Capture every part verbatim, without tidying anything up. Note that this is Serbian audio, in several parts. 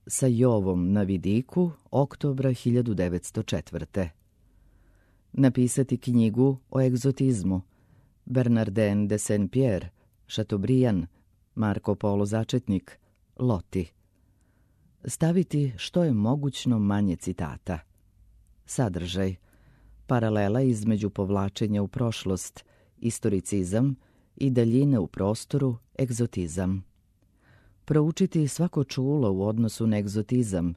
sa Jovom na vidiku oktobra hiljadu devetsto četvrte. Napisati knjigu o egzotizmu. Bernardin de Saint-Pierre, Chateaubriand, Marko Polo Začetnik, Loti. Staviti što je mogućno manje citata. Sadržaj. Paralela između povlačenja u prošlost, istoricizam, i daljine u prostoru, egzotizam. Proučiti svako čulo u odnosu na egzotizam.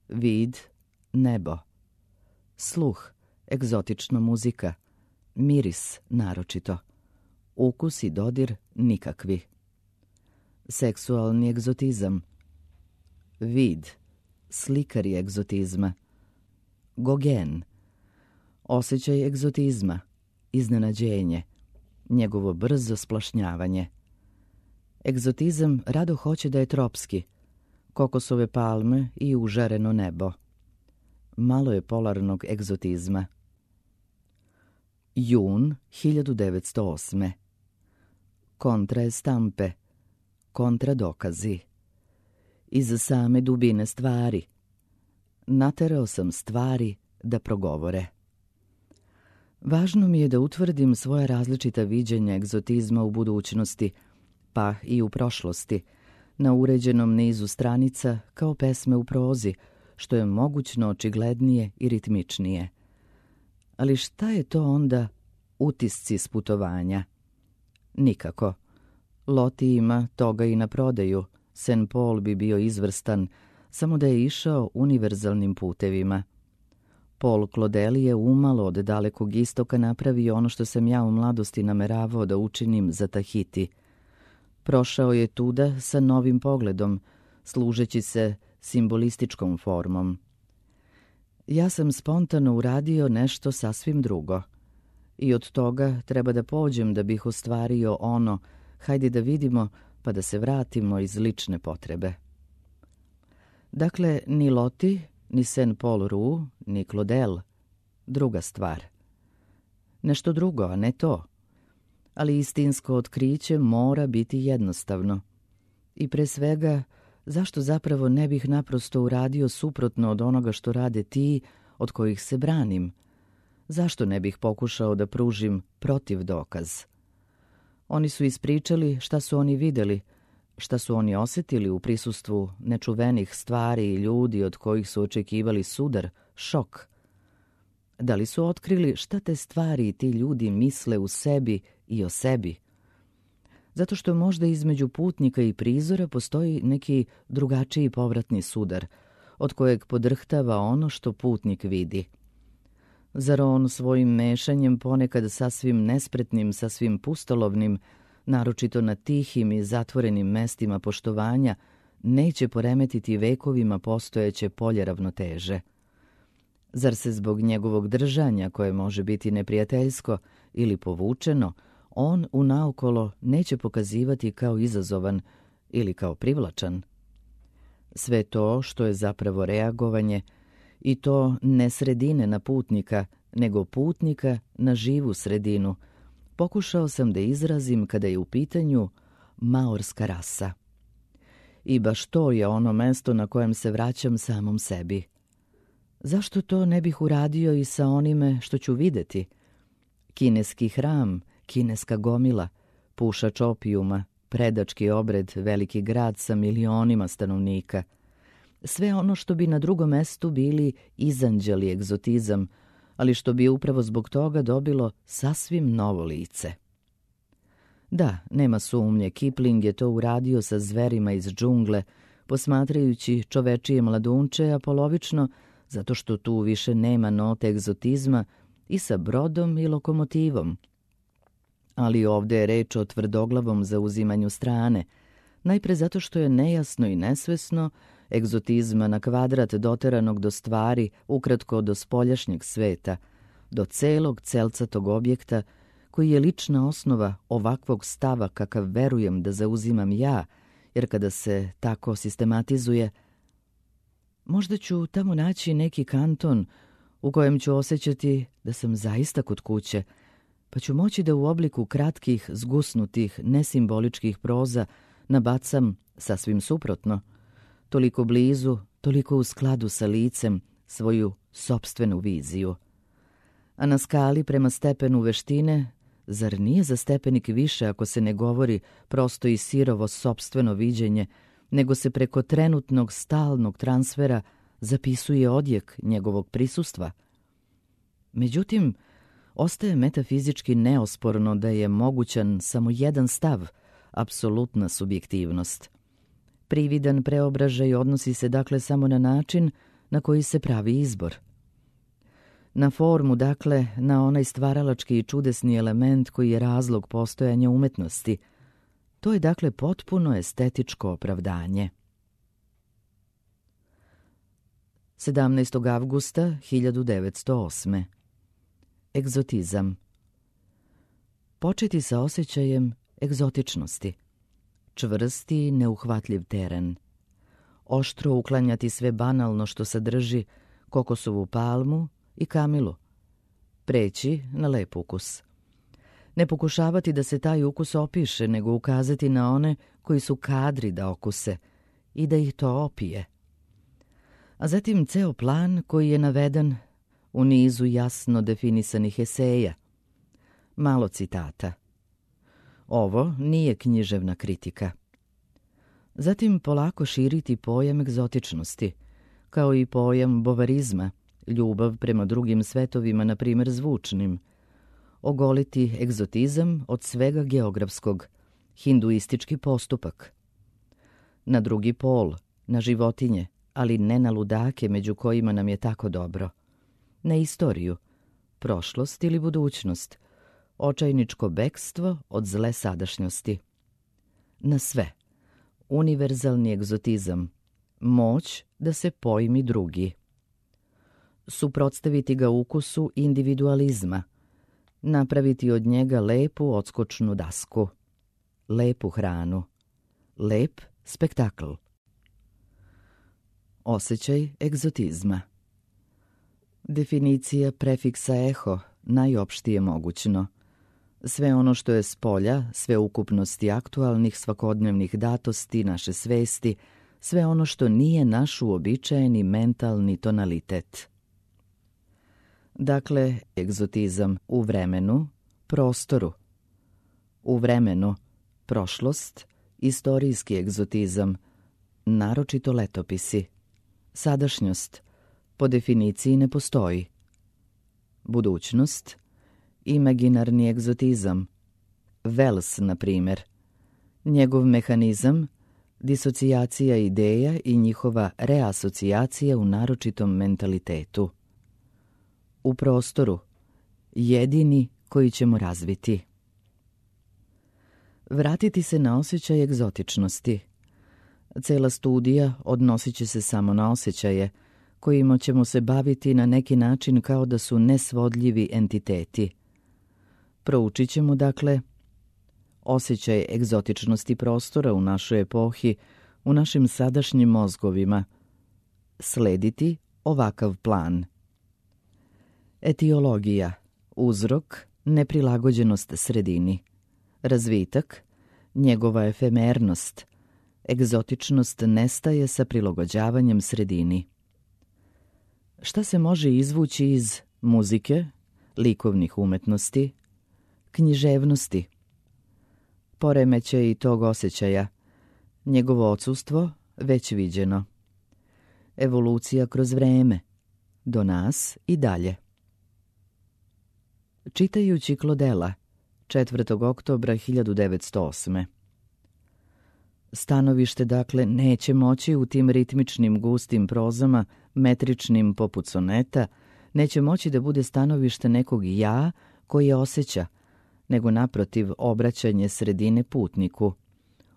Vid, nebo. Sluh, egzotična muzika. Miris, naročito. Ukus i dodir, nikakvi. Seksualni egzotizam. Vid, slikari egzotizma. Gogen, osjećaj egzotizma, iznenađenje, njegovo brzo splašnjavanje. Egzotizam rado hoće da je tropski, kokosove palme i užareno nebo. Malo je polarnog egzotizma. Jun hiljadu devetsto osme. Kontra estampe, kontra dokazi. Iz same dubine stvari. Naterao sam stvari da progovore. Važno mi je da utvrdim svoja različita viđenja egzotizma u budućnosti, pa i u prošlosti, na uređenom nizu stranica kao pesme u prozi, što je mogućno očiglednije i ritmičnije. Ali šta je to onda utisci s putovanja? Nikako. Loti ima toga i na prodaju. Saint Paul bi bio izvrstan, samo da je išao univerzalnim putevima. Paul Claudel je umalo od dalekog istoka napravio ono što sam ja u mladosti nameravao da učinim za Tahiti. Prošao je tuda sa novim pogledom, služeći se simbolističkom formom. Ja sam spontano uradio nešto sasvim drugo. I od toga treba da pođem da bih ostvario ono, hajde da vidimo, pa da se vratimo iz lične potrebe. Dakle, ni Loti, ni Saint Paul Rue, ni Claudel. Druga stvar. Nešto drugo, a ne to. Ali istinsko otkriće mora biti jednostavno. I pre svega, zašto zapravo ne bih naprosto uradio suprotno od onoga što rade ti od kojih se branim? Zašto ne bih pokušao da pružim protiv dokaz? Oni su ispričali šta su oni videli, šta su oni osjetili u prisustvu nečuvenih stvari i ljudi od kojih su očekivali sudar, šok. Da li su otkrili šta te stvari i ti ljudi misle u sebi i o sebi? Zato što možda između putnika i prizora postoji neki drugačiji povratni sudar, od kojeg podrhtava ono što putnik vidi. Zar on svojim mešanjem ponekad sasvim nespretnim, sasvim pustolovnim, naročito na tihim i zatvorenim mestima poštovanja, neće poremetiti vekovima postojeće polje ravnoteže? Zar se zbog njegovog držanja, koje može biti neprijateljsko ili povučeno, on unaokolo neće pokazivati kao izazovan ili kao privlačan? Sve to što je zapravo reagovanje, i to ne sredine na putnika, nego putnika na živu sredinu, pokušao sam da izrazim kada je u pitanju maorska rasa. I baš to je ono mesto na kojem se vraćam samom sebi. Zašto to ne bih uradio i sa onime što ću videti? Kineski hram, kineska gomila, pušač opijuma, predački obred, veliki grad sa milionima stanovnika. Sve ono što bi na drugom mestu bili izanđeli egzotizam, ali što bi upravo zbog toga dobilo sasvim novo lice. Da, nema sumnje, Kipling je to uradio sa zverima iz džungle, posmatrajući čovečije mladunče, a polovično zato što tu više nema note egzotizma, i sa brodom i lokomotivom. Ali ovdje je reč o tvrdoglavom zauzimanju strane, najpre zato što je nejasno i nesvesno egzotizma na kvadrat doteranog do stvari, ukratko do spoljašnjeg sveta, do celog celcatog objekta, koji je lična osnova ovakvog stava kakav verujem da zauzimam ja, jer kada se tako sistematizuje, možda ću tamo naći neki kanton u kojem ću osjećati da sam zaista kod kuće, pa ću moći da u obliku kratkih, zgusnutih, nesimboličkih proza nabacam sasvim suprotno. toliko blizu, toliko u skladu sa licem, svoju sopstvenu viziju. A na skali prema stepenu veštine, zar nije za stepenik više ako se ne govori prosto i sirovo sopstveno viđenje, nego se preko trenutnog stalnog transfera zapisuje odjek njegovog prisustva? Međutim, ostaje metafizički neosporno da je mogućan samo jedan stav, apsolutna subjektivnost. Prividan preobražaj odnosi se dakle samo na način na koji se pravi izbor. Na formu, dakle, na onaj stvaralački i čudesni element koji je razlog postojanja umetnosti. To je dakle potpuno estetičko opravdanje. sedamnaestog avgusta hiljadu devetsto osme. Egzotizam. Početi sa osjećajem egzotičnosti. Čvrsti i neuhvatljiv teren. Oštro uklanjati sve banalno što sadrži kokosovu palmu i kamilu. Preći na lep ukus. Ne pokušavati da se taj ukus opiše, nego ukazati na one koji su kadri da okuse i da ih to opije. A zatim ceo plan koji je naveden u nizu jasno definisanih eseja. Malo citata. Ovo nije književna kritika. Zatim polako širiti pojam egzotičnosti, kao i pojam bovarizma, ljubav prema drugim svetovima, na primjer zvučnim. Ogoliti egzotizam od svega geografskog, hinduistički postupak. Na drugi pol, na životinje, ali ne na ludake među kojima nam je tako dobro. Na istoriju, prošlost ili budućnost, očajničko bekstvo od zle sadašnjosti. Na sve, univerzalni egzotizam, moć da se pojmi drugi. Suprotstaviti ga ukusu individualizma, napraviti od njega lepu odskočnu dasku, lepu hranu, lep spektakl. Osjećaj egzotizma. Definicija prefiksa eho, najopštije mogućno. Sve ono što je s polja, sve ukupnosti aktualnih svakodnevnih datosti naše svesti, sve ono što nije naš uobičajeni mentalni tonalitet. Dakle, egzotizam u vremenu, prostoru. U vremenu, prošlost, istorijski egzotizam, naročito letopisi. Sadašnjost, po definiciji ne postoji. Budućnost, imaginarni egzotizam. Wells, na primjer. Njegov mehanizam, disocijacija ideja i njihova reasocijacija u naročitom mentalitetu. U prostoru, jedini koji ćemo razviti. Vratiti se na osjećaj egzotičnosti. Cela studija odnosit će se samo na osjećaje, kojima ćemo se baviti na neki način kao da su nesvodljivi entiteti. Proučit ćemo, dakle, osjećaj egzotičnosti prostora u našoj epohi, u našim sadašnjim mozgovima. Slediti ovakav plan. Etiologija, uzrok, neprilagođenost sredini. Razvitak, njegova efemernost. Egzotičnost nestaje sa prilagođavanjem sredini. Šta se može izvući iz muzike, likovnih umetnosti, književnosti? Poremećaj i tog osjećaja, njegovo odsustvo već viđeno. Evolucija kroz vreme, do nas i dalje. Čitajući Klodela, četvrtog oktobra hiljadu devetsto osme. Stanovište, dakle, neće moći u tim ritmičnim gustim prozama, metričnim poput soneta, neće moći da bude stanovište nekog ja koje osjeća, nego naprotiv obraćanje sredine putniku,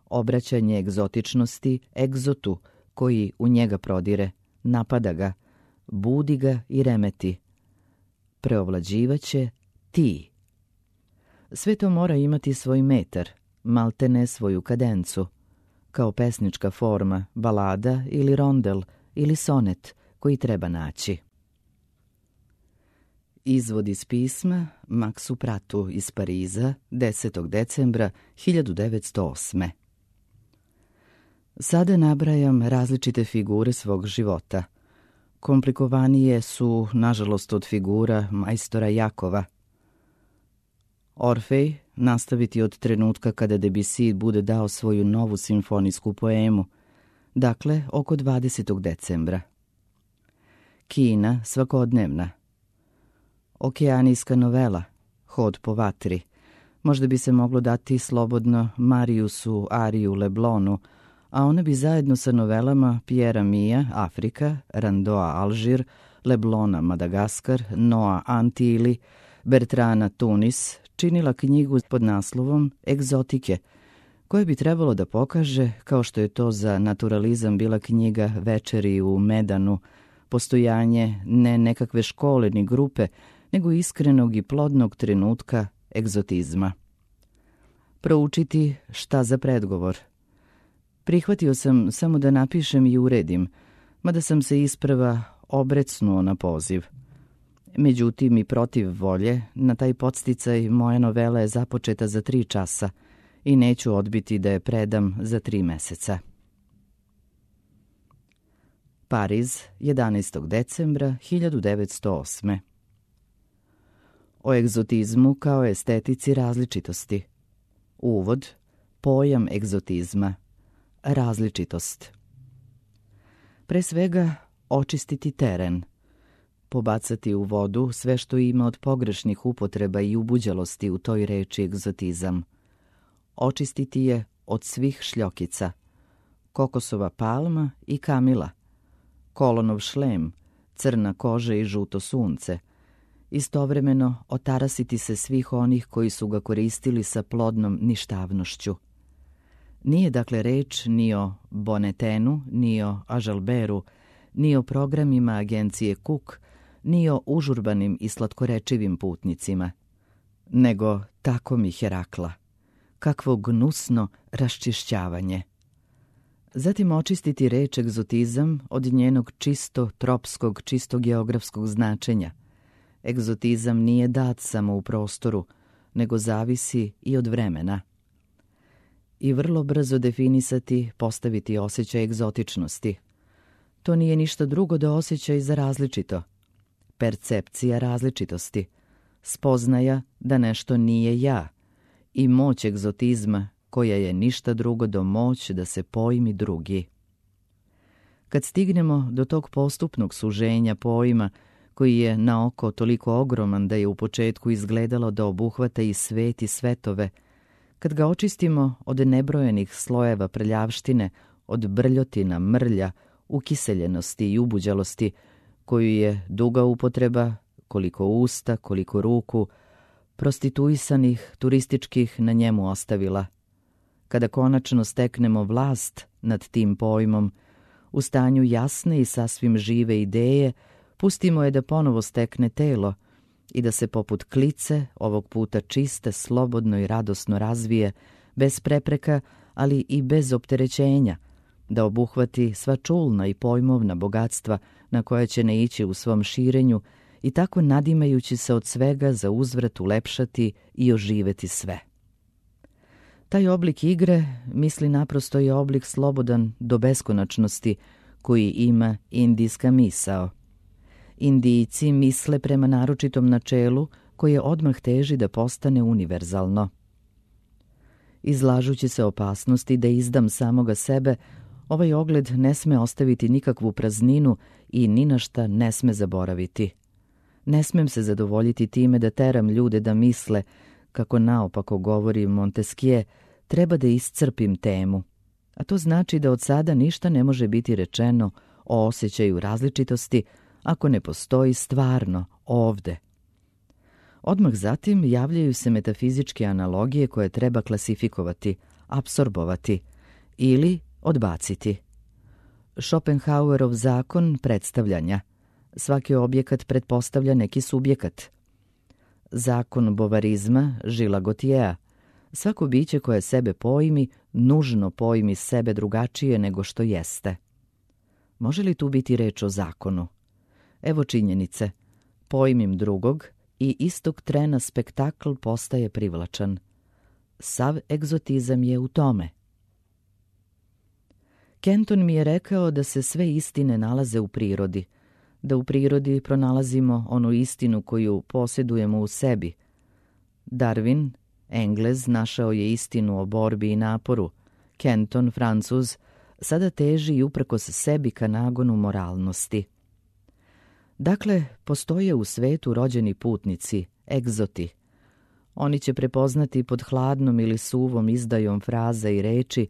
obraćanje egzotičnosti egzotu koji u njega prodire, napada ga, budi ga i remeti. Preovlađivaće ti. Sve to mora imati svoj metar, maltene svoju kadencu, kao pesnička forma, balada ili rondel ili sonet koji treba naći. Izvod iz pisma Maksu Pratu iz Pariza desetog decembra hiljadu devetsto osme. Sada nabrajam različite figure svog života. Komplikovanije su, nažalost, od figura majstora Jakova. Orfej nastaviti od trenutka kada Debussy bude dao svoju novu simfonijsku poemu, dakle oko dvadesetog decembra. Kina svakodnevna. Okeanijska novela, Hod po vatri. Možda bi se moglo dati slobodno Mariusu Ariju Leblonu, a ona bi zajedno sa novelama Pjera Mija, Afrika, Randoa, Alžir, Leblona, Madagaskar, Noa, Antili, Bertrana, Tunis, činila knjigu pod naslovom Egzotike, koje bi trebalo da pokaže, kao što je to za naturalizam bila knjiga Večeri u Medanu, postojanje ne nekakve škole ni grupe, nego iskrenog i plodnog trenutka egzotizma. Proučiti šta za predgovor. Prihvatio sam samo da napišem i uredim, mada sam se isprva obrecnuo na poziv. Međutim, i protiv volje, na taj podsticaj moja novela je započeta za tri časa i neću odbiti da je predam za tri meseca. Pariz, jedanaestog decembra hiljadu devetsto osme. O egzotizmu kao estetici različitosti. Uvod, pojam egzotizma, različitost. Pre svega, očistiti teren, pobacati u vodu sve što ima od pogrešnih upotreba i ubuđalosti u toj reči egzotizam. Očistiti je od svih šljokica, kokosova palma i kamila, kolonov šlem, crna koža i žuto sunce, istovremeno otarasiti se svih onih koji su ga koristili sa plodnom ništavnošću. Nije dakle reč ni o Bonetenu, ni o Ažalberu, ni o programima agencije Cook, ni o užurbanim i slatkorečivim putnicima, nego tako mi Herakla. Kakvo gnusno raščišćavanje. Zatim očistiti reč egzotizam od njenog čisto tropskog, čisto geografskog značenja. Egzotizam nije dat samo u prostoru, nego zavisi i od vremena. I vrlo brzo definisati, postaviti osjećaj egzotičnosti. To nije ništa drugo do osjećaj za različito. Percepcija različitosti, spoznaja da nešto nije ja i moć egzotizma koja je ništa drugo do moć da se pojmi drugi. Kad stignemo do tog postupnog suženja pojma koji je na oko toliko ogroman da je u početku izgledalo da obuhvata i svet i svetove, kad ga očistimo od nebrojenih slojeva prljavštine, od brljotina, mrlja, ukiseljenosti i ubuđalosti, koju je duga upotreba, koliko usta, koliko ruku, prostituisanih, turističkih na njemu ostavila. Kada konačno steknemo vlast nad tim pojmom, u stanju jasne i sasvim žive ideje, pustimo je da ponovo stekne telo i da se poput klice, ovog puta čiste, slobodno i radosno razvije, bez prepreka, ali i bez opterećenja, da obuhvati sva čulna i pojmovna bogatstva na koja će naići u svom širenju i tako nadimajući se od svega za uzvrat ulepšati i oživeti sve. Taj oblik igre, misli naprosto je oblik slobodan do beskonačnosti koji ima indijska misao. Indijci misle prema naročitom načelu koje odmah teži da postane univerzalno. Izlažući se opasnosti da izdam samoga sebe, ovaj ogled ne sme ostaviti nikakvu prazninu i ni na šta ne sme zaboraviti. Ne smem se zadovoljiti time da teram ljude da misle, kako naopako govori Montesquieu, treba da iscrpim temu. A to znači da od sada ništa ne može biti rečeno o osjećaju različitosti ako ne postoji stvarno ovde. Odmah zatim javljaju se metafizičke analogije koje treba klasifikovati, apsorbovati ili odbaciti. Schopenhauerov zakon predstavljanja. Svaki objekat pretpostavlja neki subjekat. Zakon bovarizma Žila Gotjea. Svako biće koje sebe pojmi, nužno pojmi sebe drugačije nego što jeste. Može li tu biti reč o zakonu? Evo činjenice. Pojmim drugog i istog trena spektakl postaje privlačan. Sav egzotizam je u tome. Kenton mi je rekao da se sve istine nalaze u prirodi, da u prirodi pronalazimo onu istinu koju posjedujemo u sebi. Darwin, Englez, našao je istinu o borbi i naporu. Kenton, Francuz, sada teži i uprkos sebi ka nagonu moralnosti. Dakle, postoje u svetu rođeni putnici, egzoti. Oni će prepoznati pod hladnom ili suvom izdajom fraza i reči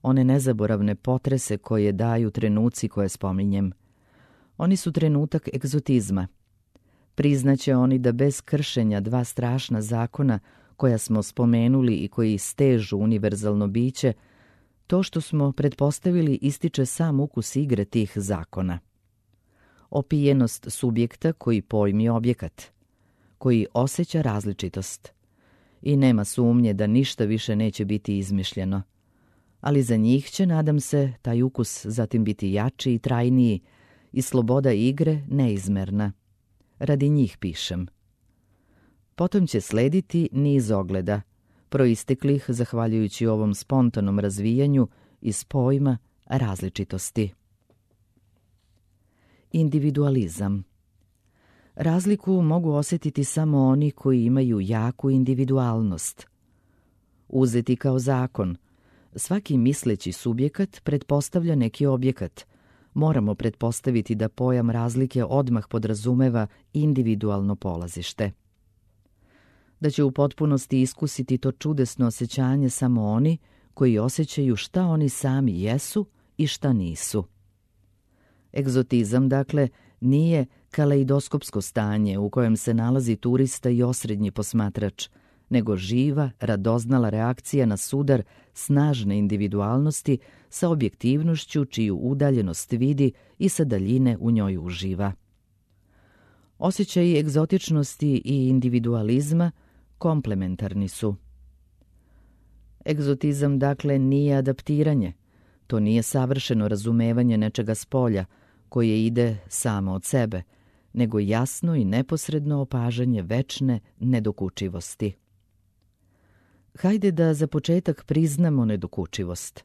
one nezaboravne potrese koje daju trenuci koje spominjem. Oni su trenutak egzotizma. Priznaće oni da bez kršenja dva strašna zakona koja smo spomenuli i koji stežu univerzalno biće, to što smo pretpostavili ističe sam ukus igre tih zakona. Opijenost subjekta koji pojmi objekat, koji osjeća različitost. I nema sumnje da ništa više neće biti izmišljeno. Ali za njih će, nadam se, taj ukus zatim biti jači i trajniji i sloboda igre neizmerna. Radi njih pišem. Potom će slediti niz ogleda, proisteklih zahvaljujući ovom spontanom razvijanju iz pojma različitosti. Individualizam. Razliku mogu osjetiti samo oni koji imaju jaku individualnost. Uzeti kao zakon, svaki misleći subjekat pretpostavlja neki objekat. Moramo pretpostaviti da pojam razlike odmah podrazumeva individualno polazište. Da će u potpunosti iskusiti to čudesno osjećanje samo oni koji osjećaju šta oni sami jesu i šta nisu. Egzotizam, dakle, nije kaleidoskopsko stanje u kojem se nalazi turista i osrednji posmatrač, nego živa, radoznala reakcija na sudar snažne individualnosti sa objektivnošću čiju udaljenost vidi i sa daljine u njoj uživa. Osjećaji egzotičnosti i individualizma komplementarni su. Egzotizam, dakle, nije adaptiranje. To nije savršeno razumevanje nečega spolja, koje ide samo od sebe, nego jasno i neposredno opažanje večne nedokučivosti. Hajde da za početak priznamo nedokučivost.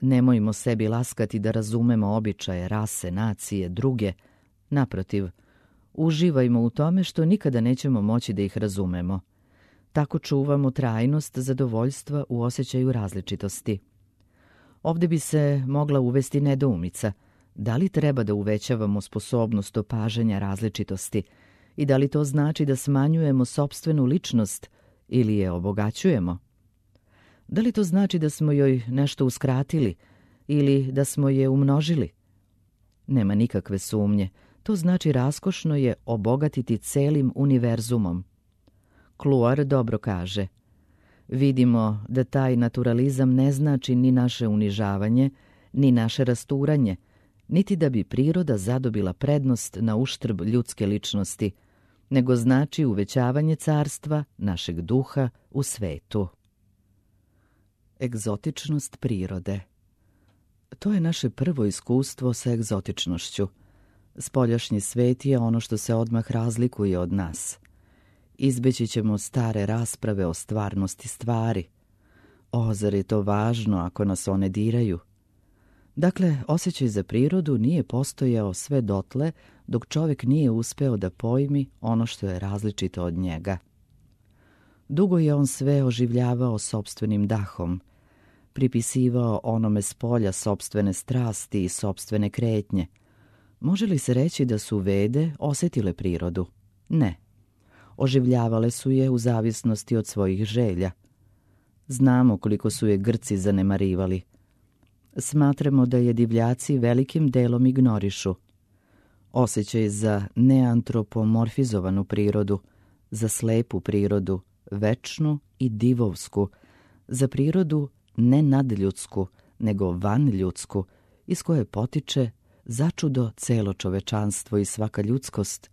Nemojmo sebi laskati da razumemo običaje, rase, nacije, druge. Naprotiv, uživajmo u tome što nikada nećemo moći da ih razumemo. Tako čuvamo trajnost zadovoljstva u osjećaju različitosti. Ovdje bi se mogla uvesti nedoumica. Da li treba da uvećavamo sposobnost opažanja različitosti i da li to znači da smanjujemo sopstvenu ličnost ili je obogaćujemo? Da li to znači da smo joj nešto uskratili ili da smo je umnožili? Nema nikakve sumnje. To znači raskošno je obogatiti celim univerzumom. Kluar dobro kaže: vidimo da taj naturalizam ne znači ni naše unižavanje, ni naše rasturanje, niti da bi priroda zadobila prednost na uštrb ljudske ličnosti, nego znači uvećavanje carstva našeg duha u svetu. Egzotičnost prirode. To je naše prvo iskustvo sa egzotičnošću. Spoljašnji svet je ono što se odmah razlikuje od nas. Izbeći ćemo stare rasprave o stvarnosti stvari. O, zar je to važno ako nas one diraju? Dakle, osjećaj za prirodu nije postojao sve dotle dok čovjek nije uspeo da pojmi ono što je različito od njega. Dugo je on sve oživljavao sopstvenim dahom, pripisivao onome s polja sopstvene strasti i sopstvene kretnje. Može li se reći da su Vede osjetile prirodu? Ne. Oživljavale su je u zavisnosti od svojih želja. Znamo koliko su je Grci zanemarivali. Smatramo da je divljaci velikim delom ignorišu. Osjećaj za neantropomorfizovanu prirodu, za slepu prirodu, večnu i divovsku, za prirodu ne nadljudsku, nego vanljudsku, iz koje potiče začudo celo čovečanstvo i svaka ljudskost.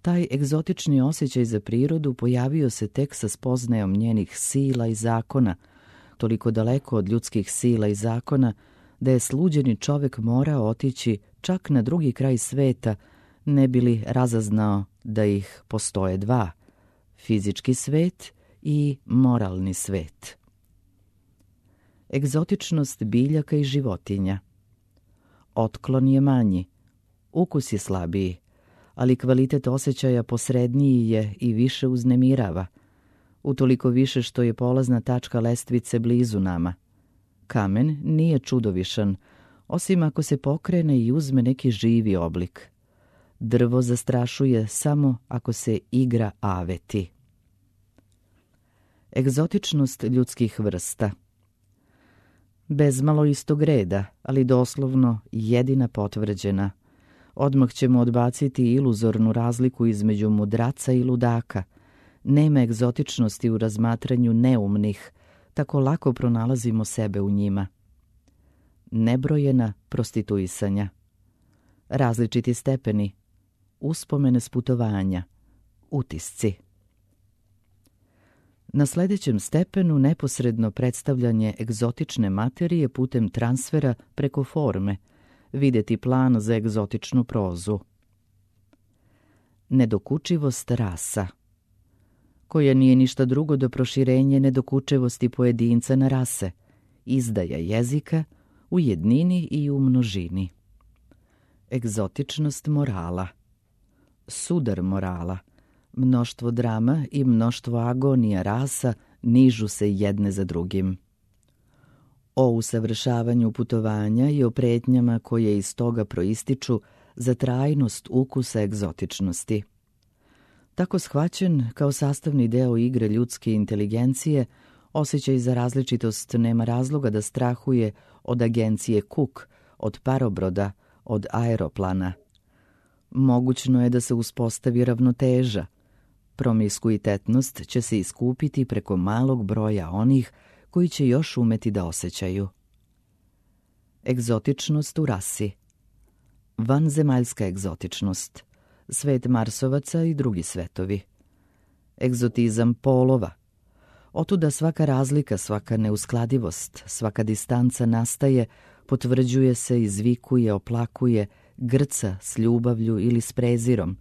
Taj egzotični osjećaj za prirodu pojavio se tek sa spoznajom njenih sila i zakona, toliko daleko od ljudskih sila i zakona da je sluđeni čovjek morao otići čak na drugi kraj sveta, ne bi li razaznao da ih postoje dva, fizički svet i moralni svet. Egzotičnost biljaka i životinja. otklon je manji, ukus je slabiji, ali kvalitet osjećaja posredniji je i više uznemirava, utoliko više što je polazna tačka lestvice blizu nama. Kamen nije čudovišan, osim ako se pokrene i uzme neki živi oblik. Drvo zastrašuje samo ako se igra aveti. Egzotičnost ljudskih vrsta. Bezmalo istog reda, ali doslovno jedina potvrđena. Odmah ćemo odbaciti iluzornu razliku između mudraca i ludaka. Nema egzotičnosti u razmatranju neumnih, tako lako pronalazimo sebe u njima. Nebrojena prostituisanja. Različiti stepeni. Uspomene s putovanja. Utisci. Na sljedećem stepenu neposredno predstavljanje egzotične materije putem transfera preko forme, vidjeti plan za egzotičnu prozu. Nedokučivost rasa, koja nije ništa drugo do proširenje nedokučivosti pojedinca na rase, izdaja jezika u jednini i u množini. Egzotičnost morala, sudar morala, mnoštvo drama i mnoštvo agonija rasa nižu se jedne za drugim. O usavršavanju putovanja i o pretnjama koje iz toga proističu za trajnost ukusa egzotičnosti. Tako shvaćen kao sastavni deo igre ljudske inteligencije, osjećaj za različitost nema razloga da strahuje od agencije Cook, od parobroda, od aeroplana. Mogućno je da se uspostavi ravnoteža. Promiskuitetnost će se iskupiti preko malog broja onih koji će još umeti da osjećaju. Egzotičnost u rasi. Vanzemaljska egzotičnost. Svet Marsovaca i drugi svetovi. Egzotizam polova. Otuda svaka razlika, svaka neuskladivost, svaka distanca nastaje, potvrđuje se, izvikuje, oplakuje, grca s ljubavlju ili s prezirom,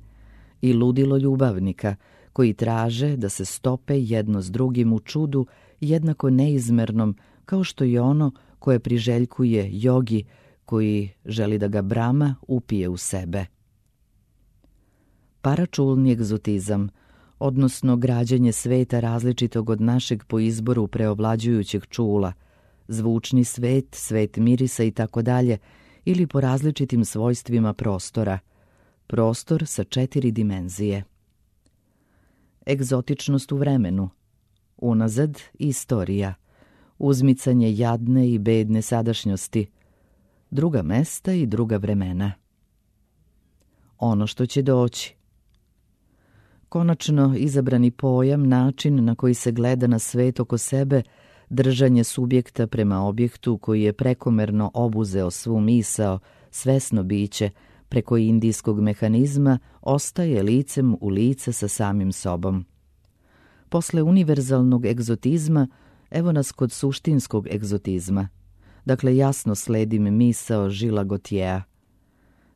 i ludilo ljubavnika koji traže da se stope jedno s drugim u čudu jednako neizmernom kao što je ono koje priželjkuje jogi koji želi da ga Brahma upije u sebe. Paračulni egzotizam, odnosno građenje sveta različitog od našeg po izboru preovlađujućeg čula, zvučni svet, svet mirisa i tako dalje, ili po različitim svojstvima prostora, prostor sa četiri dimenzije. Egzotičnost u vremenu, unazad istorija, uzmicanje jadne i bedne sadašnjosti, druga mesta i druga vremena. Ono što će doći. Konačno izabrani pojam, način na koji se gleda na svet oko sebe, držanje subjekta prema objektu koji je prekomerno obuzeo svu misao, svesno biće, preko indijskog mehanizma, ostaje licem u lice sa samim sobom. Posle univerzalnog egzotizma, evo nas kod suštinskog egzotizma. Dakle, jasno sledim misao Žila Gotjea.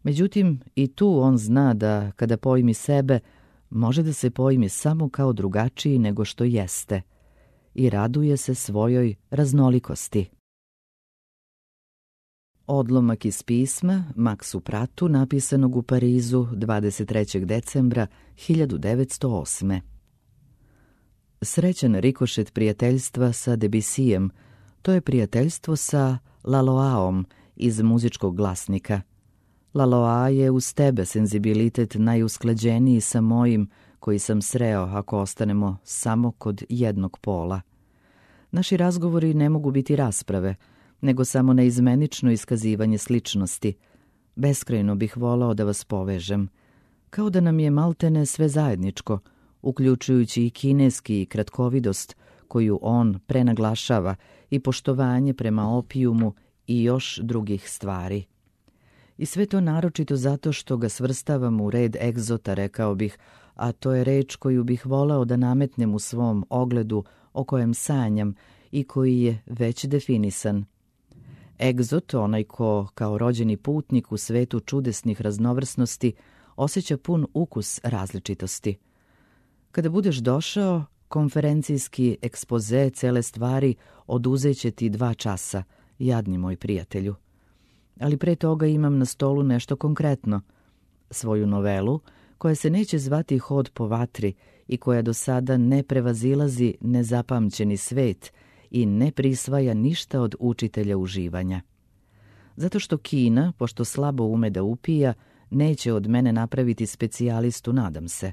Međutim, i tu on zna da, kada pojmi sebe, može da se pojmi samo kao drugačiji nego što jeste i raduje se svojoj raznolikosti. Odlomak iz pisma Maksu Pratu napisanog u Parizu dvadeset trećeg decembra hiljadu devetsto osme. Srećan rikošet prijateljstva sa Debisijem, to je prijateljstvo sa Laloaom iz muzičkog glasnika. Laloa je uz tebe senzibilitet najusklađeniji sa mojim koji sam sreo ako ostanemo samo kod jednog pola. Naši razgovori ne mogu biti rasprave, nego samo neizmenično iskazivanje sličnosti. Beskrajno bih volao da vas povežem, kao da nam je maltene sve zajedničko, uključujući i kineski i kratkovidost koju on prenaglašava i poštovanje prema opijumu i još drugih stvari. I sve to naročito zato što ga svrstavam u red egzota, rekao bih, a to je reč koju bih voleo da nametnem u svom ogledu o kojem sanjam i koji je već definisan. Egzot, onaj ko kao rođeni putnik u svetu čudesnih raznovrsnosti osjeća pun ukus različitosti. Kada budeš došao, konferencijski ekspoze cele stvari oduzeće ti dva časa, jadni moj prijatelju. ali pre toga imam na stolu nešto konkretno. Svoju novelu, koja se neće zvati Hod po vatri i koja do sada ne prevazilazi nezapamćeni svet i ne prisvaja ništa od učitelja uživanja. Zato što Kina, pošto slabo ume da upija, neće od mene napraviti specijalistu, nadam se.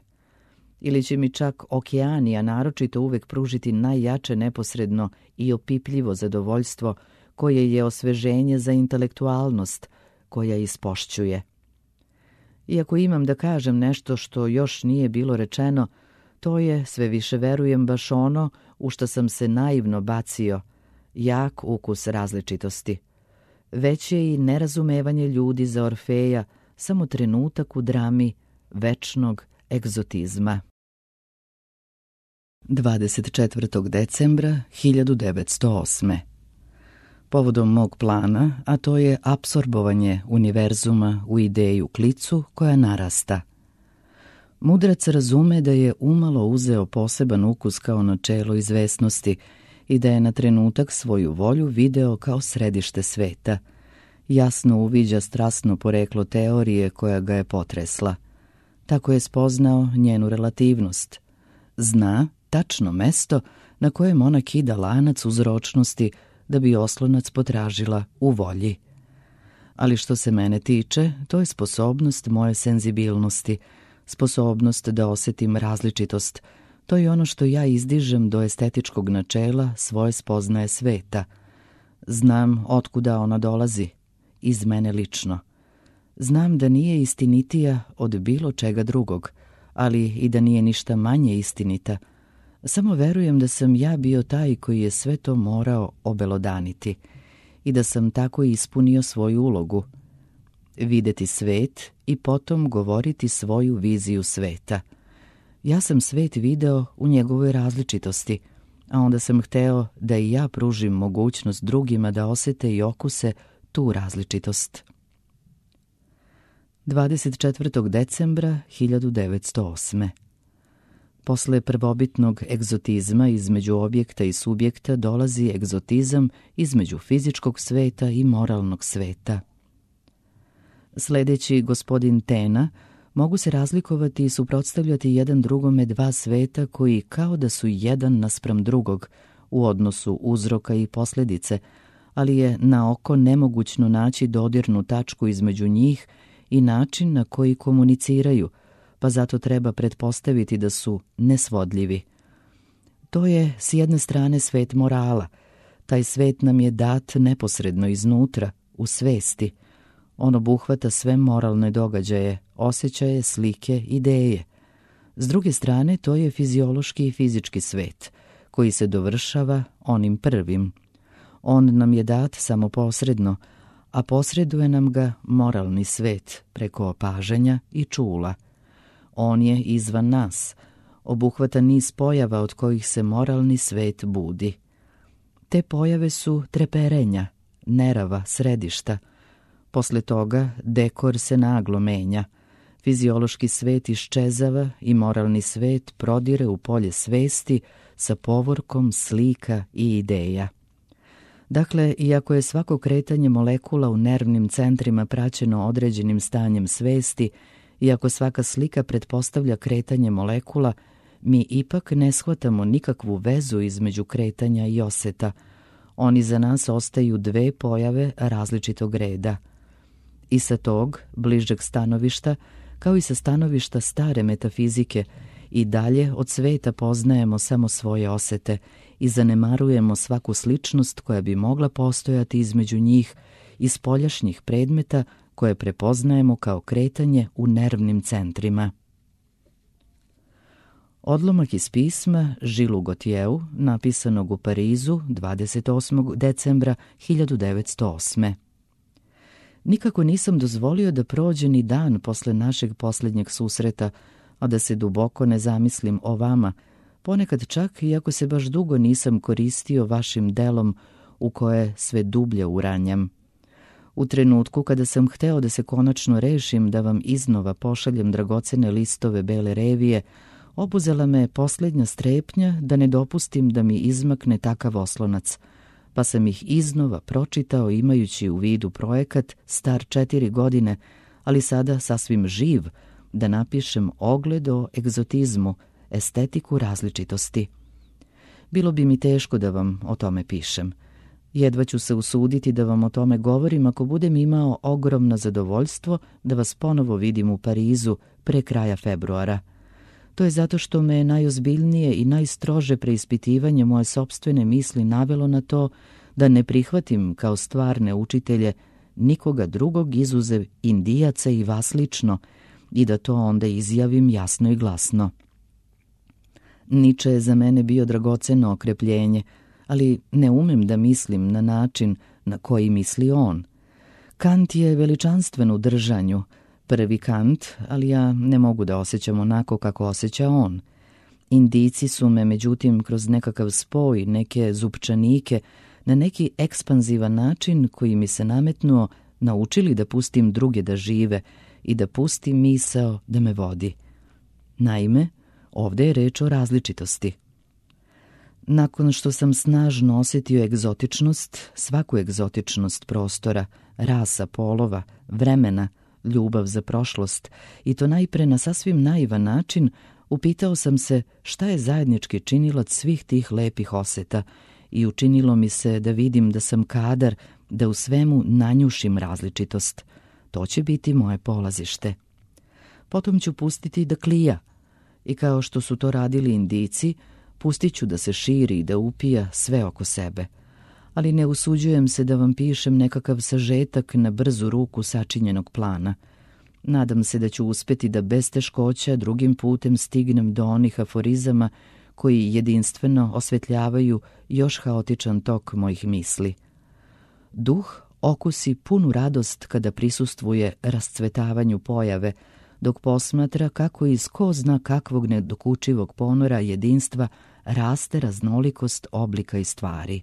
Ili će mi čak Okeanija naročito uvek pružiti najjače neposredno i opipljivo zadovoljstvo koje je osveženje za intelektualnost koja ispošćuje. Iako imam da kažem nešto što još nije bilo rečeno, to je, sve više verujem, baš ono u što sam se naivno bacio, jak ukus različitosti. Već je i nerazumevanje ljudi za Orfeja samo trenutak u drami večnog egzotizma. dvadeset četvrtog decembra hiljadu devetsto osme. Povodom mog plana, a to je apsorbovanje univerzuma u ideju klicu koja narasta. Mudrac razume da je umalo uzeo poseban ukus kao načelo izvesnosti i da je na trenutak svoju volju video kao središte sveta. Jasno uviđa strasno poreklo teorije koja ga je potresla. Tako je spoznao njenu relativnost. Zna tačno mesto na kojem ona kida lanac uzročnosti da bi oslonac potražila u volji. Ali što se mene tiče, to je sposobnost moje senzibilnosti, sposobnost da osetim različitost. To je ono što ja izdižem do estetičkog načela svoje spoznaje sveta. Znam otkuda ona dolazi, iz mene lično. Znam da nije istinitija od bilo čega drugog, ali i da nije ništa manje istinita. Samo verujem da sam ja bio taj koji je sve to morao obelodaniti i da sam tako ispunio svoju ulogu. Videti svet i potom govoriti svoju viziju sveta. Ja sam svet video u njegovoj različitosti, a onda sam hteo da i ja pružim mogućnost drugima da osete i okuse tu različitost. dvadeset četvrtog decembra hiljadu devetsto osme. Posle prvobitnog egzotizma između objekta i subjekta dolazi egzotizam između fizičkog sveta i moralnog sveta. Sledeći gospodin Tena mogu se razlikovati i suprotstavljati jedan drugome dva sveta koji kao da su jedan naspram drugog u odnosu uzroka i posljedice, ali je na oko nemogućno naći dodirnu tačku između njih i način na koji komuniciraju, pa zato treba pretpostaviti da su nesvodljivi. To je s jedne strane svet morala. Taj svet nam je dat neposredno iznutra, u svesti. On obuhvata sve moralne događaje, osjećaje, slike, ideje. S druge strane, to je fiziološki i fizički svet, koji se dovršava onim prvim. On nam je dat samo posredno, a posreduje nam ga moralni svet preko opažanja i čula. On je izvan nas, obuhvata niz pojava od kojih se moralni svet budi. Te pojave su treperenja, nerava, središta. Posle toga dekor se naglo menja. Fiziološki svet iščezava i moralni svet prodire u polje svesti sa povorkom slika i ideja. Dakle, iako je svako kretanje molekula u nervnim centrima praćeno određenim stanjem svesti, iako svaka slika pretpostavlja kretanje molekula, mi ipak ne shvatamo nikakvu vezu između kretanja i oseta. Oni za nas ostaju dve pojave različitog reda. I sa tog, bližeg stanovišta, kao i sa stanovišta stare metafizike, i dalje od sveta poznajemo samo svoje osete i zanemarujemo svaku sličnost koja bi mogla postojati između njih i spoljašnjih predmeta koje prepoznajemo kao kretanje u nervnim centrima. Odlomak iz pisma Žilu Gotjeu, napisanog u Parizu dvadeset osmog decembra hiljadu devetsto osme. Nikako nisam dozvolio da prođe ni dan posle našeg posljednjeg susreta, a da se duboko ne zamislim o vama, ponekad čak iako se baš dugo nisam koristio vašim delom u koje sve dublje uranjam. U trenutku kada sam hteo da se konačno rešim da vam iznova pošaljem dragocene listove bele revije, obuzela me posljednja strepnja da ne dopustim da mi izmakne takav oslonac, pa sam ih iznova pročitao imajući u vidu projekat star četiri godine, ali sada sasvim živ, da napišem ogled o egzotizmu, estetiku različitosti. Bilo bi mi teško da vam o tome pišem. Jedva ću se usuditi da vam o tome govorim ako budem imao ogromno zadovoljstvo da vas ponovo vidim u Parizu pre kraja februara. To je zato što me najozbiljnije i najstrože preispitivanje moje sopstvene misli navelo na to da ne prihvatim kao stvarne učitelje nikoga drugog izuzev Indijaca i vas lično i da to onda izjavim jasno i glasno. Niče je za mene bio dragoceno okrepljenje, ali ne umem da mislim na način na koji misli on. Kant je veličanstven u držanju, prvi Kant, ali ja ne mogu da osjećam onako kako osjeća on. Indijci su me, međutim, kroz nekakav spoj, neke zupčanike, na neki ekspanzivan način koji mi se nametnuo, naučili da pustim druge da žive i da pustim misao da me vodi. Naime, ovdje je reč o različitosti. Nakon što sam snažno osjetio egzotičnost, svaku egzotičnost prostora, rasa, polova, vremena, ljubav za prošlost, i to najpre na sasvim naivan način, upitao sam se šta je zajednički činilac svih tih lepih osjeta i učinilo mi se da vidim da sam kadar da u svemu nanjušim različitost. To će biti moje polazište. Potom ću pustiti da klija i kao što su to radili Indijci, pustit ću da se širi i da upija sve oko sebe. Ali ne usuđujem se da vam pišem nekakav sažetak na brzu ruku sačinjenog plana. Nadam se da ću uspjeti da bez teškoća drugim putem stignem do onih aforizama koji jedinstveno osvetljavaju još haotičan tok mojih misli. Duh okusi punu radost kada prisustvuje rascvetavanju pojave, dok posmatra kako iz ko zna kakvog nedokučivog ponora jedinstva raste raznolikost oblika i stvari.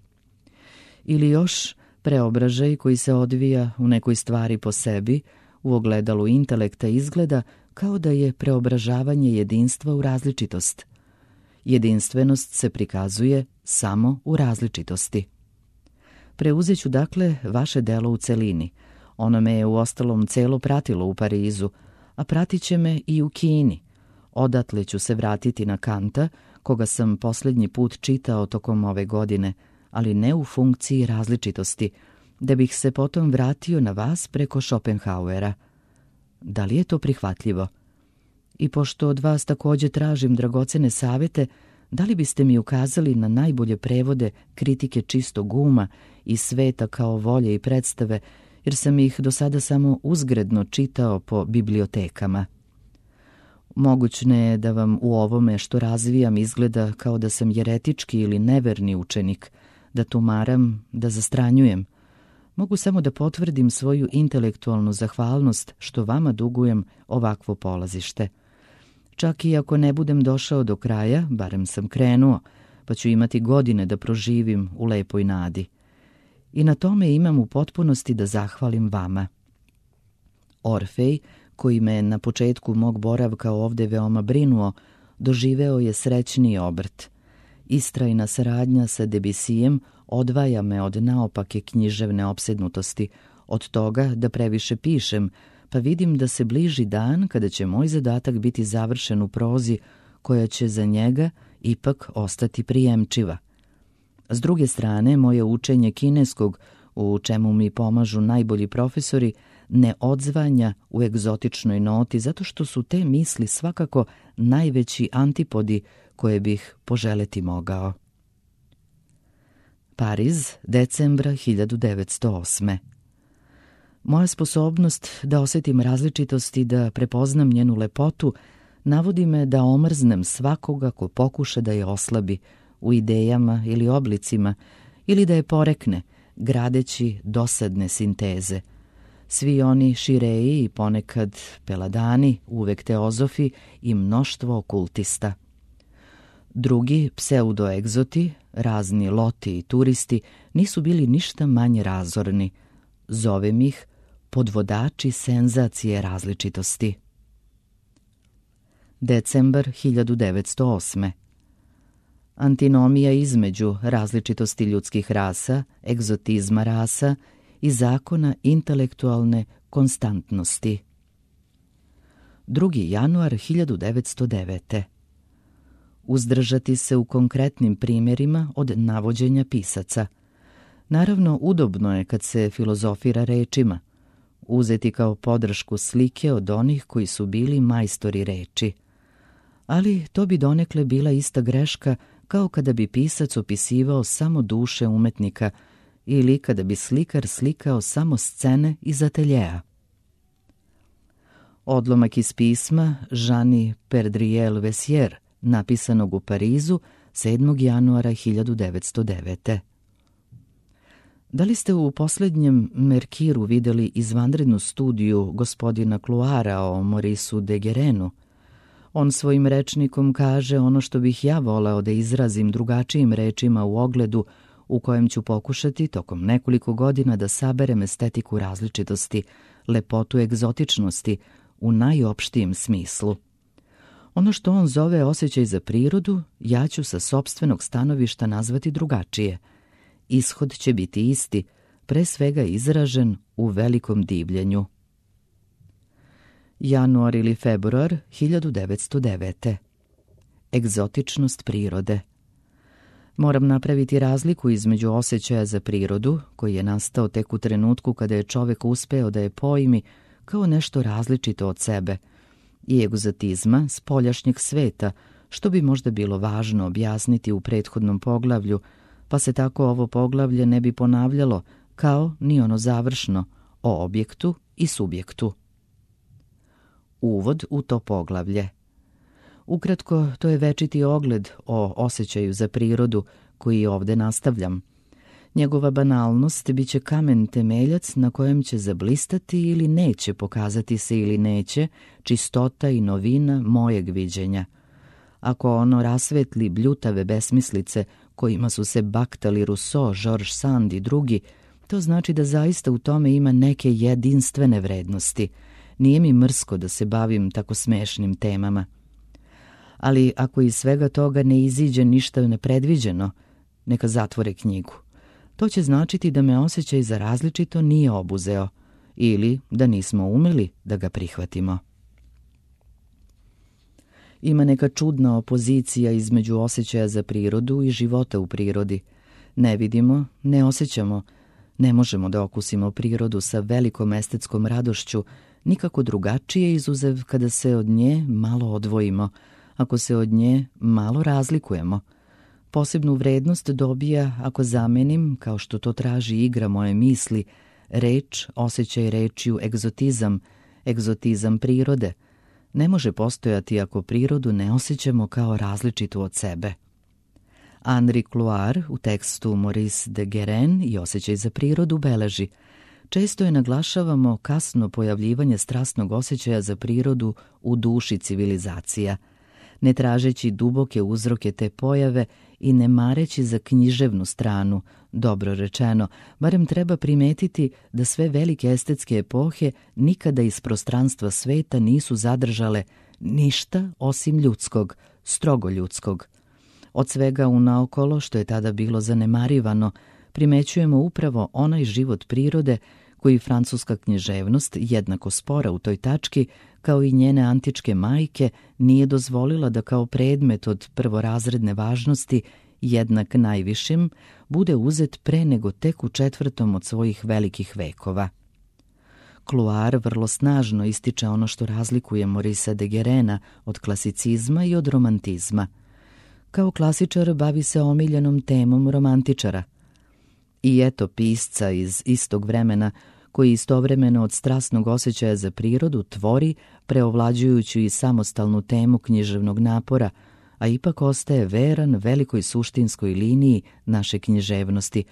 Ili još preobražaj koji se odvija u nekoj stvari po sebi, u ogledalu intelekta izgleda kao da je preobražavanje jedinstva u različitost. Jedinstvenost se prikazuje samo u različitosti. Preuzet ću dakle vaše delo u celini. Ono me je uostalom celo pratilo u Parizu, a pratit će me i u Kini. Odatle ću se vratiti na Kanta, koga sam posljednji put čitao tokom ove godine, ali ne u funkciji različitosti, da bih se potom vratio na vas preko Schopenhauera. Da li je to prihvatljivo? I pošto od vas također tražim dragocene savjete, da li biste mi ukazali na najbolje prevode kritike čistog uma i sveta kao volje i predstave, jer sam ih do sada samo uzgredno čitao po bibliotekama. Mogućne je da vam u ovome što razvijam izgleda kao da sam jeretički ili neverni učenik, da tumaram, da zastranjujem. Mogu samo da potvrdim svoju intelektualnu zahvalnost što vama dugujem ovakvo polazište. Čak i ako ne budem došao do kraja, barem sam krenuo, pa ću imati godine da proživim u lepoj nadi. I na tome imam u potpunosti da zahvalim vama. Orfej, koji me na početku mog boravka ovde veoma brinuo, doživeo je srećniji obrt. Istrajna saradnja sa Debisijem odvaja me od naopake književne opsednutosti, od toga da previše pišem, pa vidim da se bliži dan kada će moj zadatak biti završen u prozi koja će za njega ipak ostati prijemčiva. S druge strane, moje učenje kineskog, u čemu mi pomažu najbolji profesori, ne odzvanja u egzotičnoj noti zato što su te misli svakako najveći antipodi koje bih poželeti mogao. Pariz, decembra hiljadu devetsto osme. Moja sposobnost da osjetim različitost i da prepoznam njenu lepotu navodi me da omrznem svakoga ko pokuša da je oslabi u idejama ili oblicima ili da je porekne, gradeći dosadne sinteze. Svi oni šireji i ponekad peladani, uvek teozofi i mnoštvo okultista. Drugi pseudoegzoti, razni loti i turisti, nisu bili ništa manje razorni. Zovem ih podvodači senzacije različitosti. Decembar hiljadu devetsto osme. antinomija između različitosti ljudskih rasa, egzotizma rasa i zakona intelektualne konstantnosti. drugi januar hiljadu devetsto devete. Uzdržati se u konkretnim primjerima od navođenja pisaca. Naravno, udobno je kad se filozofira rečima, uzeti kao podršku slike od onih koji su bili majstori reči. Ali to bi donekle bila ista greška kao kada bi pisac opisivao samo duše umetnika ili kada bi slikar slikao samo scene iz ateljea. Odlomak iz pisma Jeanne Perdriel Vessier, napisanog u Parizu sedmog januara hiljadu devetsto devete. Da li ste u posljednjem Merkiru vidjeli izvanrednu studiju gospodina Cloara o Maurice de Guérenu? On svojim rečnikom kaže ono što bih ja voleo da izrazim drugačijim rečima u ogledu u kojem ću pokušati tokom nekoliko godina da saberem estetiku različitosti, lepotu egzotičnosti u najopštijem smislu. Ono što on zove osjećaj za prirodu, ja ću sa sopstvenog stanovišta nazvati drugačije. Ishod će biti isti, pre svega izražen u velikom divljenju. Januar ili februar hiljadu devetsto devete. Egzotičnost prirode. Moram napraviti razliku između osjećaja za prirodu, koji je nastao tek u trenutku kada je čovjek uspeo da je pojmi kao nešto različito od sebe, i egzotizma spoljašnjeg sveta, što bi možda bilo važno objasniti u prethodnom poglavlju, pa se tako ovo poglavlje ne bi ponavljalo kao ni ono završno o objektu i subjektu. Uvod u to poglavlje. Ukratko, to je večiti ogled o osjećaju za prirodu koji ovdje nastavljam. Njegova banalnost bit će kamen temeljac na kojem će zablistati ili neće pokazati se ili neće čistota i novina mojeg viđenja. Ako ono rasvetli bljutave besmislice kojima su se baktali Rousseau, George Sand i drugi, to znači da zaista u tome ima neke jedinstvene vrednosti. Nije mi mrsko da se bavim tako smešnim temama. Ali ako iz svega toga ne iziđe ništa nepredviđeno, neka zatvore knjigu. To će značiti da me osjećaj za različito nije obuzeo ili da nismo umeli da ga prihvatimo. Ima neka čudna opozicija između osjećaja za prirodu i života u prirodi. Ne vidimo, ne osjećamo, ne možemo da okusimo prirodu sa velikom estetskom radošću, nikako drugačije izuzev kada se od nje malo odvojimo, ako se od nje malo razlikujemo. Posebnu vrednost dobija ako zamenim, kao što to traži igra moje misli, reč, osjećaj rečju egzotizam, egzotizam prirode. Ne može postojati ako prirodu ne osjećamo kao različitu od sebe. Henri Cloart u tekstu Maurice de Guéren i osjećaj za prirodu beleži: često je naglašavamo kasno pojavljivanje strasnog osjećaja za prirodu u duši civilizacija, ne tražeći duboke uzroke te pojave i ne mareći za književnu stranu. Dobro rečeno, barem treba primetiti da sve velike estetske epohe nikada iz prostranstva sveta nisu zadržale ništa osim ljudskog, strogo ljudskog. Od svega unaokolo, što je tada bilo zanemarivano, primećujemo upravo onaj život prirode koji francuska književnost, jednako spora u toj tački, kao i njene antičke majke, nije dozvolila da kao predmet od prvorazredne važnosti, jednak najvišim, bude uzet pre nego tek u četvrtom od svojih velikih vekova. Cloart vrlo snažno ističe ono što razlikuje Maurice de Guérena od klasicizma i od romantizma. Kao klasičar bavi se omiljenom temom romantičara. I eto pisca iz istog vremena koji istovremeno od strasnog osjećaja za prirodu tvori preovlađujuću i samostalnu temu književnog napora, a ipak ostaje veran velikoj suštinskoj liniji naše književnosti,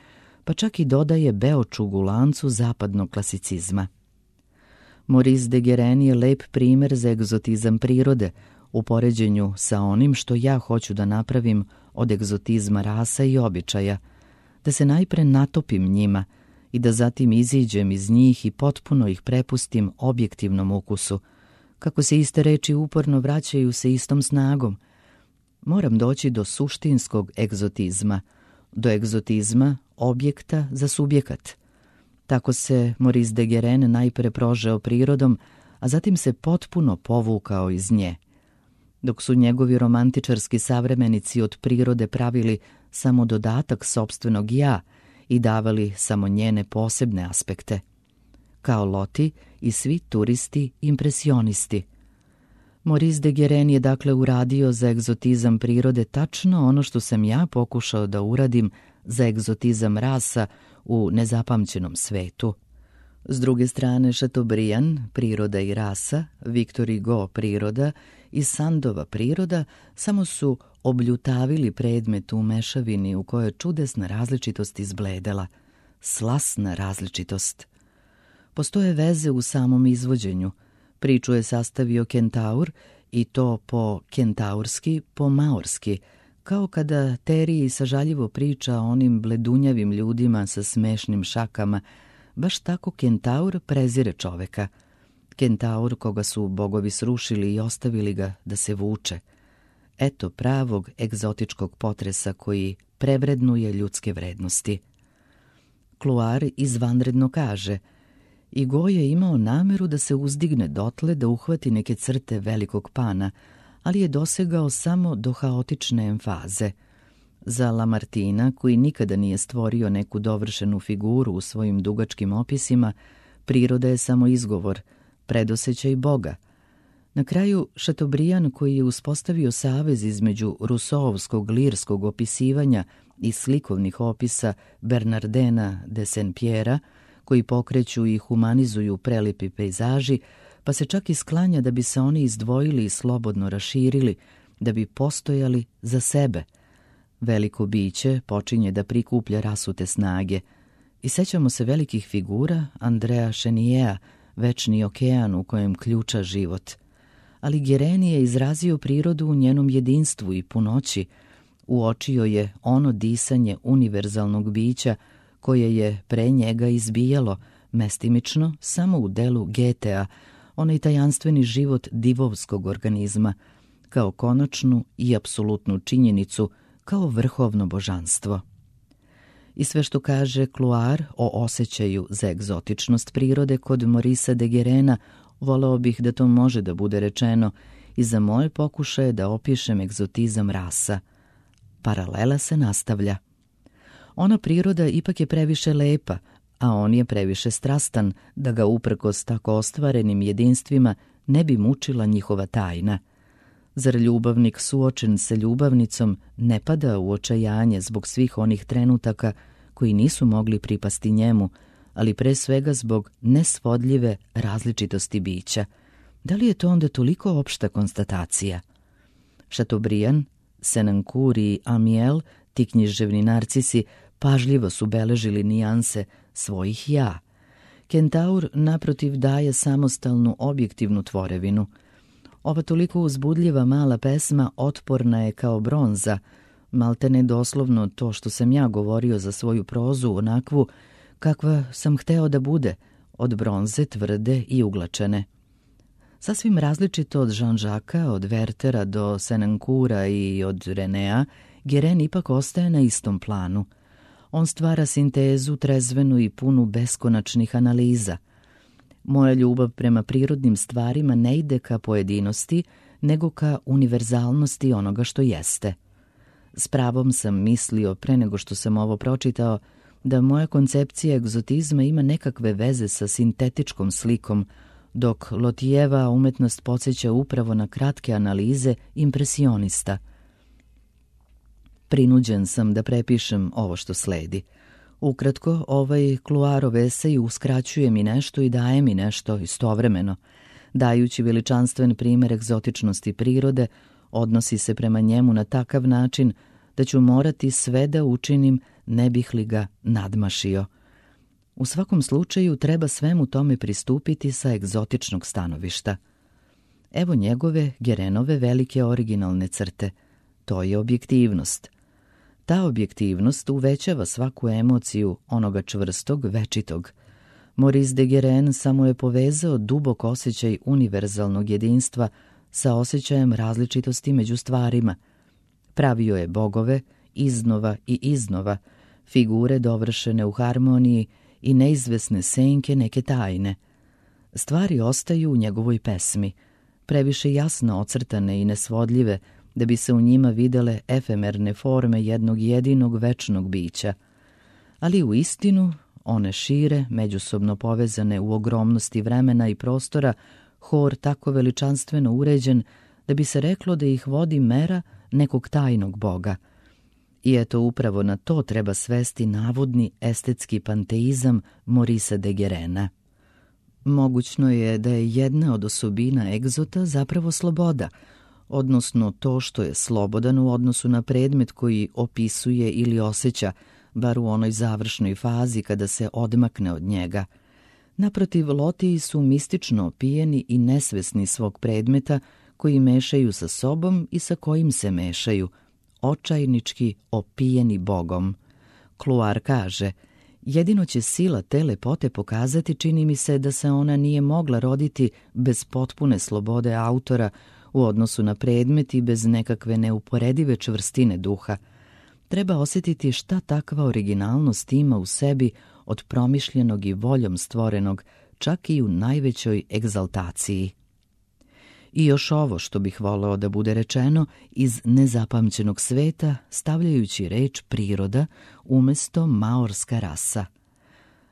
pa čak i dodaje beočugu lancu zapadnog klasicizma. Maurice de Guéren je lep primer za egzotizam prirode, u poređenju sa onim što ja hoću da napravim od egzotizma rasa i običaja, da se najpre natopim njima i da zatim iziđem iz njih i potpuno ih prepustim objektivnom ukusu, kako se iste reči uporno vraćaju se istom snagom. moram doći do suštinskog egzotizma, do egzotizma objekta za subjekat. Tako se Maurice de Guérin najpre prožeo prirodom, a zatim se potpuno povukao iz nje. Dok su njegovi romantičarski savremenici od prirode pravili samo dodatak sopstvenog ja i davali samo njene posebne aspekte. Kao Loti i svi turisti impresionisti. Maurice de Guérin je dakle uradio za egzotizam prirode tačno ono što sam ja pokušao da uradim za egzotizam rasa u nezapamćenom svetu. S druge strane, Chateaubriand, priroda i rasa, Victor Hugo, priroda i Sandova priroda samo su obljutavili predmet u mešavini u kojoj je čudesna različitost izbledela, slasna različitost. Postoje veze u samom izvođenju. Priču je sastavio kentaur i to po kentaurski, po maorski, kao kada Teriji sažaljivo priča o onim bledunjavim ljudima sa smešnim šakama. Baš tako kentaur prezire čoveka. Kentaur koga su bogovi srušili i ostavili ga da se vuče. Eto pravog egzotičkog potresa koji prevrednuje ljudske vrednosti. Kluar izvanredno kaže: Hugo je imao nameru da se uzdigne dotle da uhvati neke crte velikog pana, ali je dosegao samo do haotične emfaze. Za Lamartina, koji nikada nije stvorio neku dovršenu figuru u svojim dugačkim opisima, priroda je samo izgovor, predosećaj Boga. Na kraju, Chateaubriand, koji je uspostavio savez između Rousseauovskog lirskog opisivanja i slikovnih opisa Bernardena de Saint-Pierre, koji pokreću i humanizuju prelipi pejzaži, pa se čak i sklanja da bi se oni izdvojili i slobodno raširili, da bi postojali za sebe. Veliko biće počinje da prikuplja rasute snage. I sećamo se velikih figura Andrea Cheniera, večni okean u kojem ključa život. Ali Guérin je izrazio prirodu u njenom jedinstvu i punoći, uočio je ono disanje univerzalnog bića koje je pre njega izbijalo, mestimično, samo u delu Goethea, onaj tajanstveni život divovskog organizma, kao konačnu i apsolutnu činjenicu, kao vrhovno božanstvo. I sve što kaže Kluar o osjećaju za egzotičnost prirode kod Maurice de Guérina, voleo bih da to može da bude rečeno i za moje pokušaje da opišem egzotizam rasa. Paralela se nastavlja. Ona priroda ipak je previše lepa, a on je previše strastan da ga uprkos tako ostvarenim jedinstvima ne bi mučila njihova tajna. Zar ljubavnik suočen sa ljubavnicom ne pada u očajanje zbog svih onih trenutaka koji nisu mogli pripasti njemu, ali pre svega zbog nesvodljive različitosti bića? Da li je to onda toliko opšta konstatacija? Chateaubriand, Senancour i Amiel, ti književni narcisi, pažljivo su beležili nijanse svojih ja. Kentaur, naprotiv, daje samostalnu objektivnu tvorevinu. Ova toliko uzbudljiva mala pesma otporna je kao bronza, maltene doslovno to što sam ja govorio za svoju prozu, onakvu kakva sam hteo da bude, od bronze, tvrde i uglačene. Sasvim različito od Jean-Jacquesa, od Werthera do Senancoura i od Renea, Guérin ipak ostaje na istom planu. On stvara sintezu trezvenu i punu beskonačnih analiza. Moja ljubav prema prirodnim stvarima ne ide ka pojedinosti, nego ka univerzalnosti onoga što jeste. S pravom sam mislio, pre nego što sam ovo pročitao, da moja koncepcija egzotizma ima nekakve veze sa sintetičkom slikom, dok Lotijeva umetnost podsjeća upravo na kratke analize impresionista. Prinuđen sam da prepišem ovo što sledi. Ukratko, ovaj Kluarov esej uskraćuje mi nešto i daje mi nešto istovremeno. Dajući veličanstven primer egzotičnosti prirode, odnosi se prema njemu na takav način da ću morati sve da učinim, ne bih li ga nadmašio. U svakom slučaju treba svemu tome pristupiti sa egzotičnog stanovišta. Evo njegove, Guérinove, velike originalne crte. To je objektivnost. Ta objektivnost uvećava svaku emociju onoga čvrstog, večitog. Maurice de Guérin samo je povezao dubok osjećaj univerzalnog jedinstva sa osjećajem različitosti među stvarima. Pravio je bogove iznova i iznova, figure dovršene u harmoniji i neizvesne senke neke tajne. Stvari ostaju u njegovoj pesmi, previše jasno ocrtane i nesvodljive, da bi se u njima videle efemerne forme jednog jedinog večnog bića. Ali u istinu, one šire, međusobno povezane u ogromnosti vremena i prostora, hor tako veličanstveno uređen da bi se reklo da ih vodi mera nekog tajnog boga. I eto upravo na to treba svesti navodni estetski panteizam Morisa de Guérena. Mogućno je da je jedna od osobina egzota zapravo sloboda, odnosno to što je slobodan u odnosu na predmet koji opisuje ili osjeća, bar u onoj završnoj fazi kada se odmakne od njega. Naprotiv, lotiji su mistično opijeni i nesvesni svog predmeta koji mešaju sa sobom i sa kojim se mešaju, očajnički opijeni bogom. Kluar kaže, jedino će sila te lepote pokazati, čini mi se, da se ona nije mogla roditi bez potpune slobode autora u odnosu na predmet i bez nekakve neuporedive čvrstine duha. Treba osjetiti šta takva originalnost ima u sebi od promišljenog i voljom stvorenog, čak i u najvećoj egzaltaciji. I još ovo što bih voleo da bude rečeno iz nezapamćenog sveta, stavljajući reč priroda umesto maorska rasa.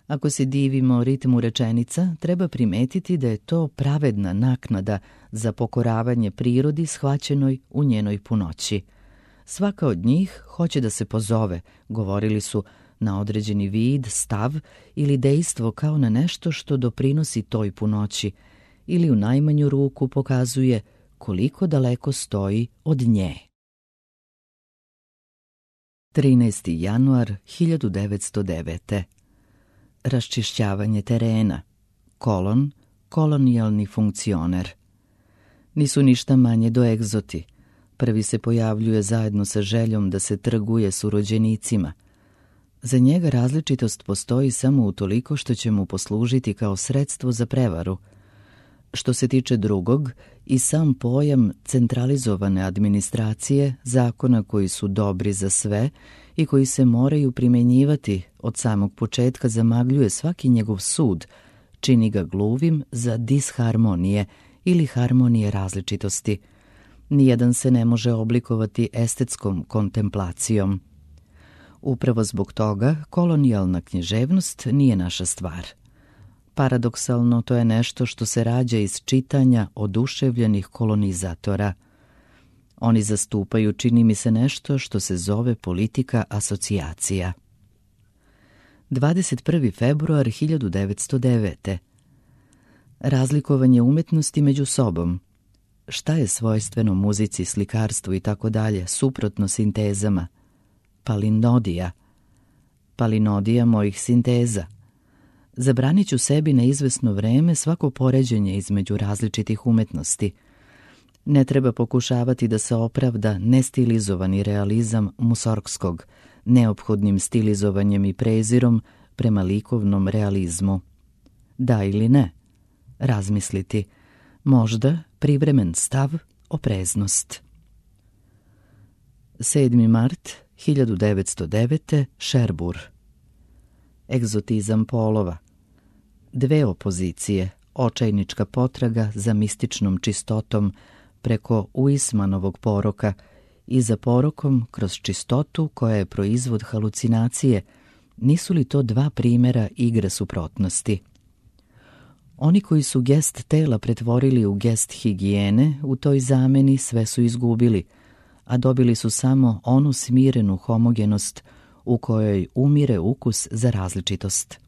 Ako se divimo ritmu rečenica, treba primetiti da je to pravedna naknada za pokoravanje prirodi shvaćenoj u njenoj punoći. Svaka od njih hoće da se pozove, govorili su, na određeni vid, stav ili dejstvo kao na nešto što doprinosi toj punoći, ili u najmanju ruku pokazuje koliko daleko stoji od nje. trinaesti januar hiljadu devetsto devete. Raščišćavanje terena. Kolon, kolonijalni funkcioner. Nisu ništa manje do egzoti. Prvi se pojavljuje zajedno sa željom da se trguje s urođenicima. Za njega različitost postoji samo utoliko što će mu poslužiti kao sredstvo za prevaru. Što se tiče drugog, i sam pojam centralizovane administracije, zakona koji su dobri za sve i koji se moraju primjenjivati od samog početka, zamagljuje svaki njegov sud, čini ga gluvim za disharmonije ili harmonije različitosti. Nijedan se ne može oblikovati estetskom kontemplacijom. Upravo zbog toga kolonijalna književnost nije naša stvar. Paradoksalno, to je nešto što se rađa iz čitanja oduševljenih kolonizatora. Oni zastupaju, čini mi se, nešto što se zove politika asocijacija. dvadeset prvi februar hiljadu devetsto devete. Razlikovanje umetnosti među sobom. Šta je svojstveno muzici, slikarstvu i tako dalje, suprotno sintezama? Palinodija. Palinodija mojih sinteza. Zabranit ću sebi na izvesno vreme svako poređenje između različitih umetnosti. Ne treba pokušavati da se opravda nestilizovani realizam Musorgskog, neophodnim stilizovanjem i prezirom prema likovnom realizmu. Da ili ne? Razmisliti. Možda privremen stav, opreznost. sedmi mart hiljadu devetsto devete. Šerbur. Egzotizam polova. Dve opozicije, očajnička potraga za mističnom čistotom preko Uismanovog poroka i za porokom kroz čistotu koja je proizvod halucinacije, nisu li to dva primjera igre suprotnosti? Oni koji su gest tela pretvorili u gest higijene, u toj zameni sve su izgubili, a dobili su samo onu smirenu homogenost u kojoj umire ukus za različitost.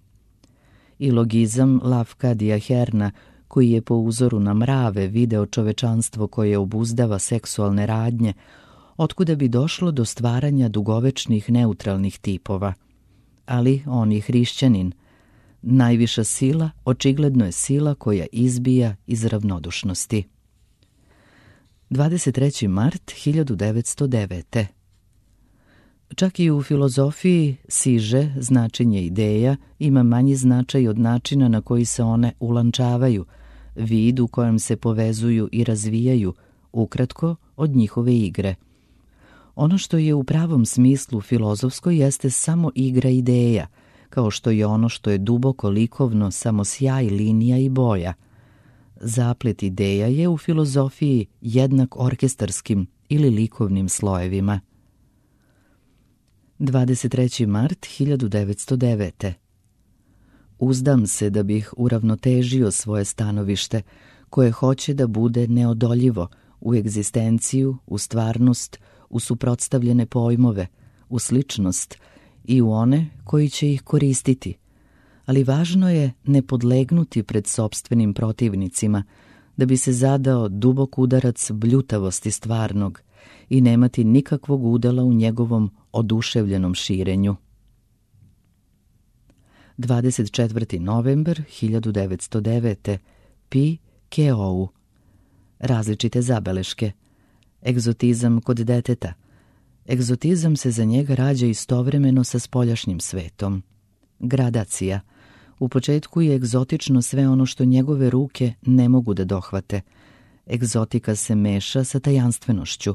I logizam Lavkadija Herna, koji je po uzoru na mrave video čovečanstvo koje obuzdava seksualne radnje, otkuda bi došlo do stvaranja dugovečnih neutralnih tipova. Ali on je hrišćanin. Najviša sila očigledno je sila koja izbija iz ravnodušnosti. dvadeset treći mart hiljadu devetsto devete. Čak i u filozofiji siže značenje ideja ima manji značaj od načina na koji se one ulančavaju, vid u kojem se povezuju i razvijaju, ukratko od njihove igre. Ono što je u pravom smislu filozofsko jeste samo igra ideja, kao što je ono što je duboko likovno samo sjaj linija i boja. Zaplet ideja je u filozofiji jednak orkestarskim ili likovnim slojevima. dvadeset treći mart hiljadu devetsto devete. Uzdam se da bih uravnotežio svoje stanovište, koje hoće da bude neodoljivo u egzistenciju, u stvarnost, u suprotstavljene pojmove, u sličnost i u one koji će ih koristiti. Ali važno je ne podlegnuti pred sopstvenim protivnicima, da bi se zadao dubok udarac bljutavosti stvarnog i nemati nikakvog udela u njegovom oduševljenom širenju. dvadeset četvrti novembar hiljadu devetsto devete. Pi Keou. Različite zabeleške. Egzotizam kod deteta. Egzotizam se za njega rađa istovremeno sa spoljašnjim svetom. Gradacija. U početku je egzotično sve ono što njegove ruke ne mogu da dohvate. Egzotika se meša sa tajanstvenošću.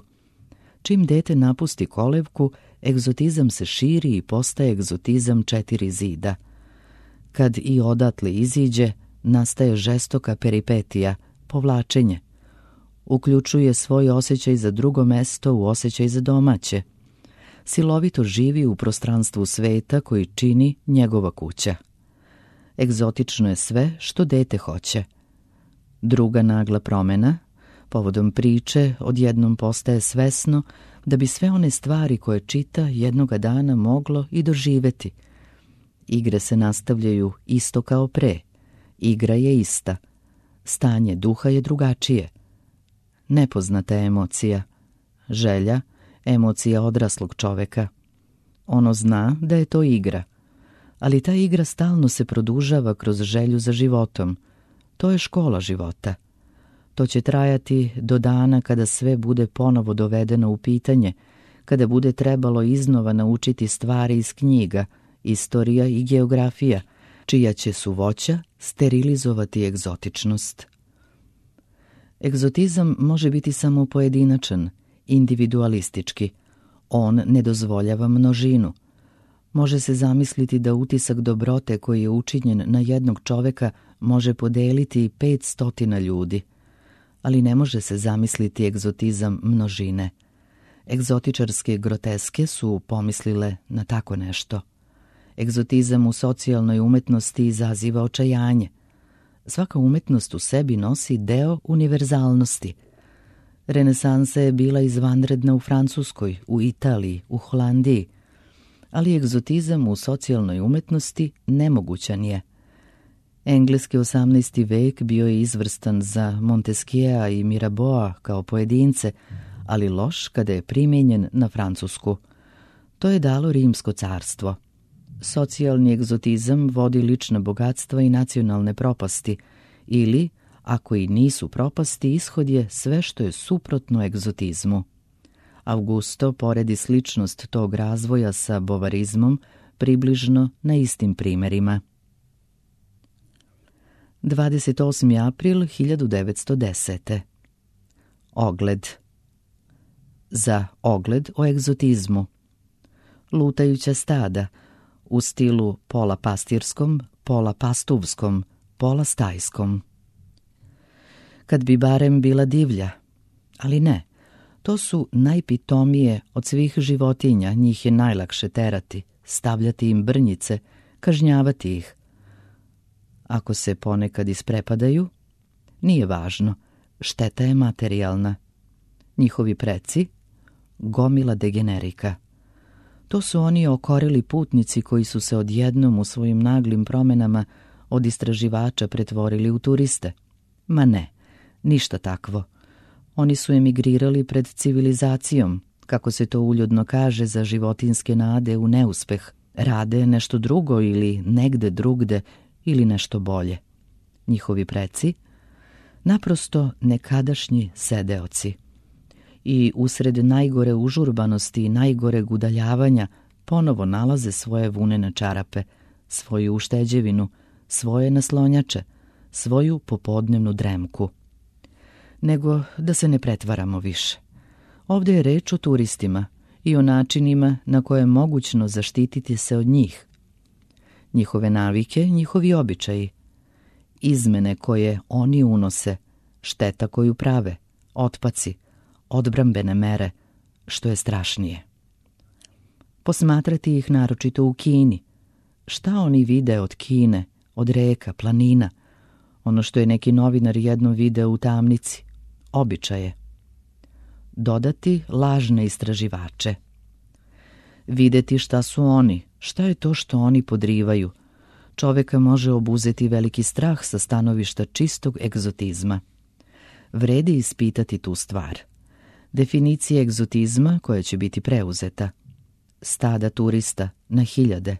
Čim dete napusti kolevku, egzotizam se širi i postaje egzotizam četiri zida. Kad i odatle iziđe, nastaje žestoka peripetija, povlačenje. Uključuje svoj osjećaj za drugo mesto u osjećaj za domaće. Silovito živi u prostranstvu sveta koji čini njegova kuća. Egzotično je sve što dete hoće. Druga nagla promjena, povodom priče, odjednom postaje svesno da bi sve one stvari koje čita jednoga dana moglo i doživeti. Igre se nastavljaju isto kao pre. Igra je ista. Stanje duha je drugačije. Nepoznata emocija. Želja, emocija odraslog čoveka. Ono zna da je to igra. Ali ta igra stalno se produžava kroz želju za životom. To je škola života. To će trajati do dana kada sve bude ponovo dovedeno u pitanje, kada bude trebalo iznova naučiti stvari iz knjiga, istorija i geografija, čija će suvoća sterilizovati egzotičnost. Egzotizam može biti samo pojedinačan, individualistički. On ne dozvoljava množinu. Može se zamisliti da utisak dobrote koji je učinjen na jednog čoveka može podeliti pet stotina ljudi. Ali ne može se zamisliti egzotizam množine. Egzotičarske groteske su pomislile na tako nešto. Egzotizam u socijalnoj umetnosti izaziva očajanje. Svaka umetnost u sebi nosi deo univerzalnosti. Renesansa je bila izvanredna u Francuskoj, u Italiji, u Holandiji, ali egzotizam u socijalnoj umetnosti nemogućan je. Engleski osamnaesti vek bio je izvrstan za Montesquiea i Mirabeau kao pojedince, ali loš kada je primijenjen na Francusku. To je dalo Rimsko carstvo. Socijalni egzotizam vodi lična bogatstva i nacionalne propasti, ili, ako i nisu propasti, ishod je sve što je suprotno egzotizmu. Augusto poredi sličnost tog razvoja sa bovarizmom približno na istim primerima. dvadeset osmi april hiljadu devetsto desete. Ogled. Za ogled o egzotizmu. Lutajuća stada, u stilu pola pastirskom, pola pastuvskom, pola stajskom. Kad bi barem bila divlja, ali ne, to su najpitomije od svih životinja, njih je najlakše terati, stavljati im brnjice, kažnjavati ih. Ako se ponekad isprepadaju, nije važno, šteta je materijalna. Njihovi preci, gomila degenerika. To su oni okorili putnici koji su se odjednom u svojim naglim promenama od istraživača pretvorili u turiste. Ma ne, ništa takvo. Oni su emigrirali pred civilizacijom, kako se to uljudno kaže za životinske nade u neuspeh. Rade nešto drugo ili negde drugde ili nešto bolje. Njihovi preci, naprosto nekadašnji sedeoci. I usred najgore užurbanosti i najgoreg udaljavanja ponovo nalaze svoje vunene čarape, svoju ušteđevinu, svoje naslonjače, svoju popodnevnu dremku. Nego da se ne pretvaramo više. Ovdje je reč o turistima i o načinima na koje je mogućno zaštititi se od njih. Njihove navike, njihovi običaji, izmene koje oni unose, šteta koju prave, otpaci, odbrambene mere, što je strašnije. Posmatrati ih naročito u Kini. Šta oni vide od Kine, od reka, planina, ono što je neki novinar jednom video u tamnici, običaje. Dodati lažne istraživače. Videti šta su oni, šta je to što oni podrivaju. Čoveka može obuzeti veliki strah sa stanovišta čistog egzotizma. Vredi ispitati tu stvar. Definicije egzotizma koja će biti preuzeta. Stada turista na hiljade.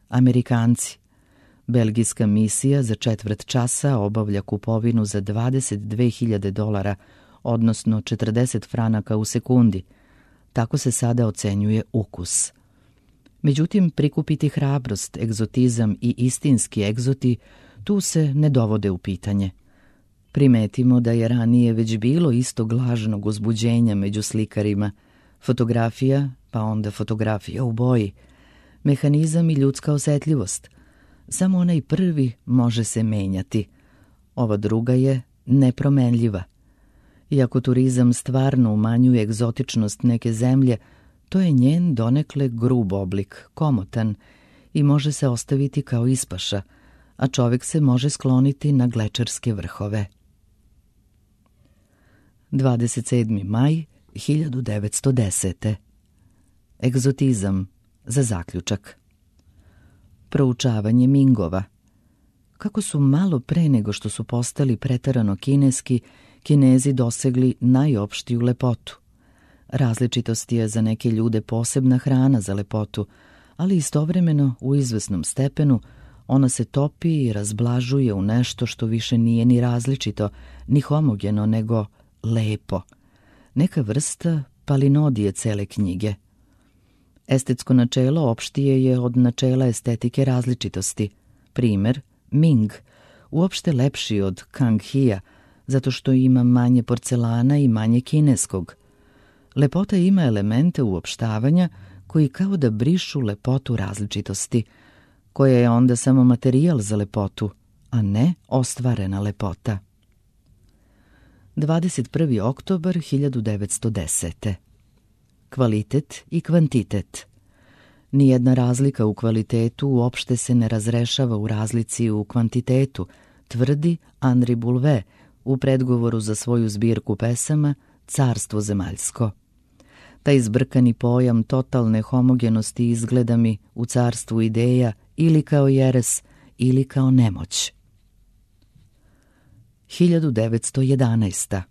Amerikanci. Belgijska misija za četvrt časa obavlja kupovinu za dvadeset dve hiljade dolara, odnosno četrdeset franaka u sekundi. Tako se sada ocenjuje ukus. Međutim, prikupiti hrabrost, egzotizam i istinski egzoti tu se ne dovode u pitanje. Primetimo da je ranije već bilo istog lažnog uzbuđenja među slikarima. Fotografija, pa onda fotografija u boji. Mehanizam i ljudska osetljivost. Samo onaj prvi može se menjati. Ova druga je nepromenljiva. Iako turizam stvarno umanjuje egzotičnost neke zemlje, to je njen donekle grub oblik, komotan i može se ostaviti kao ispaša, a čovjek se može skloniti na glečerske vrhove. dvadeset sedmi maj hiljadu devetsto desete. Egzotizam za zaključak. Proučavanje Mingova. Kako su malo pre nego što su postali preterano kineski, Kinezi dosegli najopštiju lepotu. Različitost je za neke ljude posebna hrana za lepotu, ali istovremeno u izvesnom stepenu ona se topi i razblažuje u nešto što više nije ni različito, ni homogeno, nego lepo. Neka vrsta palinodije cele knjige. Estetsko načelo opštije je od načela estetike različitosti. Primer, Ming, uopšte lepši od Kang-hija, zato što ima manje porcelana i manje kineskog. Lepota ima elemente uopštavanja koji kao da brišu lepotu različitosti, koja je onda samo materijal za lepotu, a ne ostvarena lepota. dvadeset prvi oktobar hiljadu devetsto desete. Kvalitet i kvantitet. Nijedna razlika u kvalitetu uopšte se ne razrešava u razlici u kvantitetu, tvrdi Henri Boulvet u predgovoru za svoju zbirku pesama Carstvo zemaljsko. Taj zbrkani pojam totalne homogenosti izgleda mi u carstvu ideja ili kao jeres ili kao nemoć. hiljadu devetsto jedanaesta.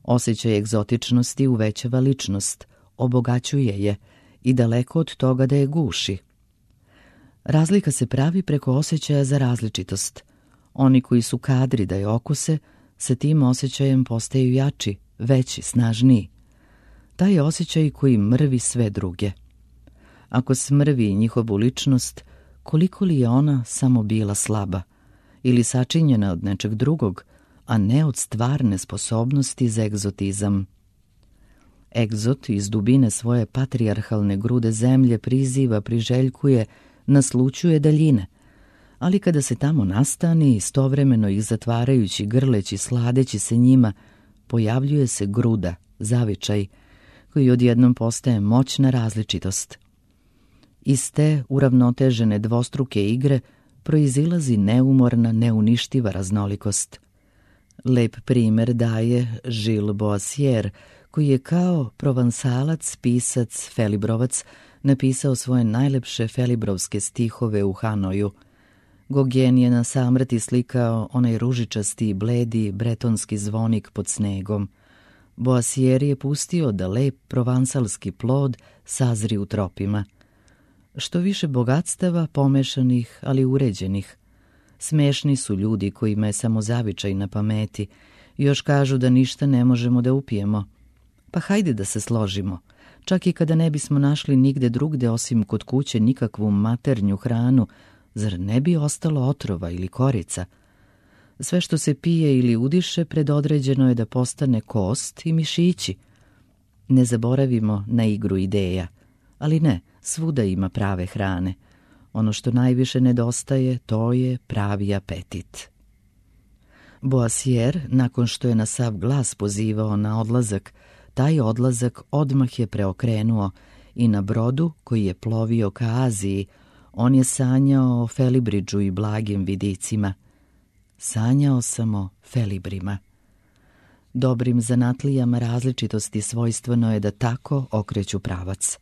Osjećaj egzotičnosti uvećava ličnost, obogaćuje je i daleko od toga da je guši. Razlika se pravi preko osjećaja za različitost. Oni koji su kadri da je okuse, sa tim osjećajem postaju jači, veći, snažniji. Taj je osjećaj koji mrvi sve druge. Ako smrvi njihovu ličnost, koliko li je ona samo bila slaba ili sačinjena od nečeg drugog, a ne od stvarne sposobnosti za egzotizam. Egzot iz dubine svoje patrijarhalne grude zemlje priziva, priželjkuje, naslućuje daljine, ali kada se tamo nastani, istovremeno ih zatvarajući, grleći, sladeći se njima, pojavljuje se gruda, zavičaj, koji odjednom postaje moćna različitost. Iz te uravnotežene dvostruke igre proizilazi neumorna, neuništiva raznolikost. Lep primer daje Gilles Boissier, koji je kao provansalac, pisac, felibrovac napisao svoje najlepše felibrovske stihove u Hanoju. Gauguin je na samrti slikao onaj ružičasti i bledi bretonski zvonik pod snegom. Boissier je pustio da lep provansalski plod sazri u tropima. Što više bogatstava, pomešanih, ali uređenih. Smešni su ljudi kojima je samo zavičaj na pameti. Još kažu da ništa ne možemo da upijemo. Pa hajde da se složimo. Čak i kada ne bismo našli nigde drugde osim kod kuće nikakvu maternju hranu, zar ne bi ostalo otrova ili korica? Sve što se pije ili udiše predodređeno je da postane kost i mišići. Ne zaboravimo na igru ideja, ali ne, svuda ima prave hrane. Ono što najviše nedostaje, to je pravi apetit. Boasier, nakon što je na sav glas pozivao na odlazak, taj odlazak odmah je preokrenuo i na brodu koji je plovio ka Aziji, on je sanjao o Felibridžu i blagim vidicima. Sanjao sam o Felibrima. Dobrim zanatlijama različitosti svojstveno je da tako okreću pravac.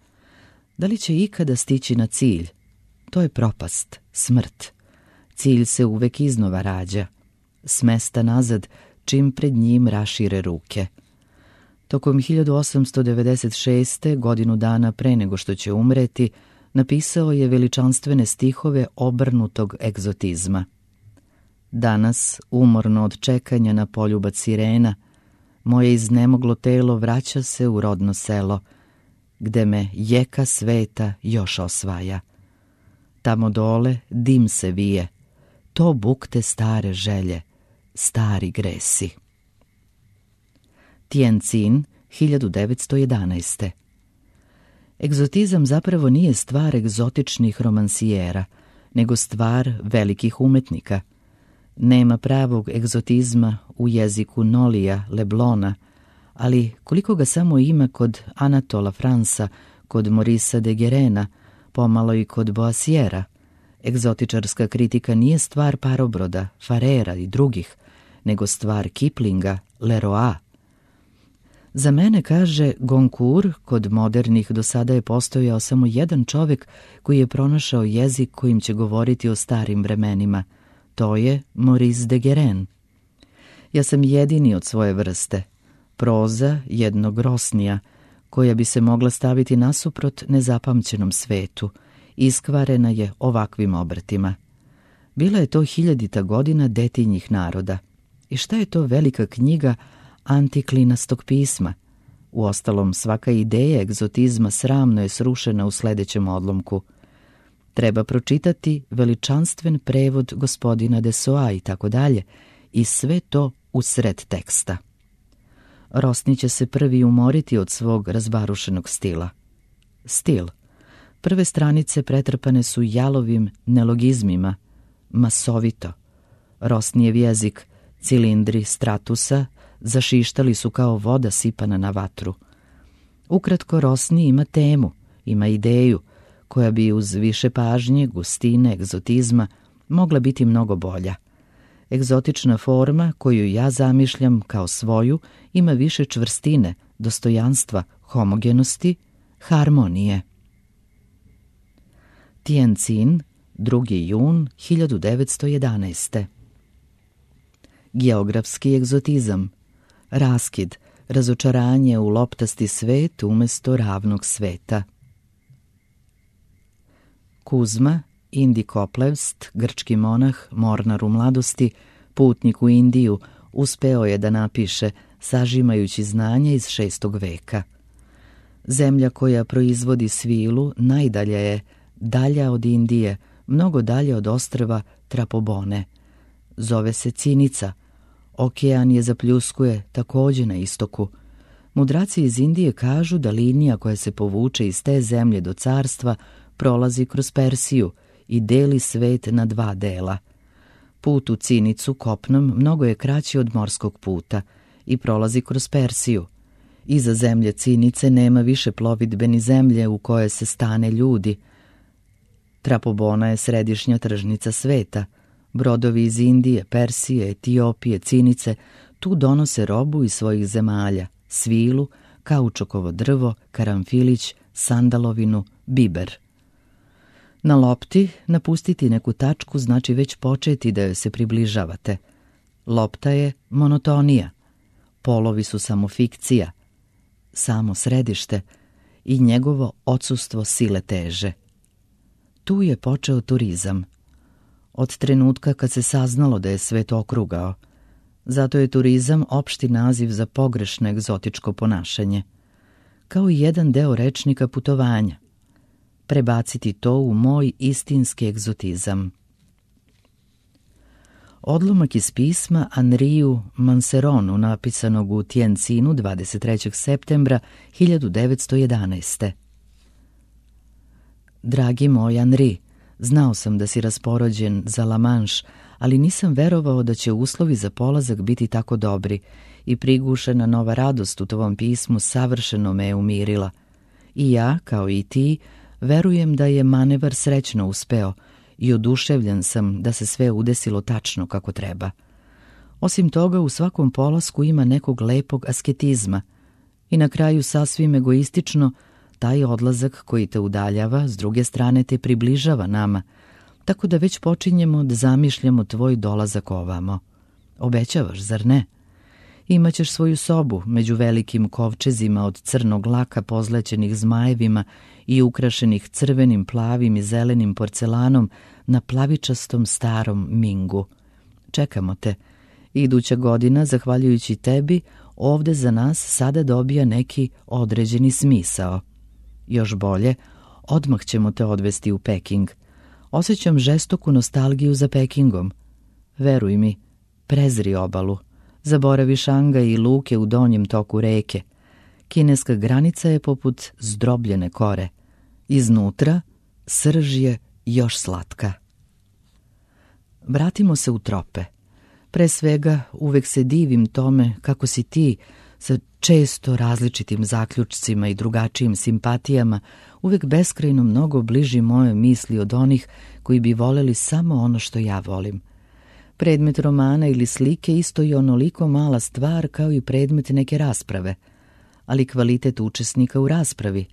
Da li će ikada stići na cilj? To je propast, smrt. Cilj se uvek iznova rađa. S mesta nazad, čim pred njim rašire ruke. Tokom hiljadu osamsto devedeset šeste. godinu dana pre nego što će umreti, napisao je veličanstvene stihove obrnutog egzotizma. Danas, umorno od čekanja na poljubac sirena, moje iznemoglo telo vraća se u rodno selo, gde me jeka sveta još osvaja. Tamo dole dim se vije, to bukte stare želje, stari gresi. Tientsin, hiljadu devetsto jedanaeste. Egzotizam zapravo nije stvar egzotičnih romansijera, nego stvar velikih umetnika. Nema pravog egzotizma u jeziku Nolija, Leblona, ali koliko ga samo ima kod Anatola Fransa, kod Morisa de Guerena, pomalo i kod Boasiera. Egzotičarska kritika nije stvar Parobroda, Farera i drugih, nego stvar Kiplinga, Leroa. Za mene, kaže Goncourt, kod modernih do sada je postojao samo jedan čovjek koji je pronašao jezik kojim će govoriti o starim vremenima. To je Maurice de Guérin. Ja sam jedini od svoje vrste, proza jednog Rosnija, koja bi se mogla staviti nasuprot nezapamćenom svetu, iskvarena je ovakvim obrtima. Bila je to hiljadita godina detinjih naroda. I šta je to velika knjiga antiklinastog pisma? Uostalom, svaka ideja egzotizma sramno je srušena u sledećem odlomku. Treba pročitati veličanstven prevod gospodina Desoa i tako dalje, i sve to u sred teksta. Rosni će se prvi umoriti od svog razbarušenog stila. Stil. Prve stranice pretrpane su jalovim nelogizmima, masovito. Rosnijev jezik, cilindri stratusa, zašištali su kao voda sipana na vatru. Ukratko, Rosni ima temu, ima ideju, koja bi uz više pažnje, gustine, egzotizma mogla biti mnogo bolja. Egzotična forma koju ja zamišljam kao svoju ima više čvrstine, dostojanstva, homogenosti, harmonije. Tientsin, drugi jun hiljadu devetsto jedanaeste. Geografski egzotizam. Raskid, razočaranje u loptasti svet umjesto ravnog sveta. Kuzma, Indikoplevst, grčki monah, mornar u mladosti, putnik u Indiju, uspeo je da napiše, sažimajući znanje iz šestog veka. Zemlja koja proizvodi svilu najdalja je, dalja od Indije, mnogo dalje od ostrva Trapobone. Zove se Cinica. Okean je zapljuskuje takođe na istoku. Mudraci iz Indije kažu da linija koja se povuče iz te zemlje do carstva prolazi kroz Persiju i deli svet na dva dela. Put u Cinicu kopnom mnogo je kraći od morskog puta i prolazi kroz Persiju. Iza zemlje Cinice nema više plovidbe ni zemlje u koje se stane ljudi. Trapobona je središnja tržnica sveta. Brodovi iz Indije, Persije, Etiopije, Cinice tu donose robu iz svojih zemalja, svilu, kaučukovo drvo, karamfilić, sandalovinu, biber. Na lopti napustiti neku tačku znači već početi da joj se približavate. Lopta je monotonija, polovi su samo fikcija, samo središte i njegovo odsustvo sile teže. Tu je počeo turizam. Od trenutka kad se saznalo da je svet okrugao. Zato je turizam opšti naziv za pogrešno egzotičko ponašanje. Kao i jedan deo rečnika putovanja. Prebaciti to u moj istinski egzotizam. Odlomak iz pisma Henriu Manceronu napisanog u Tientinu dvadeset trećeg septembra hiljadu devetsto jedanaeste. Dragi moj Henri, znao sam da si rasporođen za La Manche, ali nisam verovao da će uslovi za polazak biti tako dobri i prigušena nova radost u tvom pismu savršeno me je umirila. I ja, kao i ti, verujem da je manevar srećno uspeo i oduševljen sam da se sve udesilo tačno kako treba. Osim toga, u svakom polasku ima nekog lepog asketizma i na kraju sasvim egoistično taj odlazak koji te udaljava, s druge strane te približava nama, tako da već počinjemo da zamišljamo tvoj dolazak ovamo. Obećavaš, zar ne? Imaćeš svoju sobu među velikim kovčezima od crnog laka pozlećenih zmajevima i ukrašenih crvenim, plavim i zelenim porcelanom na plavičastom starom mingu. Čekamo te. Iduća godina, zahvaljujući tebi, ovde za nas sada dobija neki određeni smisao. Još bolje, odmah ćemo te odvesti u Peking. Osjećam žestoku nostalgiju za Pekingom. Veruj mi, prezri obalu. Zaboravi Šangaj i luke u donjem toku reke. Kineska granica je poput zdrobljene kore. Iznutra srž je još slatka. Vratimo se u trope. Pre svega, uvek se divim tome kako si ti, sa često različitim zaključcima i drugačijim simpatijama, uvek beskrajno mnogo bliži moje misli od onih koji bi voleli samo ono što ja volim. Predmet romana ili slike isto je onoliko mala stvar kao i predmet neke rasprave, ali kvalitet učesnika u raspravi.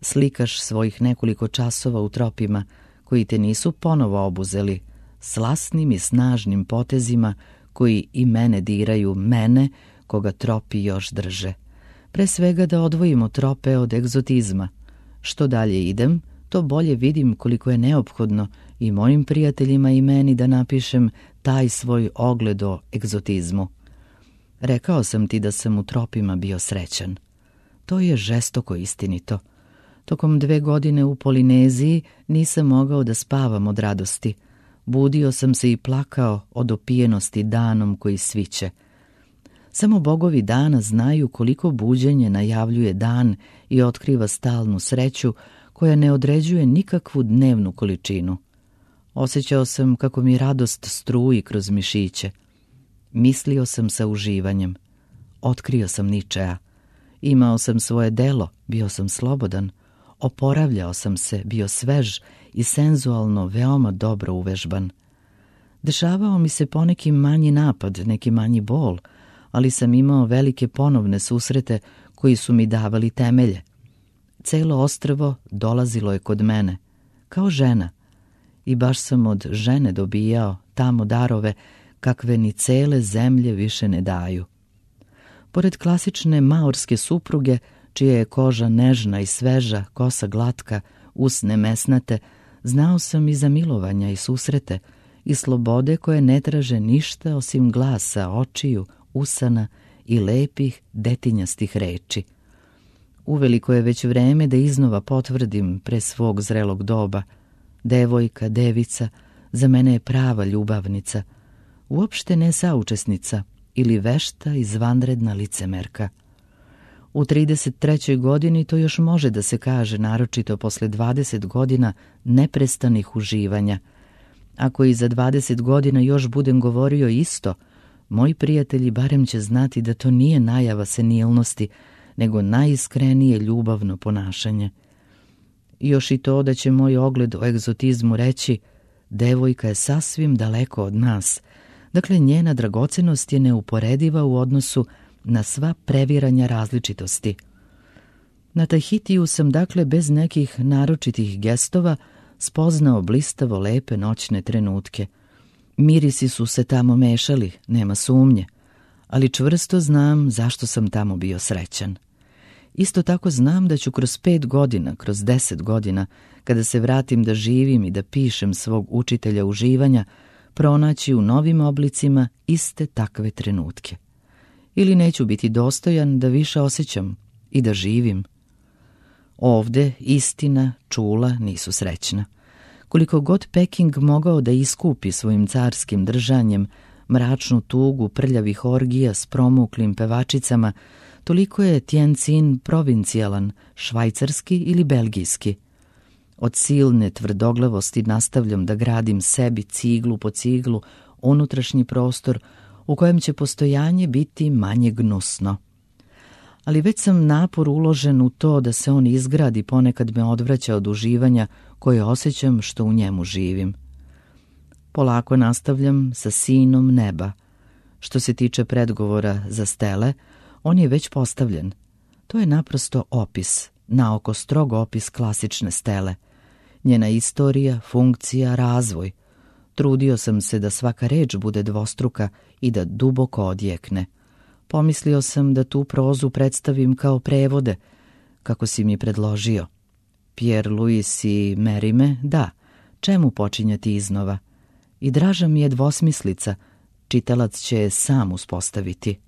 Slikaš svojih nekoliko časova u tropima koji te nisu ponovo obuzeli, slasnim i snažnim potezima koji i mene diraju, mene koga tropi još drže. Pre svega da odvojimo trope od egzotizma. Što dalje idem, to bolje vidim koliko je neophodno i mojim prijateljima i meni da napišem taj svoj ogled o egzotizmu. Rekao sam ti da sam u tropima bio srećan. To je žestoko istinito. Tokom dve godine u Polineziji nisam mogao da spavam od radosti. Budio sam se i plakao od opijenosti danom koji sviće. Samo bogovi dana znaju koliko buđenje najavljuje dan i otkriva stalnu sreću koja ne određuje nikakvu dnevnu količinu. Osjećao sam kako mi radost struji kroz mišiće. Mislio sam sa uživanjem. Otkrio sam Ničea. Imao sam svoje delo, bio sam slobodan. Oporavljao sam se, bio svež i senzualno veoma dobro uvežban. Dešavao mi se poneki manji napad, neki manji bol, ali sam imao velike ponovne susrete koji su mi davali temelje. Celo ostrvo dolazilo je kod mene, kao žena, i baš sam od žene dobijao tamo darove kakve ni cele zemlje više ne daju. Pored klasične maorske supruge, čija je koža nežna i sveža, kosa glatka, usne mesnate, znao sam i za milovanja i susrete i slobode koje ne traže ništa osim glasa, očiju, usana i lepih detinjastih reči. Uveliko je već vreme da iznova potvrdim pre svog zrelog doba. Devojka, devica, za mene je prava ljubavnica, uopšte ne saučesnica ili vešta izvanredna licemerka. U trideset trećoj godini to još može da se kaže, naročito posle dvadeset godina neprestanih uživanja. Ako i za dvadeset godina još budem govorio isto, moji prijatelji barem će znati da to nije najava senilnosti, nego najiskrenije ljubavno ponašanje. Još i to da će moj ogled o egzotizmu reći, devojka je sasvim daleko od nas, dakle njena dragocenost je neuporediva u odnosu na sva previranja različitosti. Na Tahitiju sam dakle bez nekih naročitih gestova spoznao blistavo lepe noćne trenutke. Mirisi su se tamo mešali, nema sumnje, ali čvrsto znam zašto sam tamo bio srećan. Isto tako znam da ću kroz pet godina, kroz deset godina, kada se vratim da živim i da pišem svog učitelja uživanja, pronaći u novim oblicima iste takve trenutke. Ili neću biti dostojan da više osjećam i da živim. Ovde istina, čula nisu srećna. Koliko god Peking mogao da iskupi svojim carskim držanjem, mračnu tugu prljavih orgija s promuklim pevačicama, toliko je Tientsin provincijalan, švajcarski ili belgijski. Od silne tvrdoglavosti nastavljam da gradim sebi ciglu po ciglu unutrašnji prostor u kojem će postojanje biti manje gnusno. Ali već sam napor uložen u to da se on izgradi, ponekad me odvraća od uživanja koje osjećam što u njemu živim. Polako nastavljam sa Sinom neba. Što se tiče predgovora za stele, on je već postavljen. To je naprosto opis, naoko strog opis klasične stele. Njena istorija, funkcija, razvoj. Trudio sam se da svaka reč bude dvostruka i da duboko odjekne. Pomislio sam da tu prozu predstavim kao prevode, kako si mi predložio. Pierre Louis i Merime, da, čemu počinjati iznova? I draža mi je dvosmislica, čitalac će je sam uspostaviti.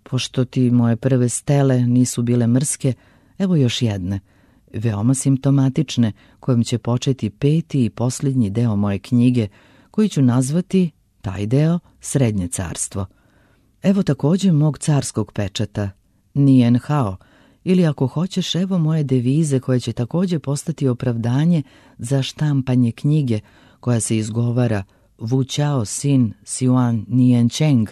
Pošto ti moje prve stele nisu bile mrske, evo još jedne, veoma simptomatične, kojom će početi peti i posljednji deo moje knjige, koji ću nazvati, taj deo, Srednje carstvo. Evo također mog carskog pečata, Nien Hao, ili ako hoćeš, evo moje devize koje će također postati opravdanje za štampanje knjige koja se izgovara Wu Chao Sin Siuan Nien Cheng,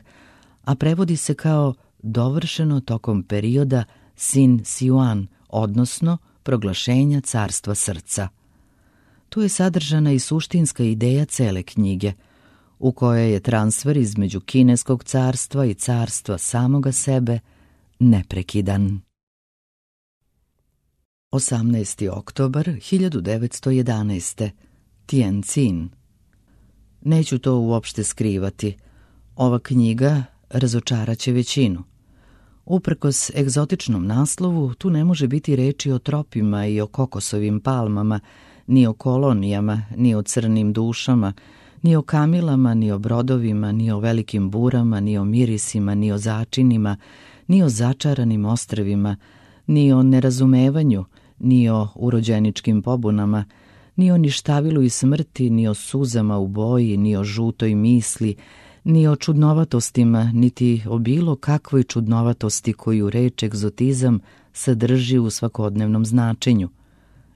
a prevodi se kao dovršeno tokom perioda Sin Siuan, odnosno proglašenja carstva srca. Tu je sadržana i suštinska ideja cele knjige, u kojoj je transfer između kineskog carstva i carstva samoga sebe neprekidan. osamnaesti oktobar hiljadu devetsto jedanaeste. Tientsin. Neću to uopšte skrivati. Ova knjiga razočaraće većinu. Uprkos egzotičnom naslovu, tu ne može biti reči o tropima i o kokosovim palmama, ni o kolonijama, ni o crnim dušama, ni o kamilama, ni o brodovima, ni o velikim burama, ni o mirisima, ni o začinima, ni o začaranim ostrvima, ni o nerazumevanju, ni o urođeničkim pobunama, ni o ništavilu i smrti, ni o suzama u boji, ni o žutoj misli, ni o čudnovatostima, niti o bilo kakvoj čudnovatosti koju reč egzotizam sadrži u svakodnevnom značenju.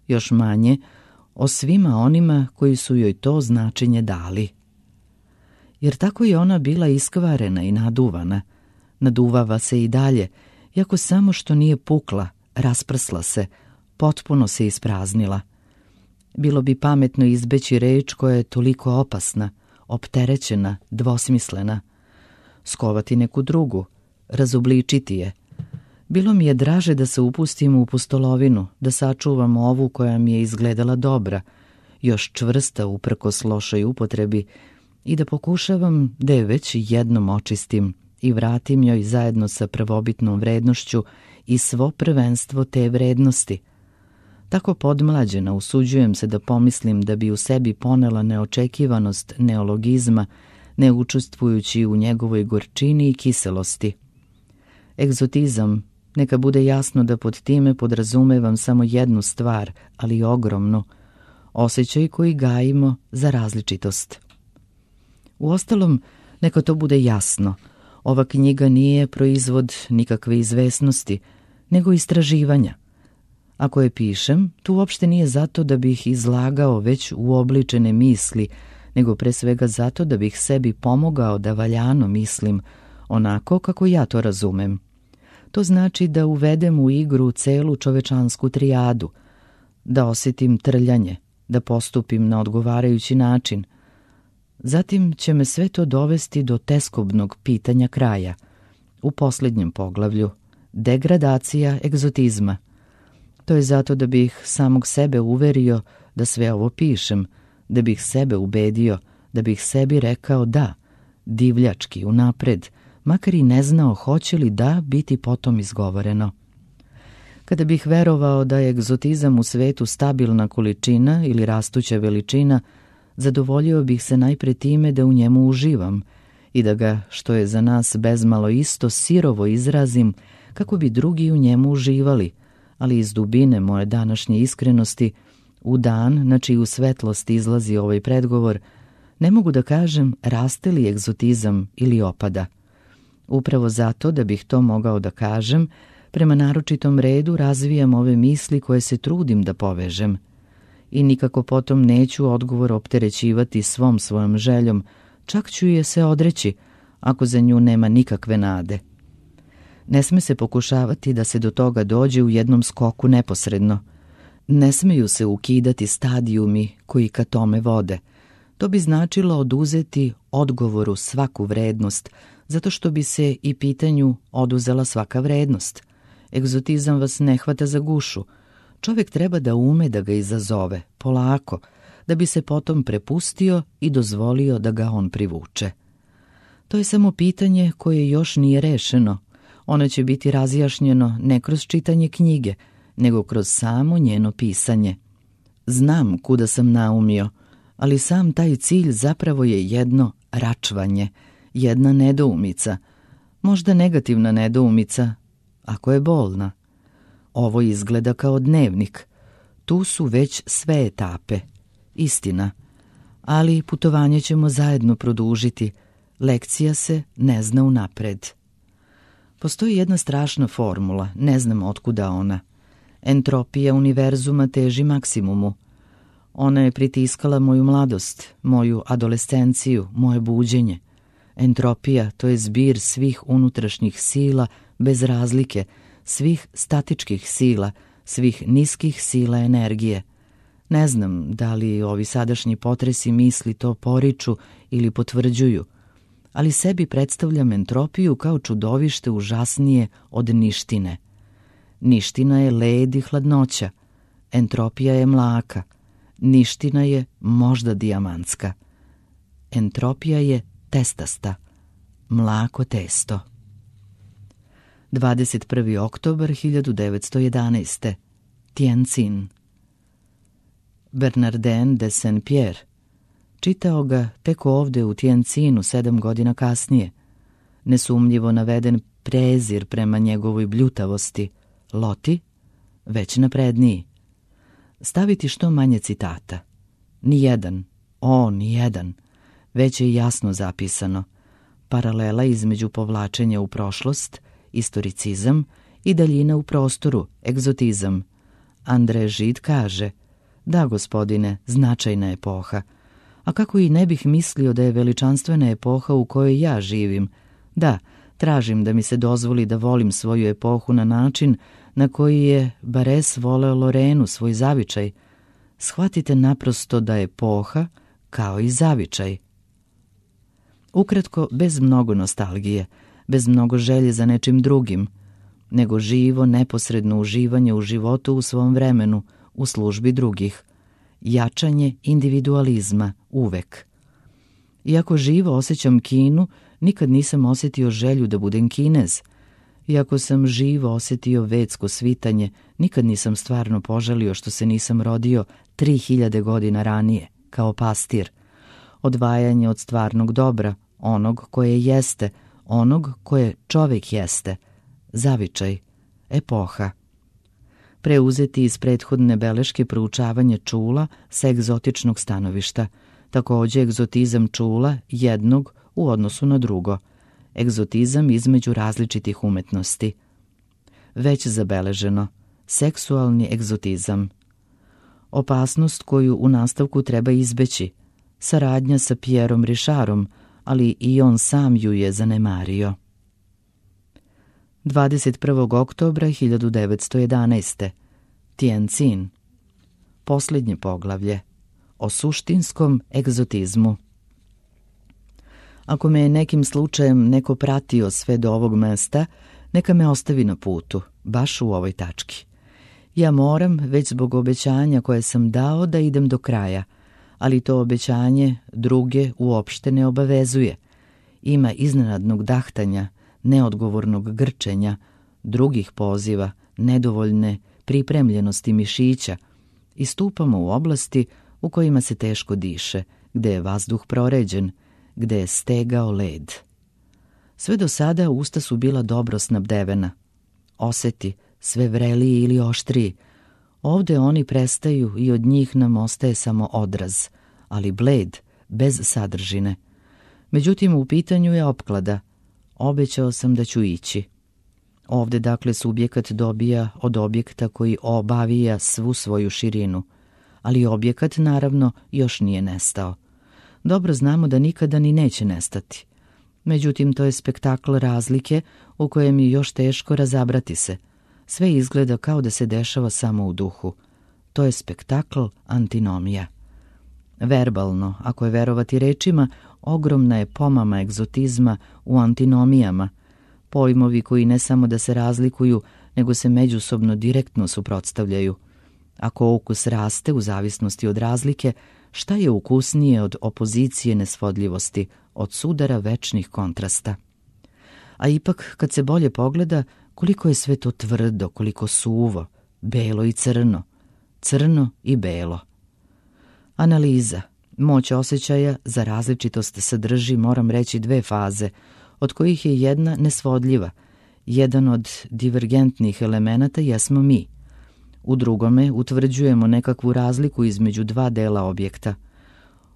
Još manje o svima onima koji su joj to značenje dali. Jer tako je ona bila iskvarena i naduvana. Naduvava se i dalje, iako samo što nije pukla, rasprsla se, potpuno se ispraznila. Bilo bi pametno izbeći reč koja je toliko opasna, opterećena, dvosmislena. Skovati neku drugu, razobličiti je. Bilo mi je draže da se upustim u pustolovinu, da sačuvam ovu koja mi je izgledala dobra, još čvrsta uprkos lošoj upotrebi, i da pokušavam da je već jednom očistim i vratim joj zajedno sa prvobitnom vrednošću i svo prvenstvo te vrednosti. Tako podmlađena usuđujem se da pomislim da bi u sebi ponela neočekivanost neologizma, ne učestvujući u njegovoj gorčini i kiselosti. Egzotizam, neka bude jasno da pod time podrazumevam samo jednu stvar, ali ogromnu, osjećaj koji gajimo za različitost. Uostalom, neka to bude jasno, ova knjiga nije proizvod nikakve izvesnosti, nego istraživanja. Ako je pišem, tu uopšte nije zato da bih izlagao već uobličene misli, nego pre svega zato da bih sebi pomogao da valjano mislim, onako kako ja to razumem. To znači da uvedem u igru celu čovečansku trijadu, da osjetim trljanje, da postupim na odgovarajući način. Zatim će me sve to dovesti do teskobnog pitanja kraja, u posljednjem poglavlju, degradacija egzotizma. To je zato da bih samog sebe uverio da sve ovo pišem, da bih sebe ubedio, da bih sebi rekao da, divljački, unapred, makar i ne znao hoće li da biti potom izgovoreno. Kada bih verovao da je egzotizam u svetu stabilna količina ili rastuća veličina, zadovoljio bih se najpre time da u njemu uživam i da ga, što je za nas bezmalo isto, sirovo izrazim kako bi drugi u njemu uživali, ali iz dubine moje današnje iskrenosti, u dan na čiju svetlost izlazi ovaj predgovor, Ne mogu da kažem raste li egzotizam ili opada. Upravo zato da bih to mogao da kažem, prema naročitom redu razvijam ove misli koje se trudim da povežem. I nikako potom neću odgovor opterećivati svom svojom željom, čak ću je se odreći, ako za nju nema nikakve nade. Ne sme se pokušavati da se do toga dođe u jednom skoku neposredno. Ne smeju se ukidati stadijumi koji ka tome vode. To bi značilo oduzeti odgovoru svaku vrednost, zato što bi se i pitanju oduzela svaka vrednost. Egzotizam vas ne hvata za gušu. Čovjek treba da ume da ga izazove, polako, da bi se potom prepustio i dozvolio da ga on privuče. To je samo pitanje koje još nije rešeno. Ono će biti razjašnjeno ne kroz čitanje knjige, nego kroz samo njeno pisanje. Znam kuda sam naumio, ali sam taj cilj zapravo je jedno račvanje, jedna nedoumica, možda negativna nedoumica, ako je bolna. Ovo izgleda kao dnevnik. Tu su već sve etape. Istina. Ali putovanje ćemo zajedno produžiti. Lekcija se ne zna unapred. Postoji jedna strašna formula, ne znam otkuda ona. Entropija univerzuma teži maksimumu. Ona je pritiskala moju mladost, moju adolescenciju, moje buđenje. Entropija, to je zbir svih unutrašnjih sila bez razlike, svih statičkih sila, svih niskih sila energije. Ne znam da li ovi sadašnji potresi misli to poriču ili potvrđuju, ali sebi predstavljam entropiju kao čudovište užasnije od ništine. Niština je led i hladnoća, entropija je mlaka, niština je možda dijamantska. Entropija je testasta, mlako testo. dvadeset prvi oktobar hiljadu devetsto jedanaeste. Tientsin. Bernardin de Saint-Pierre. Čitao ga tek ovde u Tientsinu sedam godina kasnije. Nesumnjivo naveden prezir prema njegovoj bljutavosti. Loti, već napredniji. Staviti što manje citata. Nijedan, o, nijedan. Već je jasno zapisano. Paralela između povlačenja u prošlost, istoricizam, i daljina u prostoru, egzotizam. André Gide kaže: da, gospodine, značajna epoha. A kako i ne bih mislio da je veličanstvena epoha u kojoj ja živim. Da, tražim da mi se dozvoli da volim svoju epohu na način na koji je Bares voleo Lorenu, svoj zavičaj. Shvatite naprosto da je epoha kao i zavičaj. Ukratko, bez mnogo nostalgije, bez mnogo želje za nečim drugim, nego živo, neposredno uživanje u životu u svom vremenu, u službi drugih. Jačanje individualizma uvek. Iako živo osjećam Kinu, nikad nisam osjetio želju da budem Kinez. Iako sam živo osjetio vedsko svitanje, nikad nisam stvarno poželio što se nisam rodio tri hiljade godina ranije, kao pastir. Odvajanje od stvarnog dobra, onog koje jeste, onog koje čovjek jeste, zavičaj, epoha. Preuzeti iz prethodne beleške proučavanje čula sa egzotičnog stanovišta, također egzotizam čula jednog u odnosu na drugo, egzotizam između različitih umetnosti. Već zabeleženo, seksualni egzotizam. Opasnost koju u nastavku treba izbeći, saradnja sa Pierom Richardom, ali i on sam ju je zanemario. dvadeset prvog oktobra hiljadu devetsto jedanaeste. Tientsin. Posljednje poglavlje. O suštinskom egzotizmu. Ako me je nekim slučajem neko pratio sve do ovog mesta, neka me ostavi na putu, baš u ovoj tački. Ja moram, već zbog obećanja koje sam dao, da idem do kraja, ali to obećanje druge uopšte ne obavezuje. Ima iznenadnog dahtanja, neodgovornog grčenja, drugih poziva, nedovoljne pripremljenosti mišića i stupamo u oblasti u kojima se teško diše, gde je vazduh proređen, gde je stegao led. Sve do sada usta su bila dobro snabdevena. Oseti, sve vreliji ili oštriji. Ovde oni prestaju i od njih nam ostaje samo odraz, ali bled, bez sadržine. Međutim, u pitanju je opklada. Obećao sam da ću ići. Ovde, dakle, subjekat dobija od objekta koji obavija svu svoju širinu, ali objekat, naravno, još nije nestao. Dobro znamo da nikada ni neće nestati. Međutim, to je spektakl razlike u kojem je još teško razabrati se. Sve izgleda kao da se dešava samo u duhu. To je spektakl antinomija. Verbalno, ako je verovati rečima, ogromna je pomama egzotizma u antinomijama, pojmovi koji ne samo da se razlikuju, nego se međusobno direktno suprotstavljaju. Ako ukus raste u zavisnosti od razlike, šta je ukusnije od opozicije nesvodljivosti, od sudara večnih kontrasta? A ipak, kad se bolje pogleda, koliko je sve to tvrdo, koliko suvo, belo i crno, crno i belo. Analiza, moć osjećaja za različitost sadrži, moram reći, dve faze, od kojih je jedna nesvodljiva. Jedan od divergentnih elemenata jesmo mi. U drugome utvrđujemo nekakvu razliku između dva dela objekta.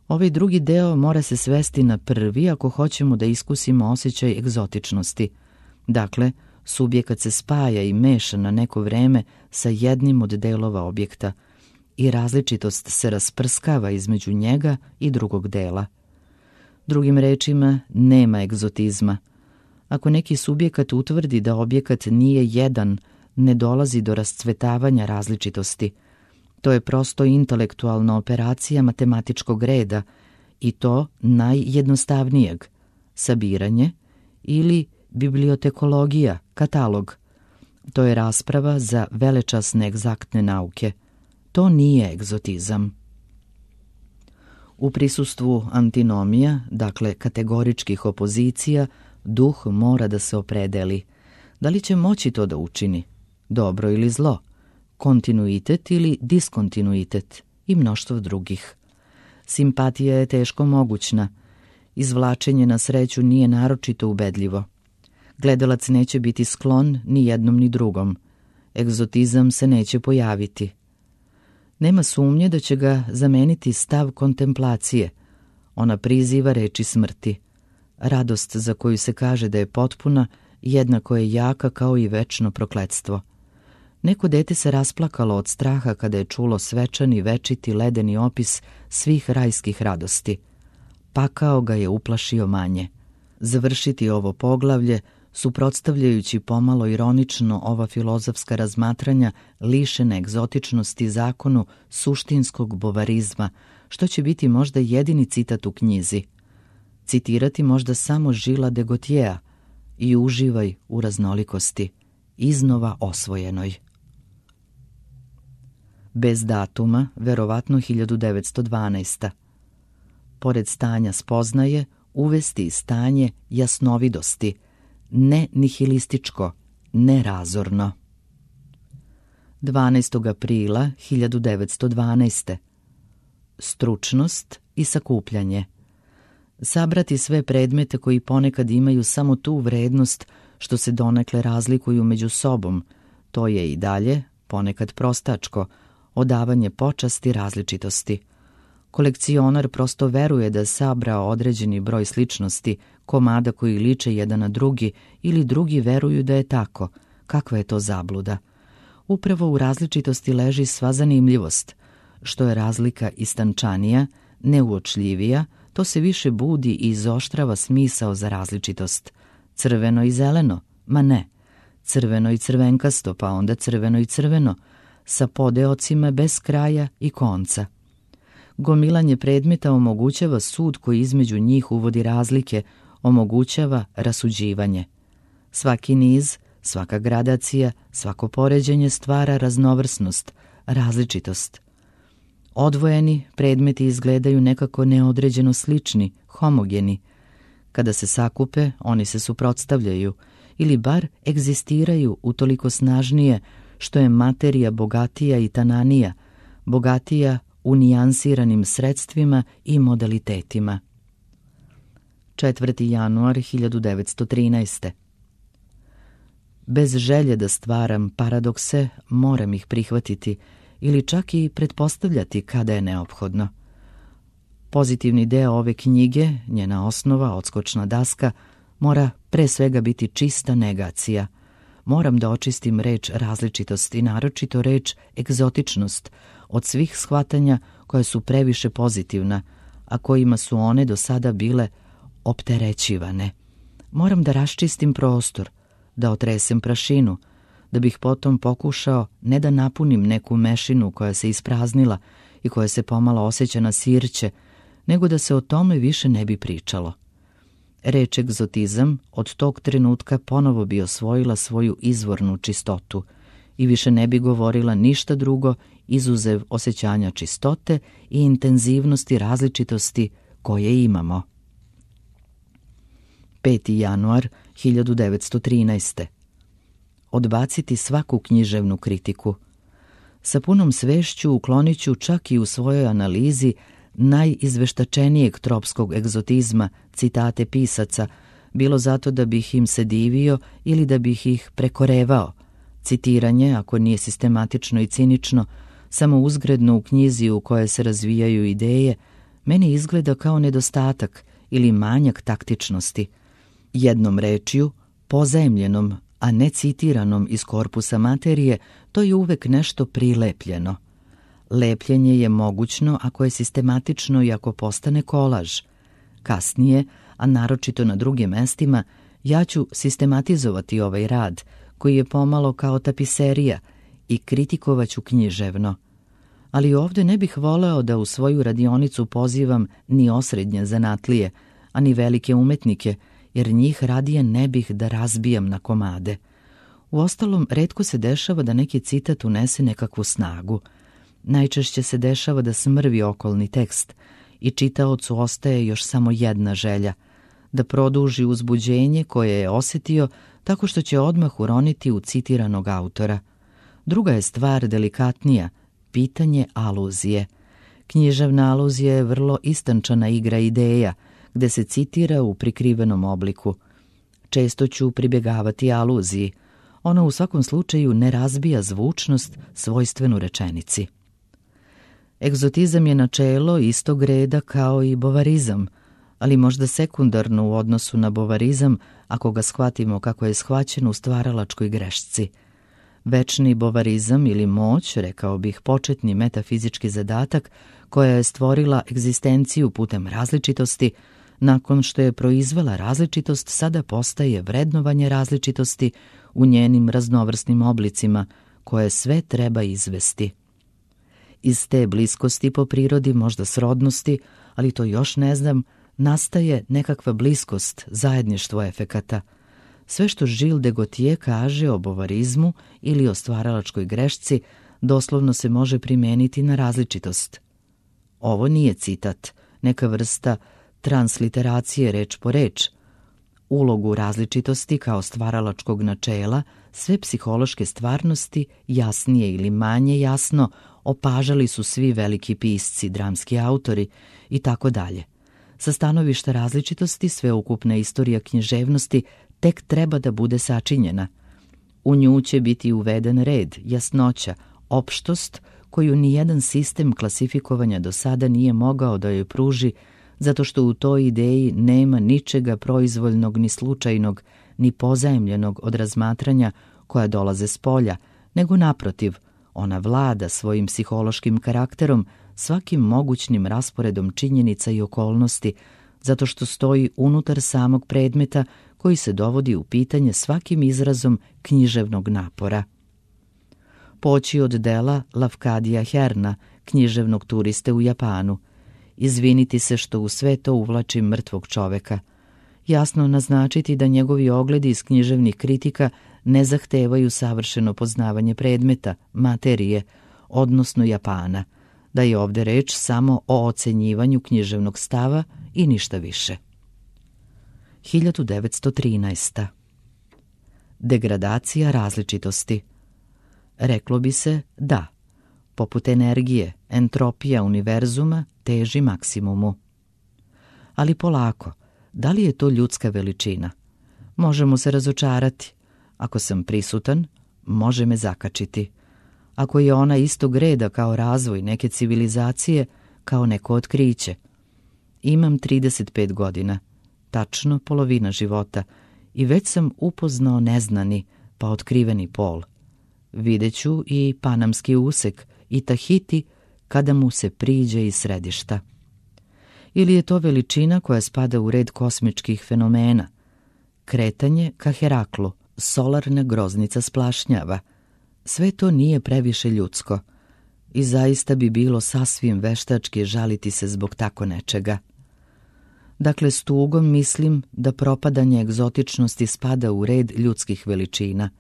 Ovaj drugi deo mora se svesti na prvi ako hoćemo da iskusimo osjećaj egzotičnosti. Dakle, subjekat se spaja i meša na neko vreme sa jednim od delova objekta i različitost se rasprskava između njega i drugog dela. Drugim rečima, nema egzotizma. Ako neki subjekat utvrdi da objekat nije jedan, ne dolazi do rascvetavanja različitosti. To je prosto intelektualna operacija matematičkog reda i to najjednostavnijeg, sabiranje ili bibliotekologija, katalog. To je rasprava za velečasne egzaktne nauke. To nije egzotizam. U prisustvu antinomija, dakle kategoričkih opozicija, duh mora da se opredeli. Da li će moći to da učini? Dobro ili zlo? Kontinuitet ili diskontinuitet i mnoštvo drugih. Simpatija je teško mogućna. Izvlačenje na sreću nije naročito ubedljivo. Gledalac neće biti sklon ni jednom ni drugom. Egzotizam se neće pojaviti. Nema sumnje da će ga zameniti stav kontemplacije. Ona priziva reči smrti. Radost za koju se kaže da je potpuna, jednako je jaka kao i večno prokletstvo. Neko dete se rasplakalo od straha kada je čulo svečani, večiti, ledeni opis svih rajskih radosti. Pakao ga je uplašio manje. Završiti ovo poglavlje, suprotstavljajući pomalo ironično ova filozofska razmatranja lišene egzotičnosti zakonu suštinskog bovarizma, što će biti možda jedini citat u knjizi. Citirati možda samo Žila de Gautiera i uživaj u raznolikosti, iznova osvojenoj. Bez datuma, verovatno hiljadu devetsto dvanaesta. Pored stanja spoznaje, uvesti stanje jasnovidosti, ne nihilističko, ne razorno. dvanaestog aprila hiljadu devetsto dvanaeste. Stručnost i sakupljanje. Sabrati sve predmete koji ponekad imaju samo tu vrednost što se donekle razlikuju među sobom, to je i dalje, ponekad prostačko, odavanje počasti različitosti. Kolekcionar prosto veruje da sabrao određeni broj sličnosti, komada koji liče jedan na drugi, ili drugi veruju da je tako. Kakva je to zabluda? Upravo u različitosti leži sva zanimljivost. Što je razlika istančanija, neuočljivija, to se više budi i izoštrava smisao za različitost. Crveno i zeleno? Ma ne. Crveno i crvenkasto, pa onda crveno i crveno, sa podeocima bez kraja i konca. Gomilanje predmeta omogućava sud koji između njih uvodi razlike, omogućava rasuđivanje. Svaki niz, svaka gradacija, svako poređenje stvara raznovrsnost, različitost. Odvojeni predmeti izgledaju nekako neodređeno slični, homogeni. Kada se sakupe, oni se suprotstavljaju ili bar egzistiraju utoliko snažnije što je materija bogatija i tananija, bogatija u nijansiranim sredstvima i modalitetima. četvrti januar hiljadu devetsto trinaeste. Bez želje da stvaram paradokse, moram ih prihvatiti ili čak i pretpostavljati kada je neophodno. Pozitivni deo ove knjige, njena osnova, odskočna daska, mora pre svega biti čista negacija. Moram da očistim reč različitost i naročito reč egzotičnost od svih shvatanja koja su previše pozitivna, a kojima su one do sada bile opterećivane. Moram da raščistim prostor, da otresem prašinu, da bih potom pokušao ne da napunim neku mešinu koja se ispraznila i koja se pomalo osjeća na sirće, nego da se o tome više ne bi pričalo. Reč egzotizam od tog trenutka ponovo bi osvojila svoju izvornu čistotu i više ne bi govorila ništa drugo izuzev osjećanja čistote i intenzivnosti različitosti koje imamo. peti januar hiljadu devetsto trinaeste. Odbaciti svaku književnu kritiku. Sa punom svešću uklonit ću čak i u svojoj analizi najizveštačenijeg tropskog egzotizma citate pisaca, bilo zato da bih im se divio ili da bih ih prekorevao. Citiranje, ako nije sistematično i cinično, samo uzgredno u knjizi u kojoj se razvijaju ideje, meni izgleda kao nedostatak ili manjak taktičnosti. Jednom rečju, pozajemljenom, a ne citiranom iz korpusa materije, to je uvek nešto prilepljeno. Lepljenje je mogućno ako je sistematično i ako postane kolaž. Kasnije, a naročito na drugim mestima, ja ću sistematizovati ovaj rad, koji je pomalo kao tapiserija, i kritikovaću književno. Ali ovde ne bih voleo da u svoju radionicu pozivam ni osrednje zanatlije, a ni velike umetnike, jer njih radije ne bih da razbijam na komade. Uostalom, retko se dešava da neki citat unese nekakvu snagu. Najčešće se dešava da smrvi okolni tekst i čitaocu ostaje još samo jedna želja, da produži uzbuđenje koje je osjetio tako što će odmah uroniti u citiranog autora. Druga je stvar delikatnija, pitanje aluzije. Književna aluzija je vrlo istančana igra ideja, gde se citira u prikrivenom obliku. Često ću pribjegavati aluziji. Ona u svakom slučaju ne razbija zvučnost svojstvenu rečenici. Egzotizam je načelo istog reda kao i bovarizam, ali možda sekundarno u odnosu na bovarizam ako ga shvatimo kako je shvaćen u stvaralačkoj grešci. Večni bovarizam ili moć, rekao bih početni metafizički zadatak, koja je stvorila egzistenciju putem različitosti, nakon što je proizvela različitost, sada postaje vrednovanje različitosti u njenim raznovrsnim oblicima, koje sve treba izvesti. Iz te bliskosti po prirodi, možda srodnosti, ali to još ne znam, nastaje nekakva bliskost, zajedništvo efekata. Sve što Gilles de Gautier kaže o bovarizmu ili o stvaralačkoj grešci doslovno se može primijeniti na različitost. Ovo nije citat, neka vrsta transliteracije reč po reč. Ulogu različitosti kao stvaralačkog načela, sve psihološke stvarnosti, jasnije ili manje jasno, opažali su svi veliki pisci, dramski autori i tako dalje. Sa stanovišta različitosti, sveukupna istorija književnosti tek treba da bude sačinjena. U nju će biti uveden red, jasnoća, opštost koju nijedan sistem klasifikovanja do sada nije mogao da joj pruži, zato što u toj ideji nema ničega proizvoljnog ni slučajnog, ni pozajemljenog od razmatranja koja dolaze s polja, nego naprotiv, ona vlada svojim psihološkim karakterom, svakim mogućnim rasporedom činjenica i okolnosti, zato što stoji unutar samog predmeta koji se dovodi u pitanje svakim izrazom književnog napora. Poći od dela Lafcadia Hearna, književnog turiste u Japanu, izviniti se što u sve to uvlačim mrtvog čoveka, jasno naznačiti da njegovi ogledi iz književnih kritika ne zahtevaju savršeno poznavanje predmeta, materije, odnosno Japana, da je ovde reč samo o ocenjivanju književnog stava i ništa više. hiljadu devetsto trinaesta. Degradacija različitosti. Reklo bi se da, poput energije, entropija univerzuma teži maksimumu. Ali polako, da li je to ljudska veličina? Možemo se razočarati. Ako sam prisutan, može me zakačiti. Ako je ona istog reda kao razvoj neke civilizacije, kao neko otkriće. Imam trideset pet godina, tačno polovina života, i već sam upoznao neznani pa otkriveni pol. Videću i panamski usek i Tahiti kada mu se priđe iz središta. Ili je to veličina koja spada u red kosmičkih fenomena? Kretanje ka Heraklu, solarna groznica splašnjava. Sve to nije previše ljudsko i zaista bi bilo sasvim veštački žaliti se zbog tako nečega. Dakle, s tugom mislim da propadanje egzotičnosti spada u red ljudskih veličina,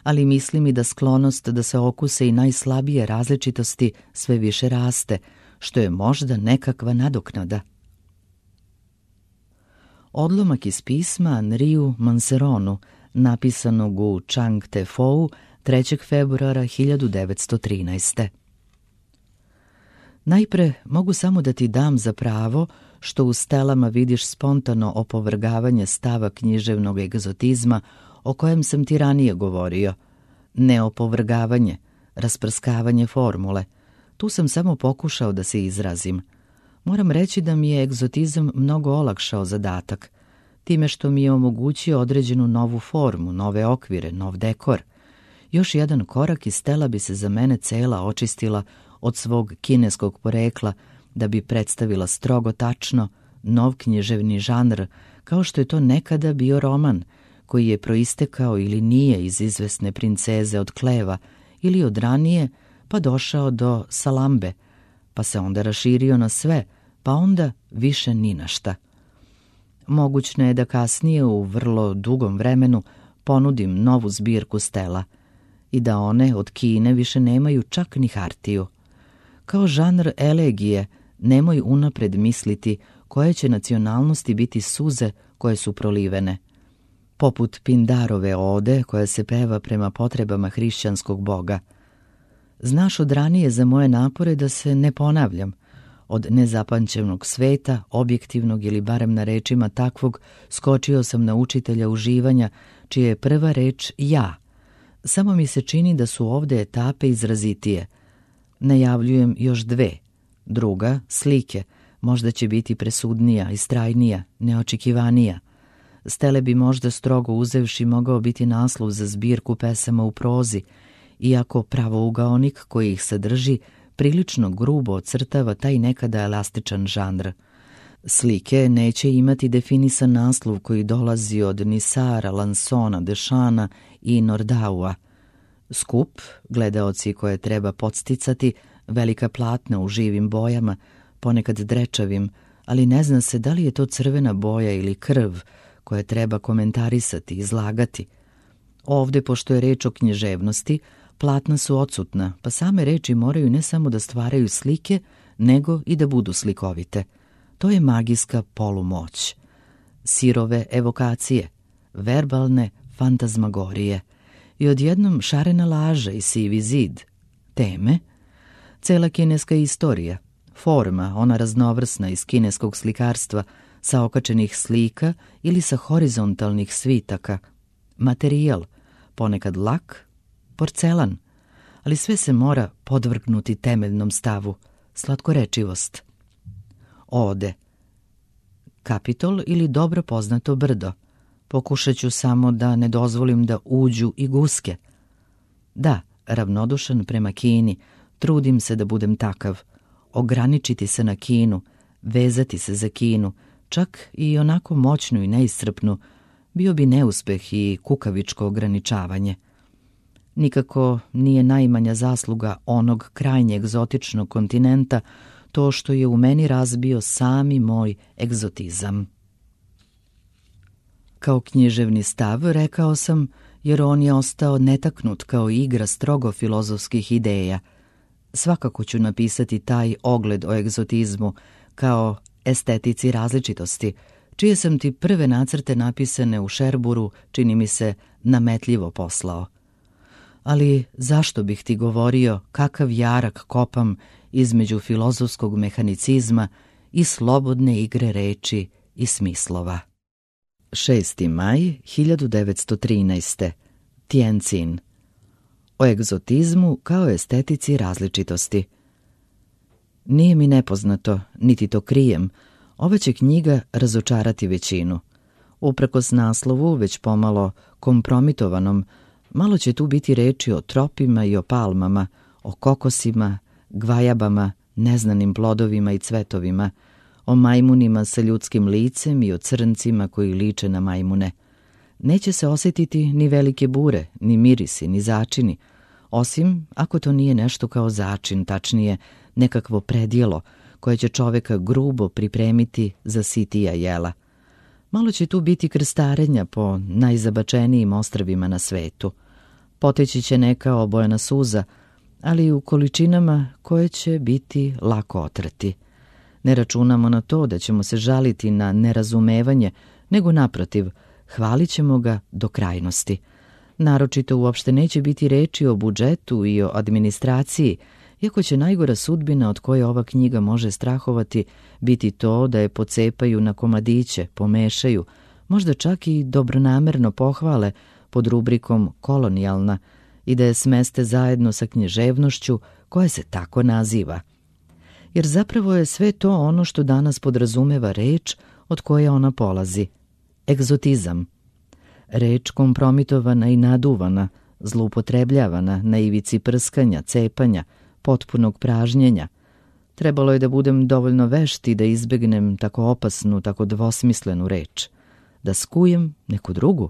ali mislim i da sklonost da se okuse i najslabije različitosti sve više raste, što je možda nekakva nadoknada. Odlomak iz pisma Henriu Manceronu, napisanog u Chang Te Fou trećeg februara hiljadu devetsto trinaeste. Najpre mogu samo da ti dam za pravo što u stelama vidiš spontano opovrgavanje stava književnog egzotizma o kojem sam ti ranije govorio. Ne opovrgavanje, rasprskavanje formule. Tu sam samo pokušao da se izrazim. Moram reći da mi je egzotizam mnogo olakšao zadatak, time što mi je omogućio određenu novu formu, nove okvire, nov dekor. Još jedan korak i stela bi se za mene cela očistila od svog kineskog porekla da bi predstavila strogo tačno nov književni žanr, kao što je to nekada bio roman, koji je proistekao ili nije iz izvesne princeze od Kleva ili od ranije, pa došao do Salambe, pa se onda raširio na sve, pa onda više ni na šta. Mogućno je da kasnije u vrlo dugom vremenu ponudim novu zbirku stela i da one od Kine više nemaju čak ni hartiju. Kao žanr elegije nemoj unapred misliti koje će nacionalnosti biti suze koje su prolivene. Poput Pindarove ode koja se peva prema potrebama hrišćanskog boga. Znaš od ranije za moje napore da se ne ponavljam. Od nezapamćenog sveta, objektivnog ili barem na rečima takvog, skočio sam na učitelja uživanja, čija je prva reč ja. Samo mi se čini da su ovde etape izrazitije. Najavljujem još dve. Druga, slike, možda će biti presudnija, istrajnija, neočekivanija. Stele bi možda strogo uzevši mogao biti naslov za zbirku pesama u prozi, iako pravougaonik koji ih sadrži prilično grubo ocrtava taj nekada elastičan žanr. Slike neće imati definisan naslov koji dolazi od Nisara, Lansona, Dešana i Nordaua. Skup, gledaoci koje treba podsticati, velika platna u živim bojama, ponekad drečavim, ali ne zna se da li je to crvena boja ili krv koje treba komentarisati, izlagati. Ovde, pošto je reč o književnosti, platna su odsutna, pa same reči moraju ne samo da stvaraju slike, nego i da budu slikovite. To je magijska polumoć. Sirove evokacije, verbalne fantazmagorije i odjednom šarena laža i sivi zid. Teme, cela kineska istorija, forma, ona raznovrsna iz kineskog slikarstva, sa okačenih slika ili sa horizontalnih svitaka, materijal, ponekad lak, porcelan, ali sve se mora podvrgnuti temeljnom stavu, slatkorečivost. Ode, Kapitol ili dobro poznato brdo. Pokušat ću samo da ne dozvolim da uđu i guske. Da, ravnodušan prema Kini, trudim se da budem takav. Ograničiti se na Kinu, vezati se za Kinu, čak i onako moćnu i neiscrpnu, bio bi neuspeh i kukavičko ograničavanje. Nikako nije najmanja zasluga onog krajnje egzotičnog kontinenta to što je u meni razbio sami moj egzotizam. Kao književni stav, rekao sam, jer on je ostao netaknut kao igra strogo filozofskih ideja. Svakako ću napisati taj ogled o egzotizmu kao estetici različitosti, čije sam ti prve nacrte napisane u Šerburu, čini mi se, nametljivo poslao. Ali zašto bih ti govorio kakav jarak kopam između filozofskog mehanicizma i slobodne igre reči i smislova? šesti maj hiljadu devetsto trinaeste. Tiencin. O egzotizmu kao estetici različitosti. Nije mi nepoznato, niti to krijem, Ova će knjiga razočarati većinu. Uprkos naslovu, već pomalo kompromitovanom, malo će tu biti reči o tropima i o palmama, o kokosima, gvajabama, neznanim plodovima i cvetovima, o majmunima sa ljudskim licem i o crncima koji liče na majmune. Neće se osjetiti ni velike bure, ni mirisi, ni začini, osim ako to nije nešto kao začin, tačnije nekakvo predjelo koje će čoveka grubo pripremiti za sitija jela. Malo će tu biti krstarenja po najzabačenijim ostrvima na svetu. Poteći će neka obojena suza, ali u količinama koje će biti lako otrati. Ne računamo na to da ćemo se žaliti na nerazumevanje, nego naprotiv, hvalit ćemo ga do krajnosti. Naročito uopšte neće biti reči o budžetu i o administraciji, iako će najgora sudbina od koje ova knjiga može strahovati biti to da je pocepaju na komadiće, pomešaju, možda čak i dobronamerno pohvale pod rubrikom kolonijalna i da je smeste zajedno sa književnošću koja se tako naziva. Jer zapravo je sve to ono što danas podrazumeva reč od koje ona polazi. Egzotizam. Reč kompromitovana i naduvana, zloupotrebljavana na ivici prskanja, cepanja, potpunog pražnjenja. Trebalo je da budem dovoljno vešti da izbegnem tako opasnu, tako dvosmislenu reč. Da skujem neku drugu.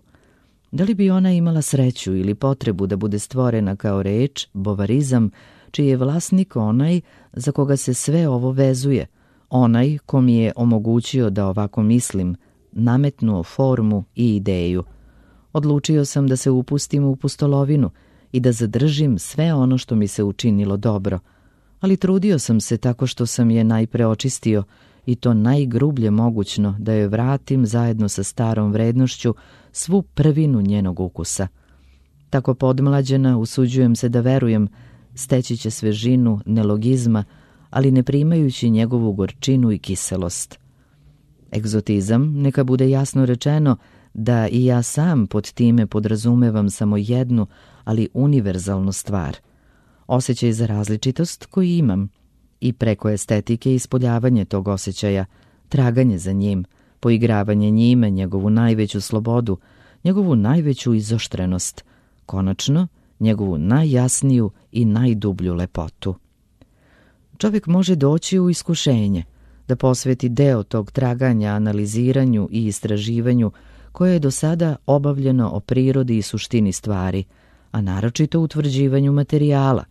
Da li bi ona imala sreću ili potrebu da bude stvorena kao reč, bovarizam, čiji je vlasnik onaj za koga se sve ovo vezuje, onaj ko mi je omogućio da ovako mislim, nametnuo formu i ideju. Odlučio sam da se upustim u pustolovinu i da zadržim sve ono što mi se učinilo dobro, ali trudio sam se tako što sam je najpre očistio i to najgrublje mogućno da joj vratim zajedno sa starom vrednošću svu prvinu njenog ukusa. Tako podmlađena usuđujem se da verujem, steći će svežinu nelogizma, ali ne primajući njegovu gorčinu i kiselost. Egzotizam, neka bude jasno rečeno da i ja sam pod time podrazumevam samo jednu, ali univerzalnu stvar. Osjećaj za različitost koji imam i preko estetike ispoljavanje tog osjećaja, traganje za njim, poigravanje njime, njegovu najveću slobodu, njegovu najveću izoštrenost, konačno njegovu najjasniju i najdublju lepotu. Čovjek može doći u iskušenje, da posveti deo tog traganja analiziranju i istraživanju koje je do sada obavljeno o prirodi i suštini stvari, a naročito utvrđivanju materijala.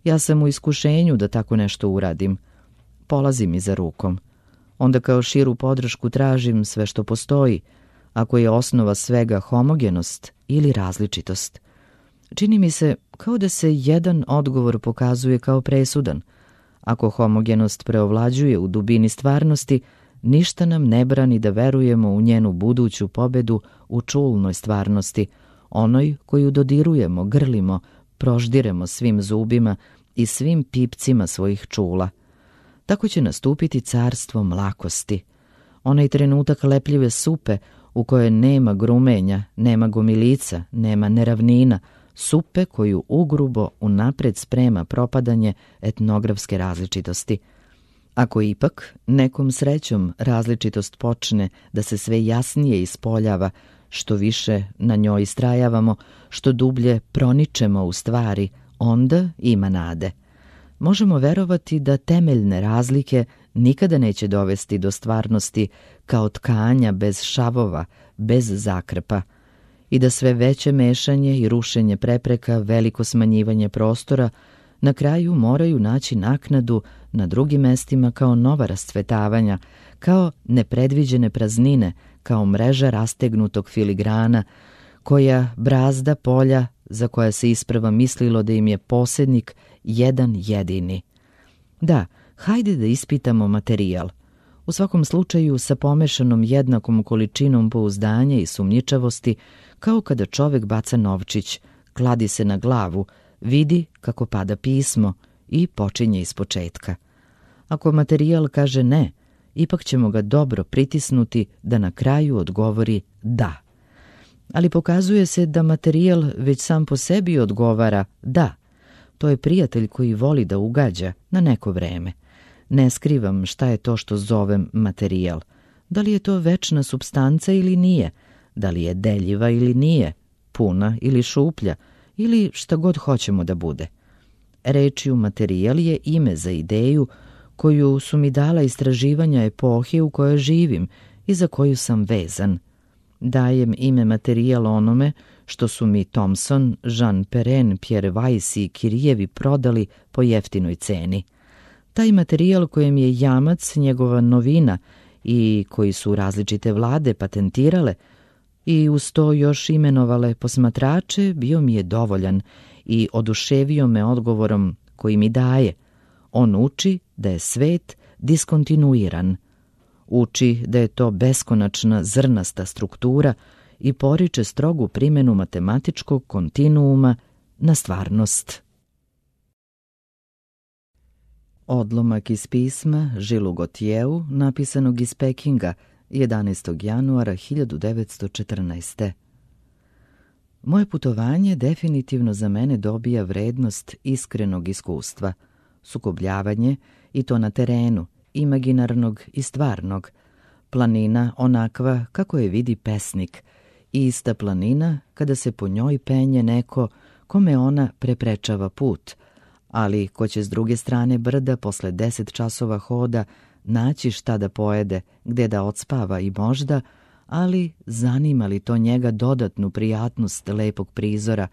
Ja sam u iskušenju da tako nešto uradim. Polazi mi za rukom. Onda kao širu podršku tražim sve što postoji, ako je osnova svega homogenost ili različitost. Čini mi se kao da se jedan odgovor pokazuje kao presudan. Ako homogenost preovlađuje u dubini stvarnosti, ništa nam ne brani da verujemo u njenu buduću pobedu u čulnoj stvarnosti, onoj koju dodirujemo, grlimo, proždiremo svim zubima i svim pipcima svojih čula. Tako će nastupiti carstvo mlakosti. Onaj trenutak lepljive supe u kojoj nema grumenja, nema gomilica, nema neravnina, supe koju ugrubo unapred sprema propadanje etnografske različitosti. Ako ipak nekom srećom različitost počne da se sve jasnije ispoljava, što više na njoj istrajavamo, što dublje proničemo u stvari, onda ima nade. Možemo verovati da temeljne razlike nikada neće dovesti do stvarnosti kao tkanja bez šavova, bez zakrpa, i da sve veće mešanje i rušenje prepreka, veliko smanjivanje prostora, na kraju moraju naći naknadu na drugim mestima kao nova rascvetavanja, kao nepredviđene praznine, kao mreža rastegnutog filigrana, koja brazda polja za koja se isprva mislilo da im je posjednik jedan jedini. Da, hajde da ispitamo materijal. U svakom slučaju sa pomešanom jednakom količinom pouzdanja i sumnjičavosti, kao kada čovjek baca novčić, kladi se na glavu, vidi kako pada pismo i počinje ispočetka. Ako materijal kaže ne, ipak ćemo ga dobro pritisnuti da na kraju odgovori da. Ali pokazuje se da materijal već sam po sebi odgovara da. To je prijatelj koji voli da ugađa na neko vreme. Ne skrivam šta je to što zovem materijal. Da li je to večna supstanca ili nije? Da li je deljiva ili nije? Puna ili šuplja? Ili šta god hoćemo da bude? Rečju materijal je ime za ideju koju su mi dala istraživanja epohe u kojoj živim i za koju sam vezan. Dajem ime materijal onome što su mi Thomson, Jean Perrin, Pierre Weiss i Kirijevi prodali po jeftinoj ceni. Taj materijal kojem je jamac njegova novina i koji su različite vlade patentirale i uz to još imenovale posmatrače, bio mi je dovoljan i oduševio me odgovorom koji mi daje. On uči da je svet diskontinuiran. Uči da je to beskonačna zrnasta struktura i poriče strogu primjenu matematičkog kontinuuma na stvarnost. Odlomak iz pisma Žilu Gotjeu, napisanog iz Pekinga jedanaestog januara hiljadu devetsto četrnaeste. Moje putovanje definitivno za mene dobija vrednost iskrenog iskustva, sukobljavanje i to na terenu, imaginarnog i stvarnog, planina onakva kako je vidi pesnik, i ista planina kada se po njoj penje neko kome ona preprečava put, ali ko će s druge strane brda posle deset časova hoda naći šta da pojede, gde da odspava i možda, ali zanima li to njega dodatnu prijatnost lepog prizora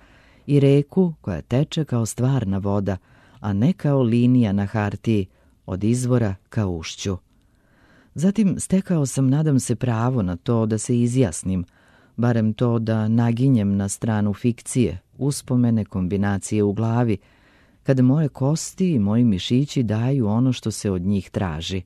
i reku koja teče kao stvarna voda, a ne kao linija na hartiji, od izvora ka ušću. Zatim stekao sam, nadam se, pravo na to da se izjasnim, barem to da naginjem na stranu fikcije, uspomene, kombinacije u glavi, kada moje kosti i moji mišići daju ono što se od njih traži.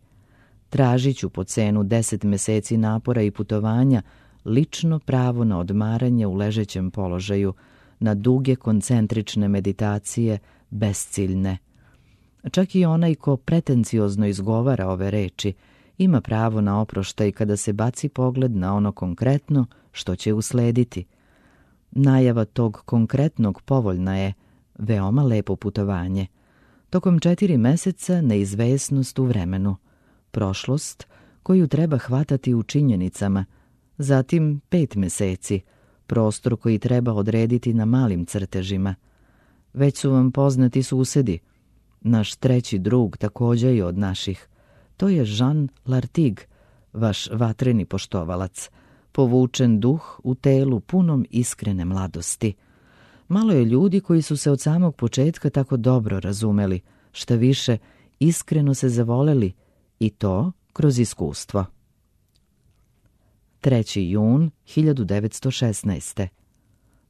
Tražit ću po cenu deset meseci napora i putovanja lično pravo na odmaranje u ležećem položaju, na duge koncentrične meditacije, besciljne. Čak i onaj ko pretenciozno izgovara ove reči ima pravo na oproštaj kada se baci pogled na ono konkretno što će uslediti. Najava tog konkretnog povoljna je, veoma lepo putovanje. Tokom četiri meseca neizvesnost u vremenu, prošlost koju treba hvatati u činjenicama, zatim pet meseci, prostor koji treba odrediti na malim crtežima. Već su vam poznati susedi. Naš treći drug također je od naših. To je Jean Lartigue, vaš vatreni poštovalac, povučen duh u telu punom iskrene mladosti. Malo je ljudi koji su se od samog početka tako dobro razumeli, šta više, iskreno se zavoleli, i to kroz iskustvo. treći jun hiljadu devetsto šesnaeste.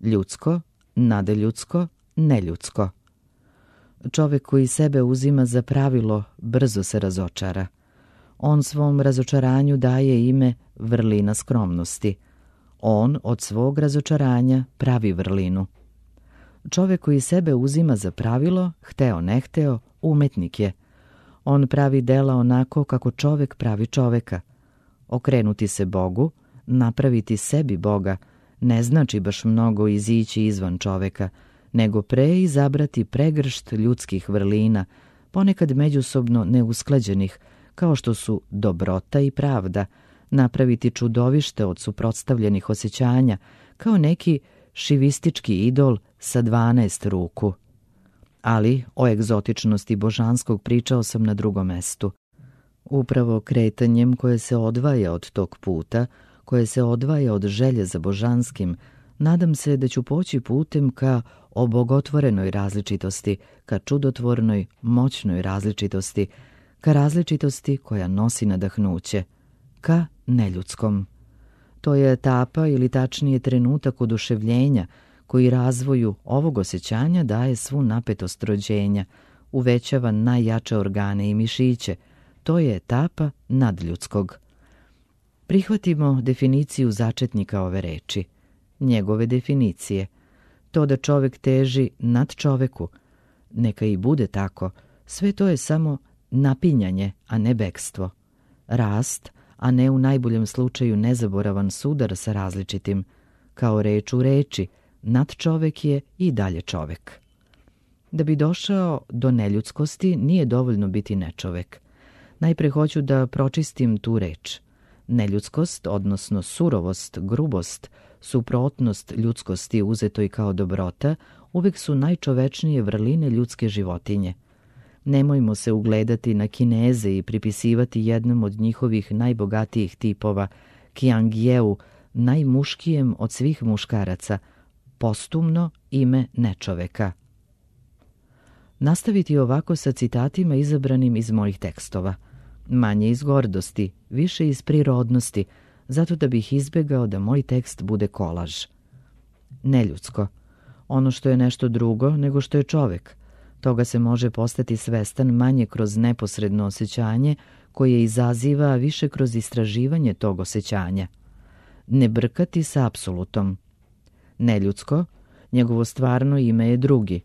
Ljudsko, nadeljudsko, neljudsko. Čovek koji sebe uzima za pravilo brzo se razočara. On svom razočaranju daje ime vrlina skromnosti. On od svog razočaranja pravi vrlinu. Čovek koji sebe uzima za pravilo, hteo ne hteo, umetnik je. On pravi dela onako kako čovek pravi čoveka. Okrenuti se Bogu, napraviti sebi Boga, ne znači baš mnogo izići izvan čoveka, nego pre izabrati pregršt ljudskih vrlina, ponekad međusobno neusklađenih, kao što su dobrota i pravda, napraviti čudovište od suprotstavljenih osjećanja, kao neki šivistički idol sa dvanaest ruku. Ali o egzotičnosti božanskog pričao sam na drugom mestu. Upravo kretanjem koje se odvaja od tog puta, koje se odvaja od želje za božanskim, nadam se da ću poći putem ka obogotvorenoj različitosti, ka čudotvornoj, moćnoj različitosti, ka različitosti koja nosi nadahnuće, ka neljudskom. To je etapa ili tačnije trenutak oduševljenja koji razvoju ovog osjećanja daje svu napetost rođenja, uvećava najjače organe i mišiće. To je etapa nadljudskog. Prihvatimo definiciju začetnika ove reči, njegove definicije. To da čovek teži nad čoveku, neka i bude tako, sve to je samo napinjanje, a ne bekstvo. Rast, a ne u najboljem slučaju nezaboravan sudar sa različitim. Kao reč u reči, nad čovek je i dalje čovek. Da bi došao do neljudskosti nije dovoljno biti nečovek. Najpre hoću da pročistim tu reč. Neljudskost, odnosno surovost, grubost, suprotnost ljudskosti uzetoj kao dobrota, uvek su najčovečnije vrline ljudske životinje. Nemojmo se ugledati na Kineze i pripisivati jednom od njihovih najbogatijih tipova, Qiangyeu, najmuškijem od svih muškaraca, postumno ime nečoveka. Nastaviti ovako sa citatima izabranim iz mojih tekstova. Manje iz gordosti, više iz prirodnosti, zato da bih izbegao da moj tekst bude kolaž. Neljudsko. Ono što je nešto drugo nego što je čovek. Toga se može postati svestan manje kroz neposredno osjećanje koje izaziva, a više kroz istraživanje tog osjećanja. Ne brkati sa apsolutom. Neljudsko, njegovo stvarno ime je drugi.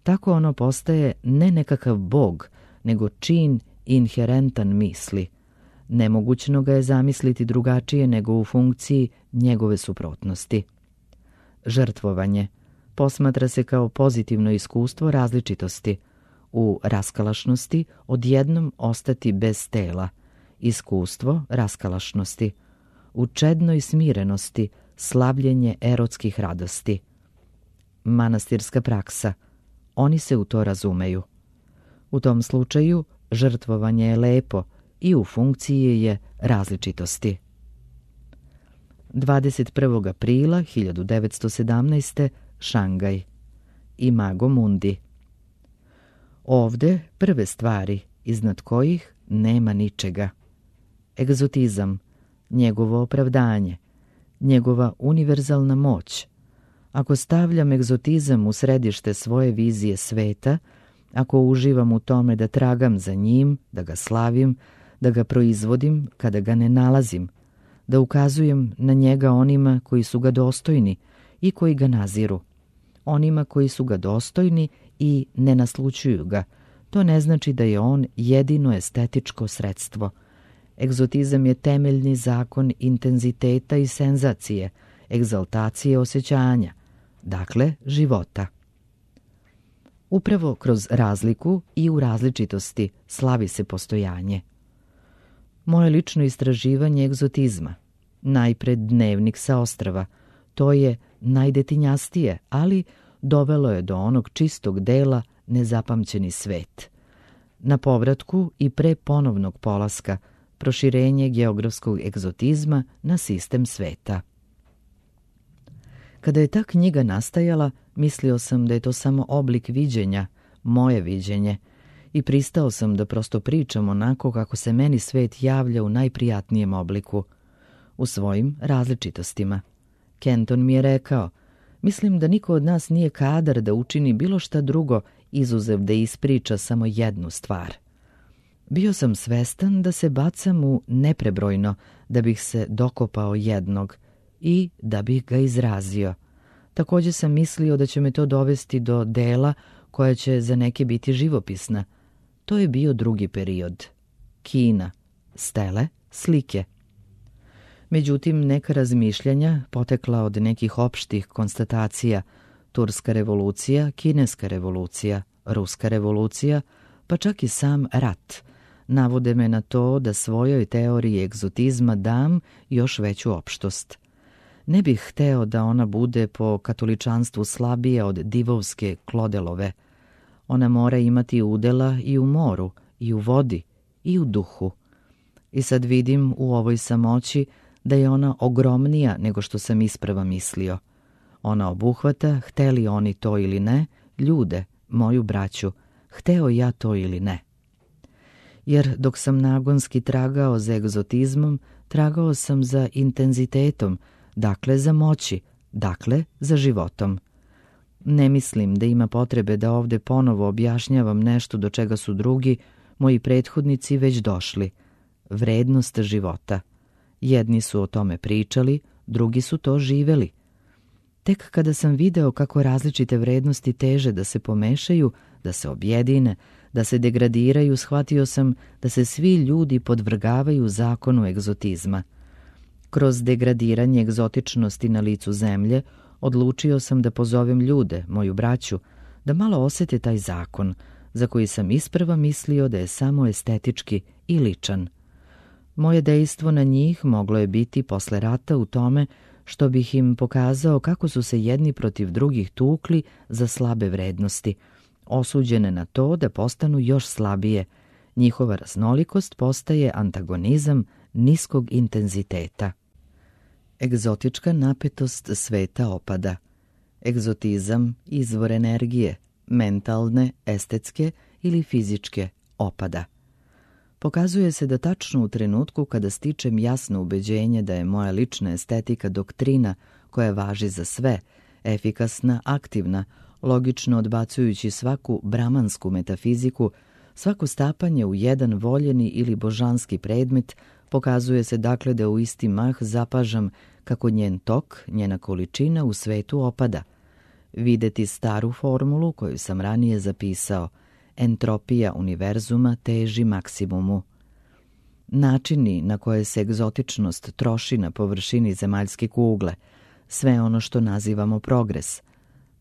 Tako ono postaje ne nekakav bog, nego čin inherentan misli. Nemogućno ga je zamisliti drugačije nego u funkciji njegove suprotnosti. Žrtvovanje posmatra se kao pozitivno iskustvo različitosti. U raskalašnosti odjednom ostati bez tela. Iskustvo raskalašnosti. U čednoj smirenosti slavljenje erotskih radosti. Manastirska praksa. Oni se u to razumeju. U tom slučaju žrtvovanje je lepo i u funkciji je različitosti. dvadeset prvog aprila hiljadu devetsto sedamnaeste. Šangaj. Imago Mundi. Ovde prve stvari, iznad kojih nema ničega. Egzotizam, njegovo opravdanje, njegova univerzalna moć. Ako stavljam egzotizam u središte svoje vizije sveta, ako uživam u tome da tragam za njim, da ga slavim, da ga proizvodim kada ga ne nalazim, da ukazujem na njega onima koji su ga dostojni i koji ga naziru, onima koji su ga dostojni i ne naslućuju ga, to ne znači da je on jedino estetičko sredstvo. Egzotizam je temeljni zakon intenziteta i senzacije, egzaltacije osjećanja, dakle života. Upravo kroz razliku i u različitosti slavi se postojanje. Moje lično istraživanje egzotizma, najpred Dnevnik sa ostrva, to je najdetinjastije, ali dovelo je do onog čistog dela Nezapamćeni svet. Na povratku i pre ponovnog polaska, proširenje geografskog egzotizma na sistem sveta. Kada je ta knjiga nastajala, mislio sam da je to samo oblik viđenja, moje viđenje, i pristao sam da prosto pričam onako kako se meni svet javlja u najprijatnijem obliku, u svojim različitostima. Kenton mi je rekao, mislim da niko od nas nije kadar da učini bilo šta drugo, izuzev da ispriča samo jednu stvar. Bio sam svestan da se bacam u neprebrojno, da bih se dokopao jednog i da bih ga izrazio. Također sam mislio da će me to dovesti do dela koja će za neke biti živopisna. To je bio drugi period. Kina, stele, slike. Međutim, neka razmišljanja, potekla od nekih opštih konstatacija, Turska revolucija, Kineska revolucija, Ruska revolucija, pa čak i sam rat, navode me na to da svojoj teoriji egzotizma dam još veću opštost. Ne bih hteo da ona bude po katoličanstvu slabija od divovske Klodelove. Ona mora imati udela i u moru, i u vodi, i u duhu. I sad vidim u ovoj samoći da je ona ogromnija nego što sam isprava mislio. Ona obuhvata, hteli oni to ili ne, ljude, moju braću, hteo ja to ili ne. Jer dok sam nagonski tragao za egzotizmom, tragao sam za intenzitetom, dakle za moći, dakle za životom. Ne mislim da ima potrebe da ovde ponovo objašnjavam nešto do čega su drugi, moji prethodnici, već došli. Vrednost života. Jedni su o tome pričali, drugi su to živeli. Tek kada sam video kako različite vrednosti teže da se pomešaju, da se objedine, da se degradiraju, shvatio sam da se svi ljudi podvrgavaju zakonu egzotizma. Kroz degradiranje egzotičnosti na licu zemlje, odlučio sam da pozovem ljude, moju braću, da malo osete taj zakon, za koji sam isprva mislio da je samo estetički i ličan. Moje dejstvo na njih moglo je biti posle rata u tome što bih im pokazao kako su se jedni protiv drugih tukli za slabe vrednosti, osuđene na to da postanu još slabije. Njihova raznolikost postaje antagonizam niskog intenziteta. Egzotička napetost sveta opada. Egzotizam, izvor energije, mentalne, estetske ili fizičke, opada. Pokazuje se da tačno u trenutku kada stičem jasno ubeđenje da je moja lična estetika doktrina koja važi za sve, efikasna, aktivna, logično odbacujući svaku brahmansku metafiziku, svako stapanje u jedan voljeni ili božanski predmet, pokazuje se dakle da u isti mah zapažam kako njen tok, njena količina u svetu opada. Videti staru formulu koju sam ranije zapisao, entropija univerzuma teži maksimumu. Načini na koje se egzotičnost troši na površini zemaljske kugle, sve ono što nazivamo progres,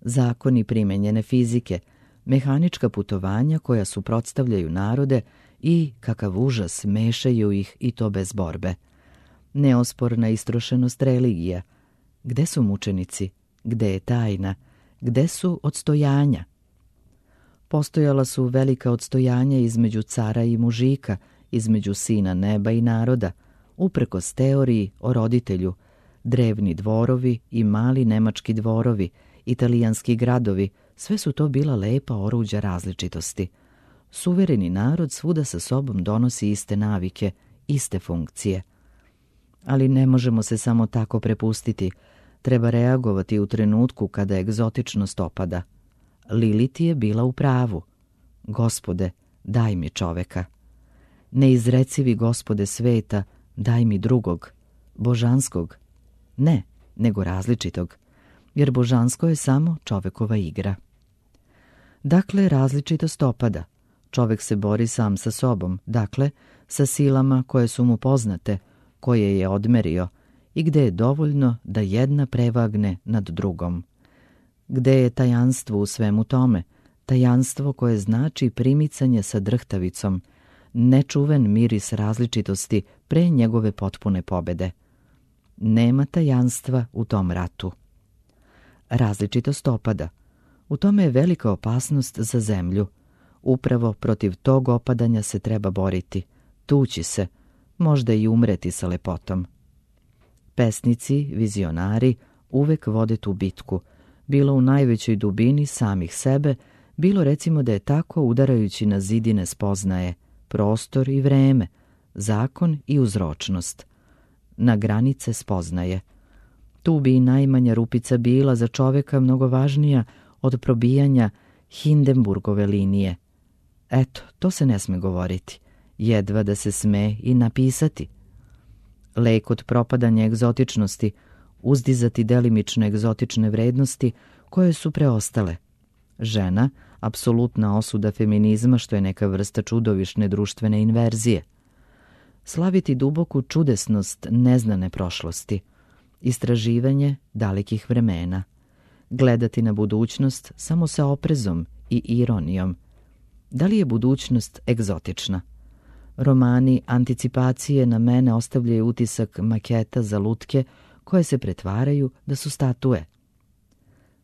zakoni primenjene fizike, mehanička putovanja koja suprotstavljaju narode i, kakav užas, mešaju ih i to bez borbe. Neosporna istrošenost religija. Gde su mučenici? Gde je tajna? Gde su odstojanja? Postojala su velika odstojanja između cara i mužika, između sina neba i naroda, uprkos teoriji o roditelju, drevni dvorovi i mali nemački dvorovi, italijanski gradovi, sve su to bila lepa oruđa različitosti. Suvereni narod svuda sa sobom donosi iste navike, iste funkcije. Ali ne možemo se samo tako prepustiti, treba reagovati u trenutku kada egzotičnost opada. Lilith je bila u pravu. Gospode, daj mi čoveka. Neizrecivi Gospode sveta, daj mi drugog, božanskog. Ne, nego različitog, jer božansko je samo čovekova igra. Dakle, različitost opada. Čovek se bori sam sa sobom, dakle, sa silama koje su mu poznate, koje je odmerio i gde je dovoljno da jedna prevagne nad drugom. Gde je tajanstvo u svemu tome, tajanstvo koje znači primicanje sa drhtavicom, nečuven miris različitosti pre njegove potpune pobede. Nema tajanstva u tom ratu. Različitost opada. U tome je velika opasnost za zemlju. Upravo protiv tog opadanja se treba boriti, tući se, možda i umreti sa lepotom. Pesnici, vizionari uvek vode tu bitku, bilo u najvećoj dubini samih sebe, bilo recimo da je tako udarajući na zidine spoznaje, prostor i vreme, zakon i uzročnost. Na granice spoznaje. Tu bi i najmanja rupica bila za čoveka mnogo važnija od probijanja Hindenburgove linije. Eto, to se ne sme govoriti, jedva da se sme i napisati. Lek od propadanja egzotičnosti, uzdizati delimične egzotične vrednosti koje su preostale. Žena, apsolutna osuda feminizma što je neka vrsta čudovišne društvene inverzije. Slaviti duboku čudesnost neznane prošlosti. Istraživanje dalekih vremena. Gledati na budućnost samo sa oprezom i ironijom. Da li je budućnost egzotična? Romani anticipacije na mene ostavljaju utisak maketa za lutke koje se pretvaraju da su statue.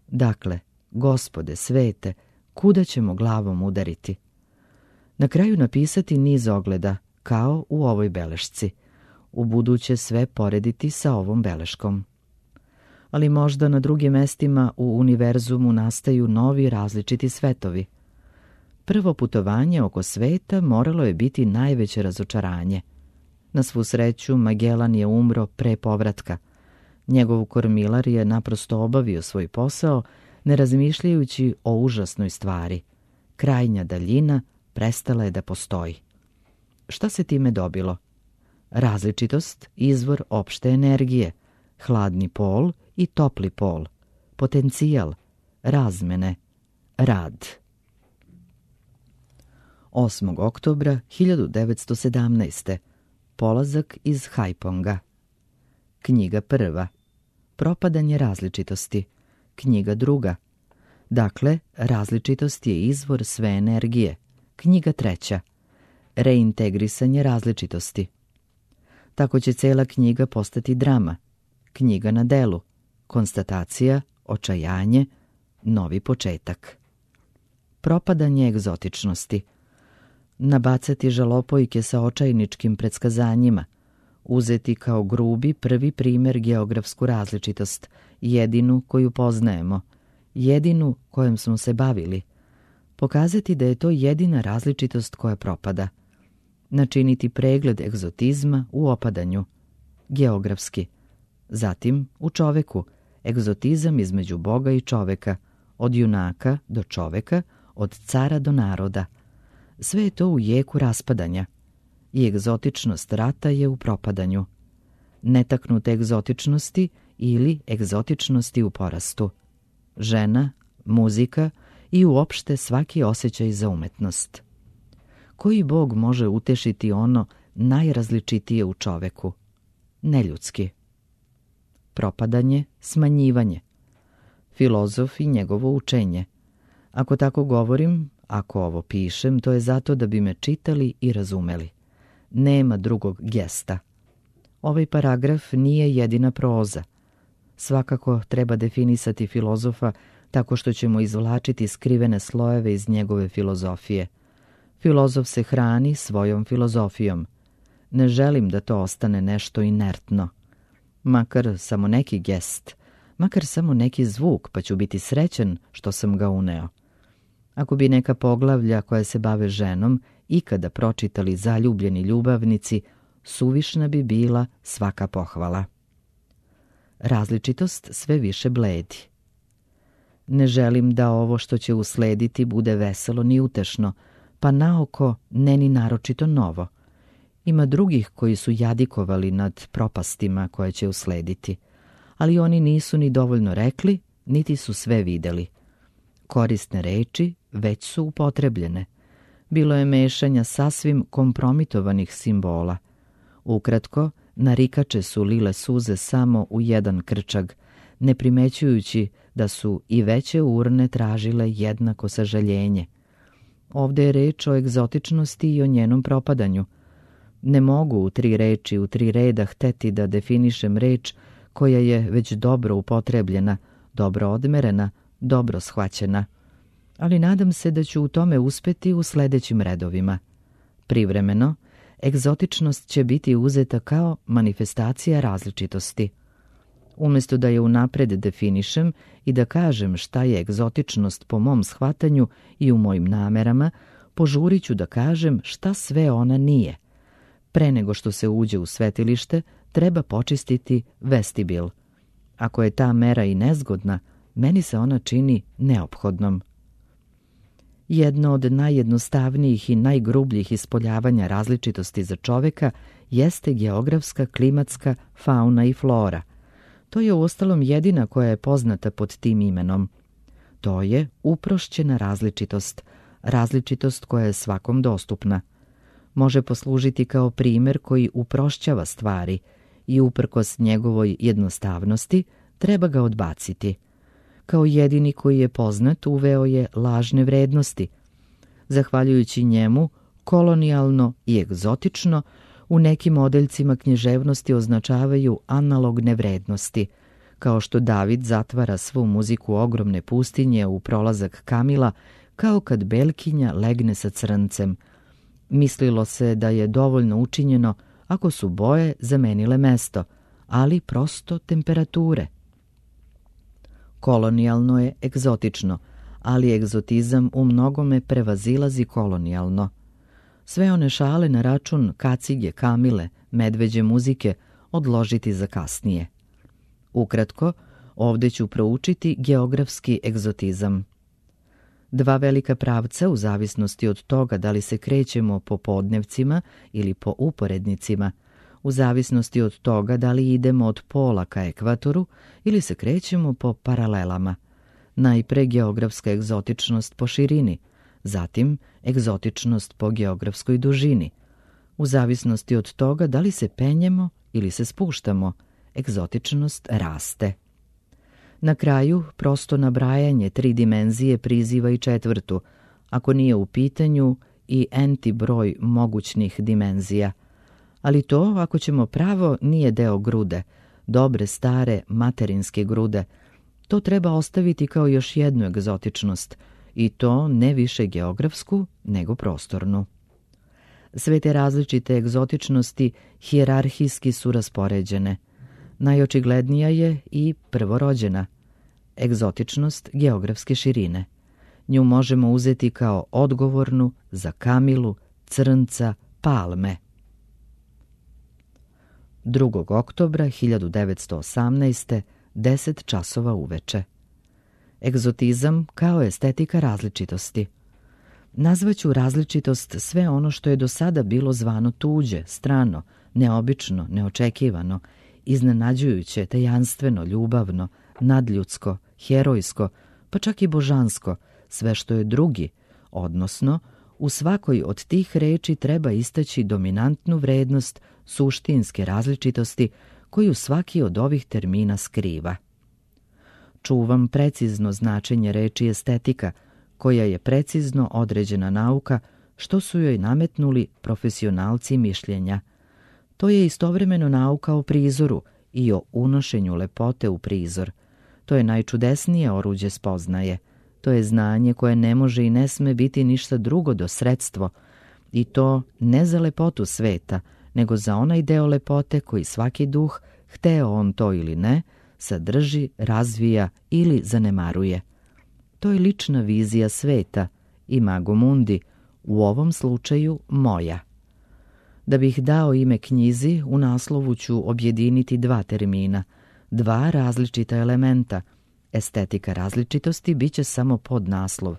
Dakle, Gospode svete, kuda ćemo glavom udariti? Na kraju napisati niz ogleda, kao u ovoj belešci. U buduće sve porediti sa ovom beleškom. Ali možda na drugim mestima u univerzumu nastaju novi različiti svetovi. Prvo putovanje oko sveta moralo je biti najveće razočaranje. Na svu sreću, Magellan je umro pre povratka. Njegov kormilar je naprosto obavio svoj posao, ne razmišljajući o užasnoj stvari. Krajnja daljina prestala je da postoji. Šta se time dobilo? Različitost, izvor opšte energije, hladni pol i topli pol, potencijal, razmene, rad. osmog oktobra hiljadu devetsto sedamnaeste. Polazak iz Hajponga. Knjiga prva. Propadanje različitosti. Knjiga druga. Dakle, različitost je izvor sve energije, knjiga treća. Reintegrisanje različitosti. Tako će cela knjiga postati drama, knjiga na delu, konstatacija, očajanje, novi početak. Propadanje egzotičnosti. Nabacati žalopojke sa očajničkim predskazanjima, uzeti kao grubi prvi primer geografsku različitost, jedinu koju poznajemo, jedinu kojom smo se bavili, pokazati da je to jedina različitost koja propada, načiniti pregled egzotizma u opadanju, geografski, zatim u čoveku, egzotizam između Boga i čoveka, od junaka do čoveka, od cara do naroda. Sve je to u jeku raspadanja i egzotičnost rata je u propadanju. Netaknute egzotičnosti ili egzotičnosti u porastu. Žena, muzika i uopšte svaki osjećaj za umetnost. Koji Bog može utešiti ono najrazličitije u čoveku? Neljudski. Propadanje, smanjivanje. Filozof i njegovo učenje. Ako tako govorim, ako ovo pišem, to je zato da bi me čitali i razumeli. Nema drugog gesta. Ovaj paragraf nije jedina proza. Svakako treba definisati filozofa tako što ćemo izvlačiti skrivene slojeve iz njegove filozofije. Filozof se hrani svojom filozofijom. Ne želim da to ostane nešto inertno. Makar samo neki gest, makar samo neki zvuk, pa ću biti srećan što sam ga uneo. Ako bi neka poglavlja koja se bave ženom ikada pročitali zaljubljeni ljubavnici, suvišna bi bila svaka pohvala. Različitost sve više bledi. Ne želim da ovo što će uslediti bude veselo ni utešno, pa naoko ne ni naročito novo. Ima drugih koji su jadikovali nad propastima koje će uslediti, ali oni nisu ni dovoljno rekli, niti su sve videli. Korisne reči već su upotrebljene. Bilo je mešanja sasvim kompromitovanih simbola. Ukratko, narikače su lile suze samo u jedan krčag, ne primećujući da su i veće urne tražile jednako sažaljenje. Ovde je reč o egzotičnosti i o njenom propadanju. Ne mogu u tri reči, u tri reda hteti da definišem reč koja je već dobro upotrebljena, dobro odmerena, dobro shvaćena. Ali nadam se da ću u tome uspeti u sledećim redovima. Privremeno, egzotičnost će biti uzeta kao manifestacija različitosti. Umjesto da je unapred definišem i da kažem šta je egzotičnost po mom shvatanju i u mojim namerama, požurit ću da kažem šta sve ona nije. Pre nego što se uđe u svetilište, treba počistiti vestibil. Ako je ta mera i nezgodna, meni se ona čini neophodnom. Jedno od najjednostavnijih i najgrubljih ispoljavanja različitosti za čoveka jeste geografska, klimatska fauna i flora. To je uostalom jedina koja je poznata pod tim imenom. To je uprošćena različitost, različitost koja je svakom dostupna. Može poslužiti kao primer koji uprošćava stvari i uprkos njegovoj jednostavnosti treba ga odbaciti. Kao jedini koji je poznat uveo je lažne vrednosti. Zahvaljujući njemu, kolonijalno i egzotično u nekim odeljcima književnosti označavaju analogne vrednosti, kao što David zatvara svu muziku ogromne pustinje u prolazak Kamila, kao kad belkinja legne sa crncem. Mislilo se da je dovoljno učinjeno ako su boje zamenile mesto, ali prosto temperature. Kolonijalno je egzotično, ali egzotizam u mnogome prevazilazi kolonijalno. Sve one šale na račun kacige, kamile, medveđe muzike odložiti za kasnije. Ukratko, ovde ću proučiti geografski egzotizam. Dva velika pravca, u zavisnosti od toga da li se krećemo po podnevcima ili po uporednicima, u zavisnosti od toga da li idemo od pola ka ekvatoru ili se krećemo po paralelama. Najpre geografska egzotičnost po širini, zatim egzotičnost po geografskoj dužini. U zavisnosti od toga da li se penjemo ili se spuštamo, egzotičnost raste. Na kraju, prosto nabrajanje tri dimenzije priziva i četvrtu, ako nije u pitanju i enti broj mogućnih dimenzija. Ali to, ako ćemo pravo, nije deo grude, dobre stare materinske grude. To treba ostaviti kao još jednu egzotičnost, i to ne više geografsku, nego prostornu. Sve te različite egzotičnosti hijerarhijski su raspoređene. Najočiglednija je i prvorođena, egzotičnost geografske širine. Nju možemo uzeti kao odgovornu za kamilu, crnca, palme. drugog oktobra hiljadu devetsto osamnaeste. deset časova uveče. Egzotizam kao estetika različitosti. Nazvaću različitost sve ono što je do sada bilo zvano tuđe, strano, neobično, neočekivano, iznenađujuće, tajanstveno, ljubavno, nadljudsko, herojsko, pa čak i božansko, sve što je drugi, odnosno u svakoj od tih reči treba istaći dominantnu vrednost suštinske različitosti koju svaki od ovih termina skriva. Čuvam precizno značenje reči estetika, koja je precizno određena nauka, što su joj nametnuli profesionalci mišljenja. To je istovremeno nauka o prizoru i o unošenju lepote u prizor. To je najčudesnije oruđe spoznaje. To je znanje koje ne može i ne sme biti ništa drugo do sredstvo, i to ne za lepotu sveta, nego za onaj deo lepote koji svaki duh, hteo on to ili ne, sadrži, razvija ili zanemaruje. To je lična vizija sveta, imago mundi, u ovom slučaju moja. Da bih dao ime knjizi, u naslovu ću objediniti dva termina, dva različita elementa. Estetika različitosti bit će samo podnaslov,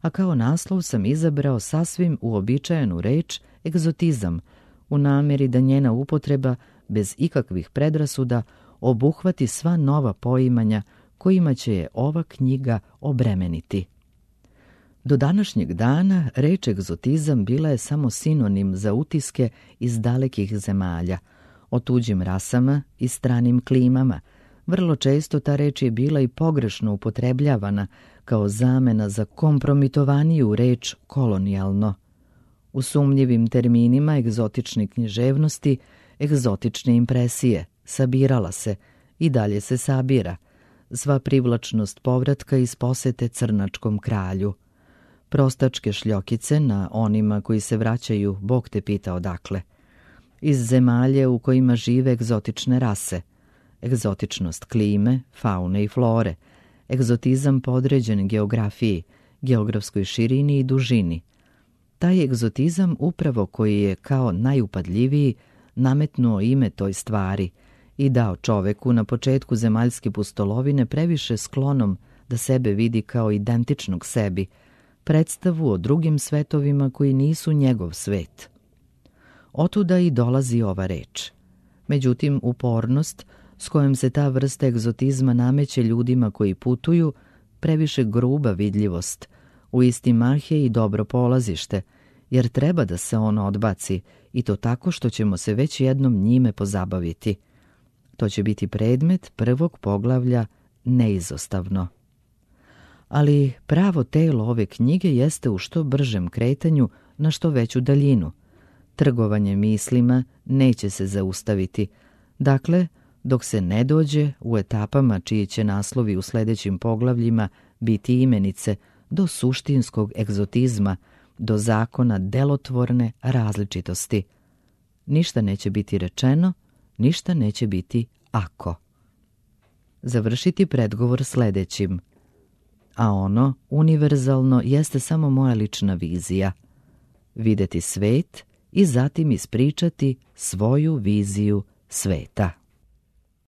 a kao naslov sam izabrao sasvim uobičajenu reč egzotizam, u namjeri da njena upotreba, bez ikakvih predrasuda, obuhvati sva nova poimanja kojima će je ova knjiga obremeniti. Do današnjeg dana reč egzotizam bila je samo sinonim za utiske iz dalekih zemalja, o tuđim rasama i stranim klimama. Vrlo često ta reč je bila i pogrešno upotrebljavana kao zamena za kompromitovaniju reč kolonijalno. U sumnjivim terminima egzotične književnosti, egzotične impresije, sabirala se i dalje se sabira, sva privlačnost povratka iz posete crnačkom kralju. Prostačke šljokice na onima koji se vraćaju, Bog te pita odakle. Iz zemalje u kojima žive egzotične rase, egzotičnost klime, faune i flore, egzotizam podređen geografiji, geografskoj širini i dužini. Taj egzotizam upravo koji je kao najupadljiviji nametnuo ime toj stvari i dao čoveku na početku zemaljske pustolovine previše sklonom da sebe vidi kao identičnog sebi, predstavu o drugim svetovima koji nisu njegov svet. Otuda i dolazi ova reč. Međutim, upornost s kojom se ta vrsta egzotizma nameće ljudima koji putuju, previše gruba vidljivost, u isti mah je i dobro polazište, jer treba da se ono odbaci, i to tako što ćemo se već jednom njime pozabaviti. To će biti predmet prvog poglavlja neizostavno. Ali pravo telo ove knjige jeste u što bržem kretanju na što veću daljinu. Trgovanje mislima neće se zaustaviti. Dakle, dok se ne dođe u etapama čiji će naslovi u sljedećim poglavljima biti imenice, do suštinskog egzotizma, do zakona delotvorne različitosti. Ništa neće biti rečeno, ništa neće biti ako. Završiti predgovor sljedećim. A ono, univerzalno, jeste samo moja lična vizija. Videti svet i zatim ispričati svoju viziju sveta.